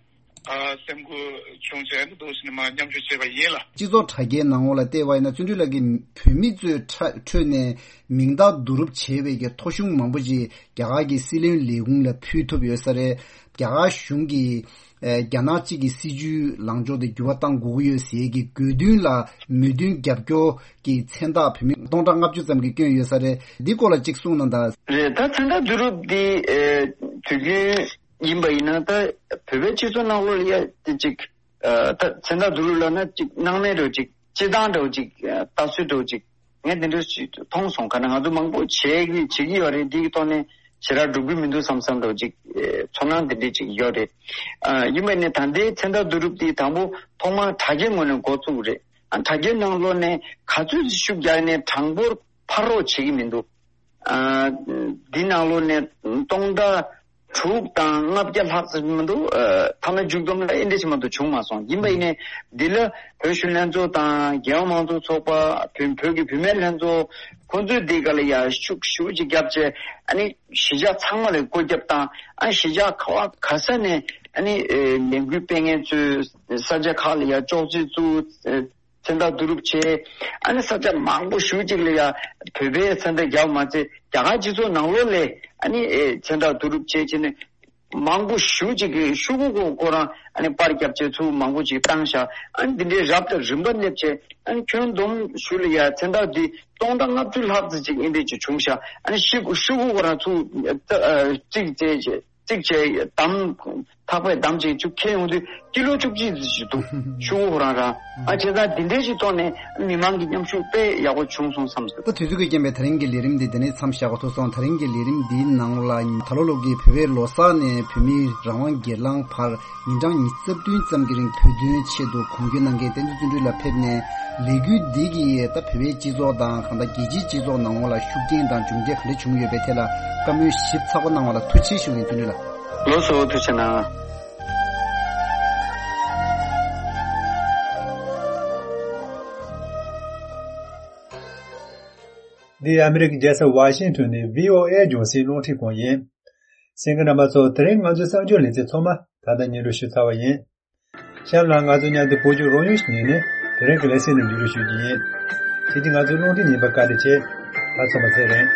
ཨ་སེམས་འགུལ་བྱུང་ཟེར་ཡང་འདུག་ཟིན་ནས་མར་མཉམ་ཞུགས་བྱས་པ་ཡིན་ལ། སྤྱི་ཚོགས་དྲ་རྒྱའི་ནང་ལོགས་ལ་བལྟས་པ་ཡིན་ན་བརྩོན་འགྲུས་ལགས་ཀྱིས་བོད་མི་ཚོའི་ཁྲ་ཁྲོད་ནས་མིང་རྟགས་བསྡུ་རུབ་བྱས་པའི་གི་ཐོ་གཞུང་མང་པོ་ཅིག་རྒྱ་གར་གྱི་སྲིད་བློན་ལས་ཁུངས་ལ་ཕུལ་ཐུབ་ཡོད་ས་རེད། རྒྱ་གར་གཞུང་གིས་ཨེ་རྒྱ་ནག་གཅིག་གི་སྲིད་ཇུས་ལངས་ཕྱོགས་དེ་འགྱུར་བ་གཏང་དགོས་ཀྱི་ཡོད་ཟེར་གྱི་དགོས་འདུན་ལ་མོས་མཐུན་རྒྱབ་སྐྱོར་གྱི་མཚན་རྟགས་བོད་མི་སྟོང་ཕྲག་ལྔ་བཅུ་ཙམ་གྱིས་བསྐྱོན་ཡོད་ས་རེད། འདི་སྐོར་ལ་གཅིག་གསུངས་གནང་དང་། རེད། ད་མཚན་རྟགས་བསྡུ་རུབ་འདི་ཨེ་དུས་རྒྱུན་ཡིན་པ་ཡིན་ན་ད་བོད་པའི་སྤྱི་ཚོགས་ནང་ལོགས་ལ་ཡ་དེ་གཅིག་ཨ་ད་མཚན་རྟགས་བསྡུ་རུབ་ལབ་ན་གཅིག་སྣང་མེད་འདྲ་བོ་གཅིག་སྤྱིར་བཏང་འདྲ་བོ་གཅིག་ཨ་ལྟ་ཚུལ་འདྲ་བོ་གཅིག་ངས་དེ་འདྲ་ཞིག་མཐོང་སོང་། ག་ན་ང་ཚོ་མང་པོ་བྱེད་ཀྱི་བྱེད་ཀྱི་ཡོད་རེད། འདི་གི་ཐོག་ནས་ཞེ་དྲག་འགྲུབ་ཀྱི་མི་འདུག་བསམ་བསམ་འདྲ་བོ་ཅིག་ཨེ་ཚོར་སྣང་དེ་འདྲ་ཅིག་ཡོད་རེད། ཨ་ཡིན་པ་ནས་ད་ལྟའི་མཚན་རྟགས་བསྡུ་རུབ་དེ་དང་པོ་ཐོག་མར་དྲ་རྒྱའི་ངོས་ནས་འགོ་བཙུགས་རེད། ཨ་དྲ་རྒྱའི་ནང་ལོགས་ནས་ག་ཚོད་ཅིག་ཤུགས་རྒྱག་ནས་གྲངས་འབོར་འཕར་རོགས་བྱེད་ཀྱི་མི་འདུག་ཨ་འདི་ནང་ལོགས་ནས་སྟོང་ཕྲག་དྲུག་དང་ལྔ་བརྒྱ་ལྷག་ཙམ་མི་འདུག་ཨ་མཐའ་མ་མཇུག་བསྡོམས་ལ་ཨེ་འདྲ་ཞིག་མ་གཏོགས་བྱུང་མ་སོང་། ཡིན་པ་ཡིན་ནའི་འདི་ལ་བོད་གཞོན་ལྷན་ཚོགས་དང་རྒྱལ་ཡོངས་མང་གཙོ་ཚོགས་པ། བོད་བོད་ཀྱི་བུད་མེད་ལྷན་ཚོགས། ཁོང་ཚོས་འདི་ག་ལ་ཡ་ཤུགས་ཞེ་པོ་ཅིག་བརྒྱབ་བྱས། ཨ་ནི་གཞིས་ཆགས་ཚང་མ་ལ་བཀོད་ཁྱབ་བཏང་། ཨ་གཞིས་ཆགས་ག་བ་ག་ས་ནས་ཨ་ནི་ཨེ་ལས་འགུལ་སྤེལ་མཁན་ཚོས་ས་ཆ་ཁག་ལ་ཡ་ཅོག་ཙེ་བཙུགས། ཨེ་མཚན་རྟགས་བསྡུ་རུབ་བྱས། ཨ་ནི་ས་ཆ་མང་པོ་ཞེ་པོ་ཅིག་ལ་ཡ་བོད་པའི་མཚན་རྟགས་བརྒྱབ་མ་ཚད་རྒྱ་གར་སྤྱི་ཚོགས་ནང་ལོགས་ལ་ཨ་ནི་ཨེ་མཚན་རྟགས་བསྡུ་རུབ་བྱས་བྱས་ནས། མང་པོ་ཞེ་པོ་ཅིག་གིས་ཤོག་གུ་ཁོ་ཁོ་རང་ཨ་ནི་པར་བརྒྱབ་བྱས་ཚུར་མང་པོ་ཅིག་བཏང་ཤག་ཨ་ནི་འདི་འདྲའི་རབ་དང་རིམ་པ་སླེབས་བྱས། ཨ་ནི་ཁྱོན་བསྡོམས་ཞུ་ལ་ཡ་མཚན་རྟགས་འདི་སྟོང་ཕྲག་ལྔ་བཅུ་ལྷག་ཙམ་ཅིག་ཨེ་འདྲ་ཅིག་བྱུང་ཤག་ཨ་ནི་ཤོག་གུ་ཤོག་གུ་ཁོ་རང་ཚུར་ཨ་གཅིག་བྱས་བྱས་གཅིག་བྱས་འདམ་ཐག་པས་འདམ་བྱས་ཅིག་ཁྱེར་ཡོང་དུས་ཀི་ལོ་བཅུ་གཅིག་ཙམ་ཞིག་འདུག་ཤོག་གུ་ཁོ་རང་རང་ཨ་བྱས་ཙང་འདི་འདྲའི་ཅིག་ཐོག་ནས་མི་མང་གི་མཉམ་ཞུགས་དཔེ་ཡག་པོ་བྱུང་སོང་བསམ། ད་དུས་ཚོད་ཀྱི་རྐྱེན་པས་ད་རིང་གི་ལས་རིམ་འདི་འདི་ནས་མཚམས་བཞག་དགོས་ཐུག་སོང་། ད་རིང་གི་ལས་རིམ་འདིའི་ནང་ལ་ད་ལོ་ལོ་གི་བོད་པའི་ལོ་གསར་ནས་བོད་མིའི་རང་དབང་སྒེར་ལངས་བར་ཉིན་གྲངས་ཉི་ཤུ་རྩ་བདུན་ཙམ་གྱི་རིང་བོད་དོན་ཆེད་དུ་གོམ་བགྲོད་གནང་མཁན་བསྟན་འཛིན་བརྩོན་འགྲུས་ལགས་ཕེབས་ནས། ལས་འགུལ་འདི་གིས་ད་བོད་པའི་སྤྱི་ཚོགས་དང་གང་ལྟར་རྒྱལ་སྤྱིའི་སྤྱི་ཚོགས་ནང་ལོགས་ལ་ཤུགས་རྐྱེན་དང་འབྱུང་འགྱུར་ག་འདྲ་བྱུང་ཡོད་པའི་ཐད་ལ་བཀའ་མོལ་ཞིབ་ཚགས་པོ་གནང་བ་ལ་ཐུགས་རྗེ་ཆེ་ཞུ་ཡིན། བརྩོན་འགྲུས་ལགས། ལགས་སོ། ཐུགས་རྗེ་གནང་། འདི་ཨ་མི་རི་ཀའི་རྒྱལ་ས་ཝ་ཤིང་ཊོན་ནས་བྷི་ཨོ་ཨེ་རྒྱང་སྲིང་རླུང་འཕྲིན་ཁང་ཡིན། གསན་མཁན་རྣམ་པ་ཚོ། དེ་རིང་ང་ཚོའི་གསར་འགྱུར་ལེ་ཚན་ཚང་མ་ད་ལྟ་སྙན་སྒྲོན་ཞུས་ཚར་བ་ཡིན། གཤམ་ལ་ང་ཚོ་མཉམ་དུ་བོད་ཀྱི་རོགས་དངུལ་ཞིག་ཉོས་ནས་དེ་རིང་གི་ལེ་ཚན་ནང་བརྒྱུད་རིམ་ཞུ་རྒྱུ་ཡིན། ཁྱེད་ཀྱིས་ང་ཚོའི་རླུང་འཕྲིན་ཉན་པར་བཀའ་དྲིན་ཆེ། ད་ཚང་མ་ཚེ་རིང་།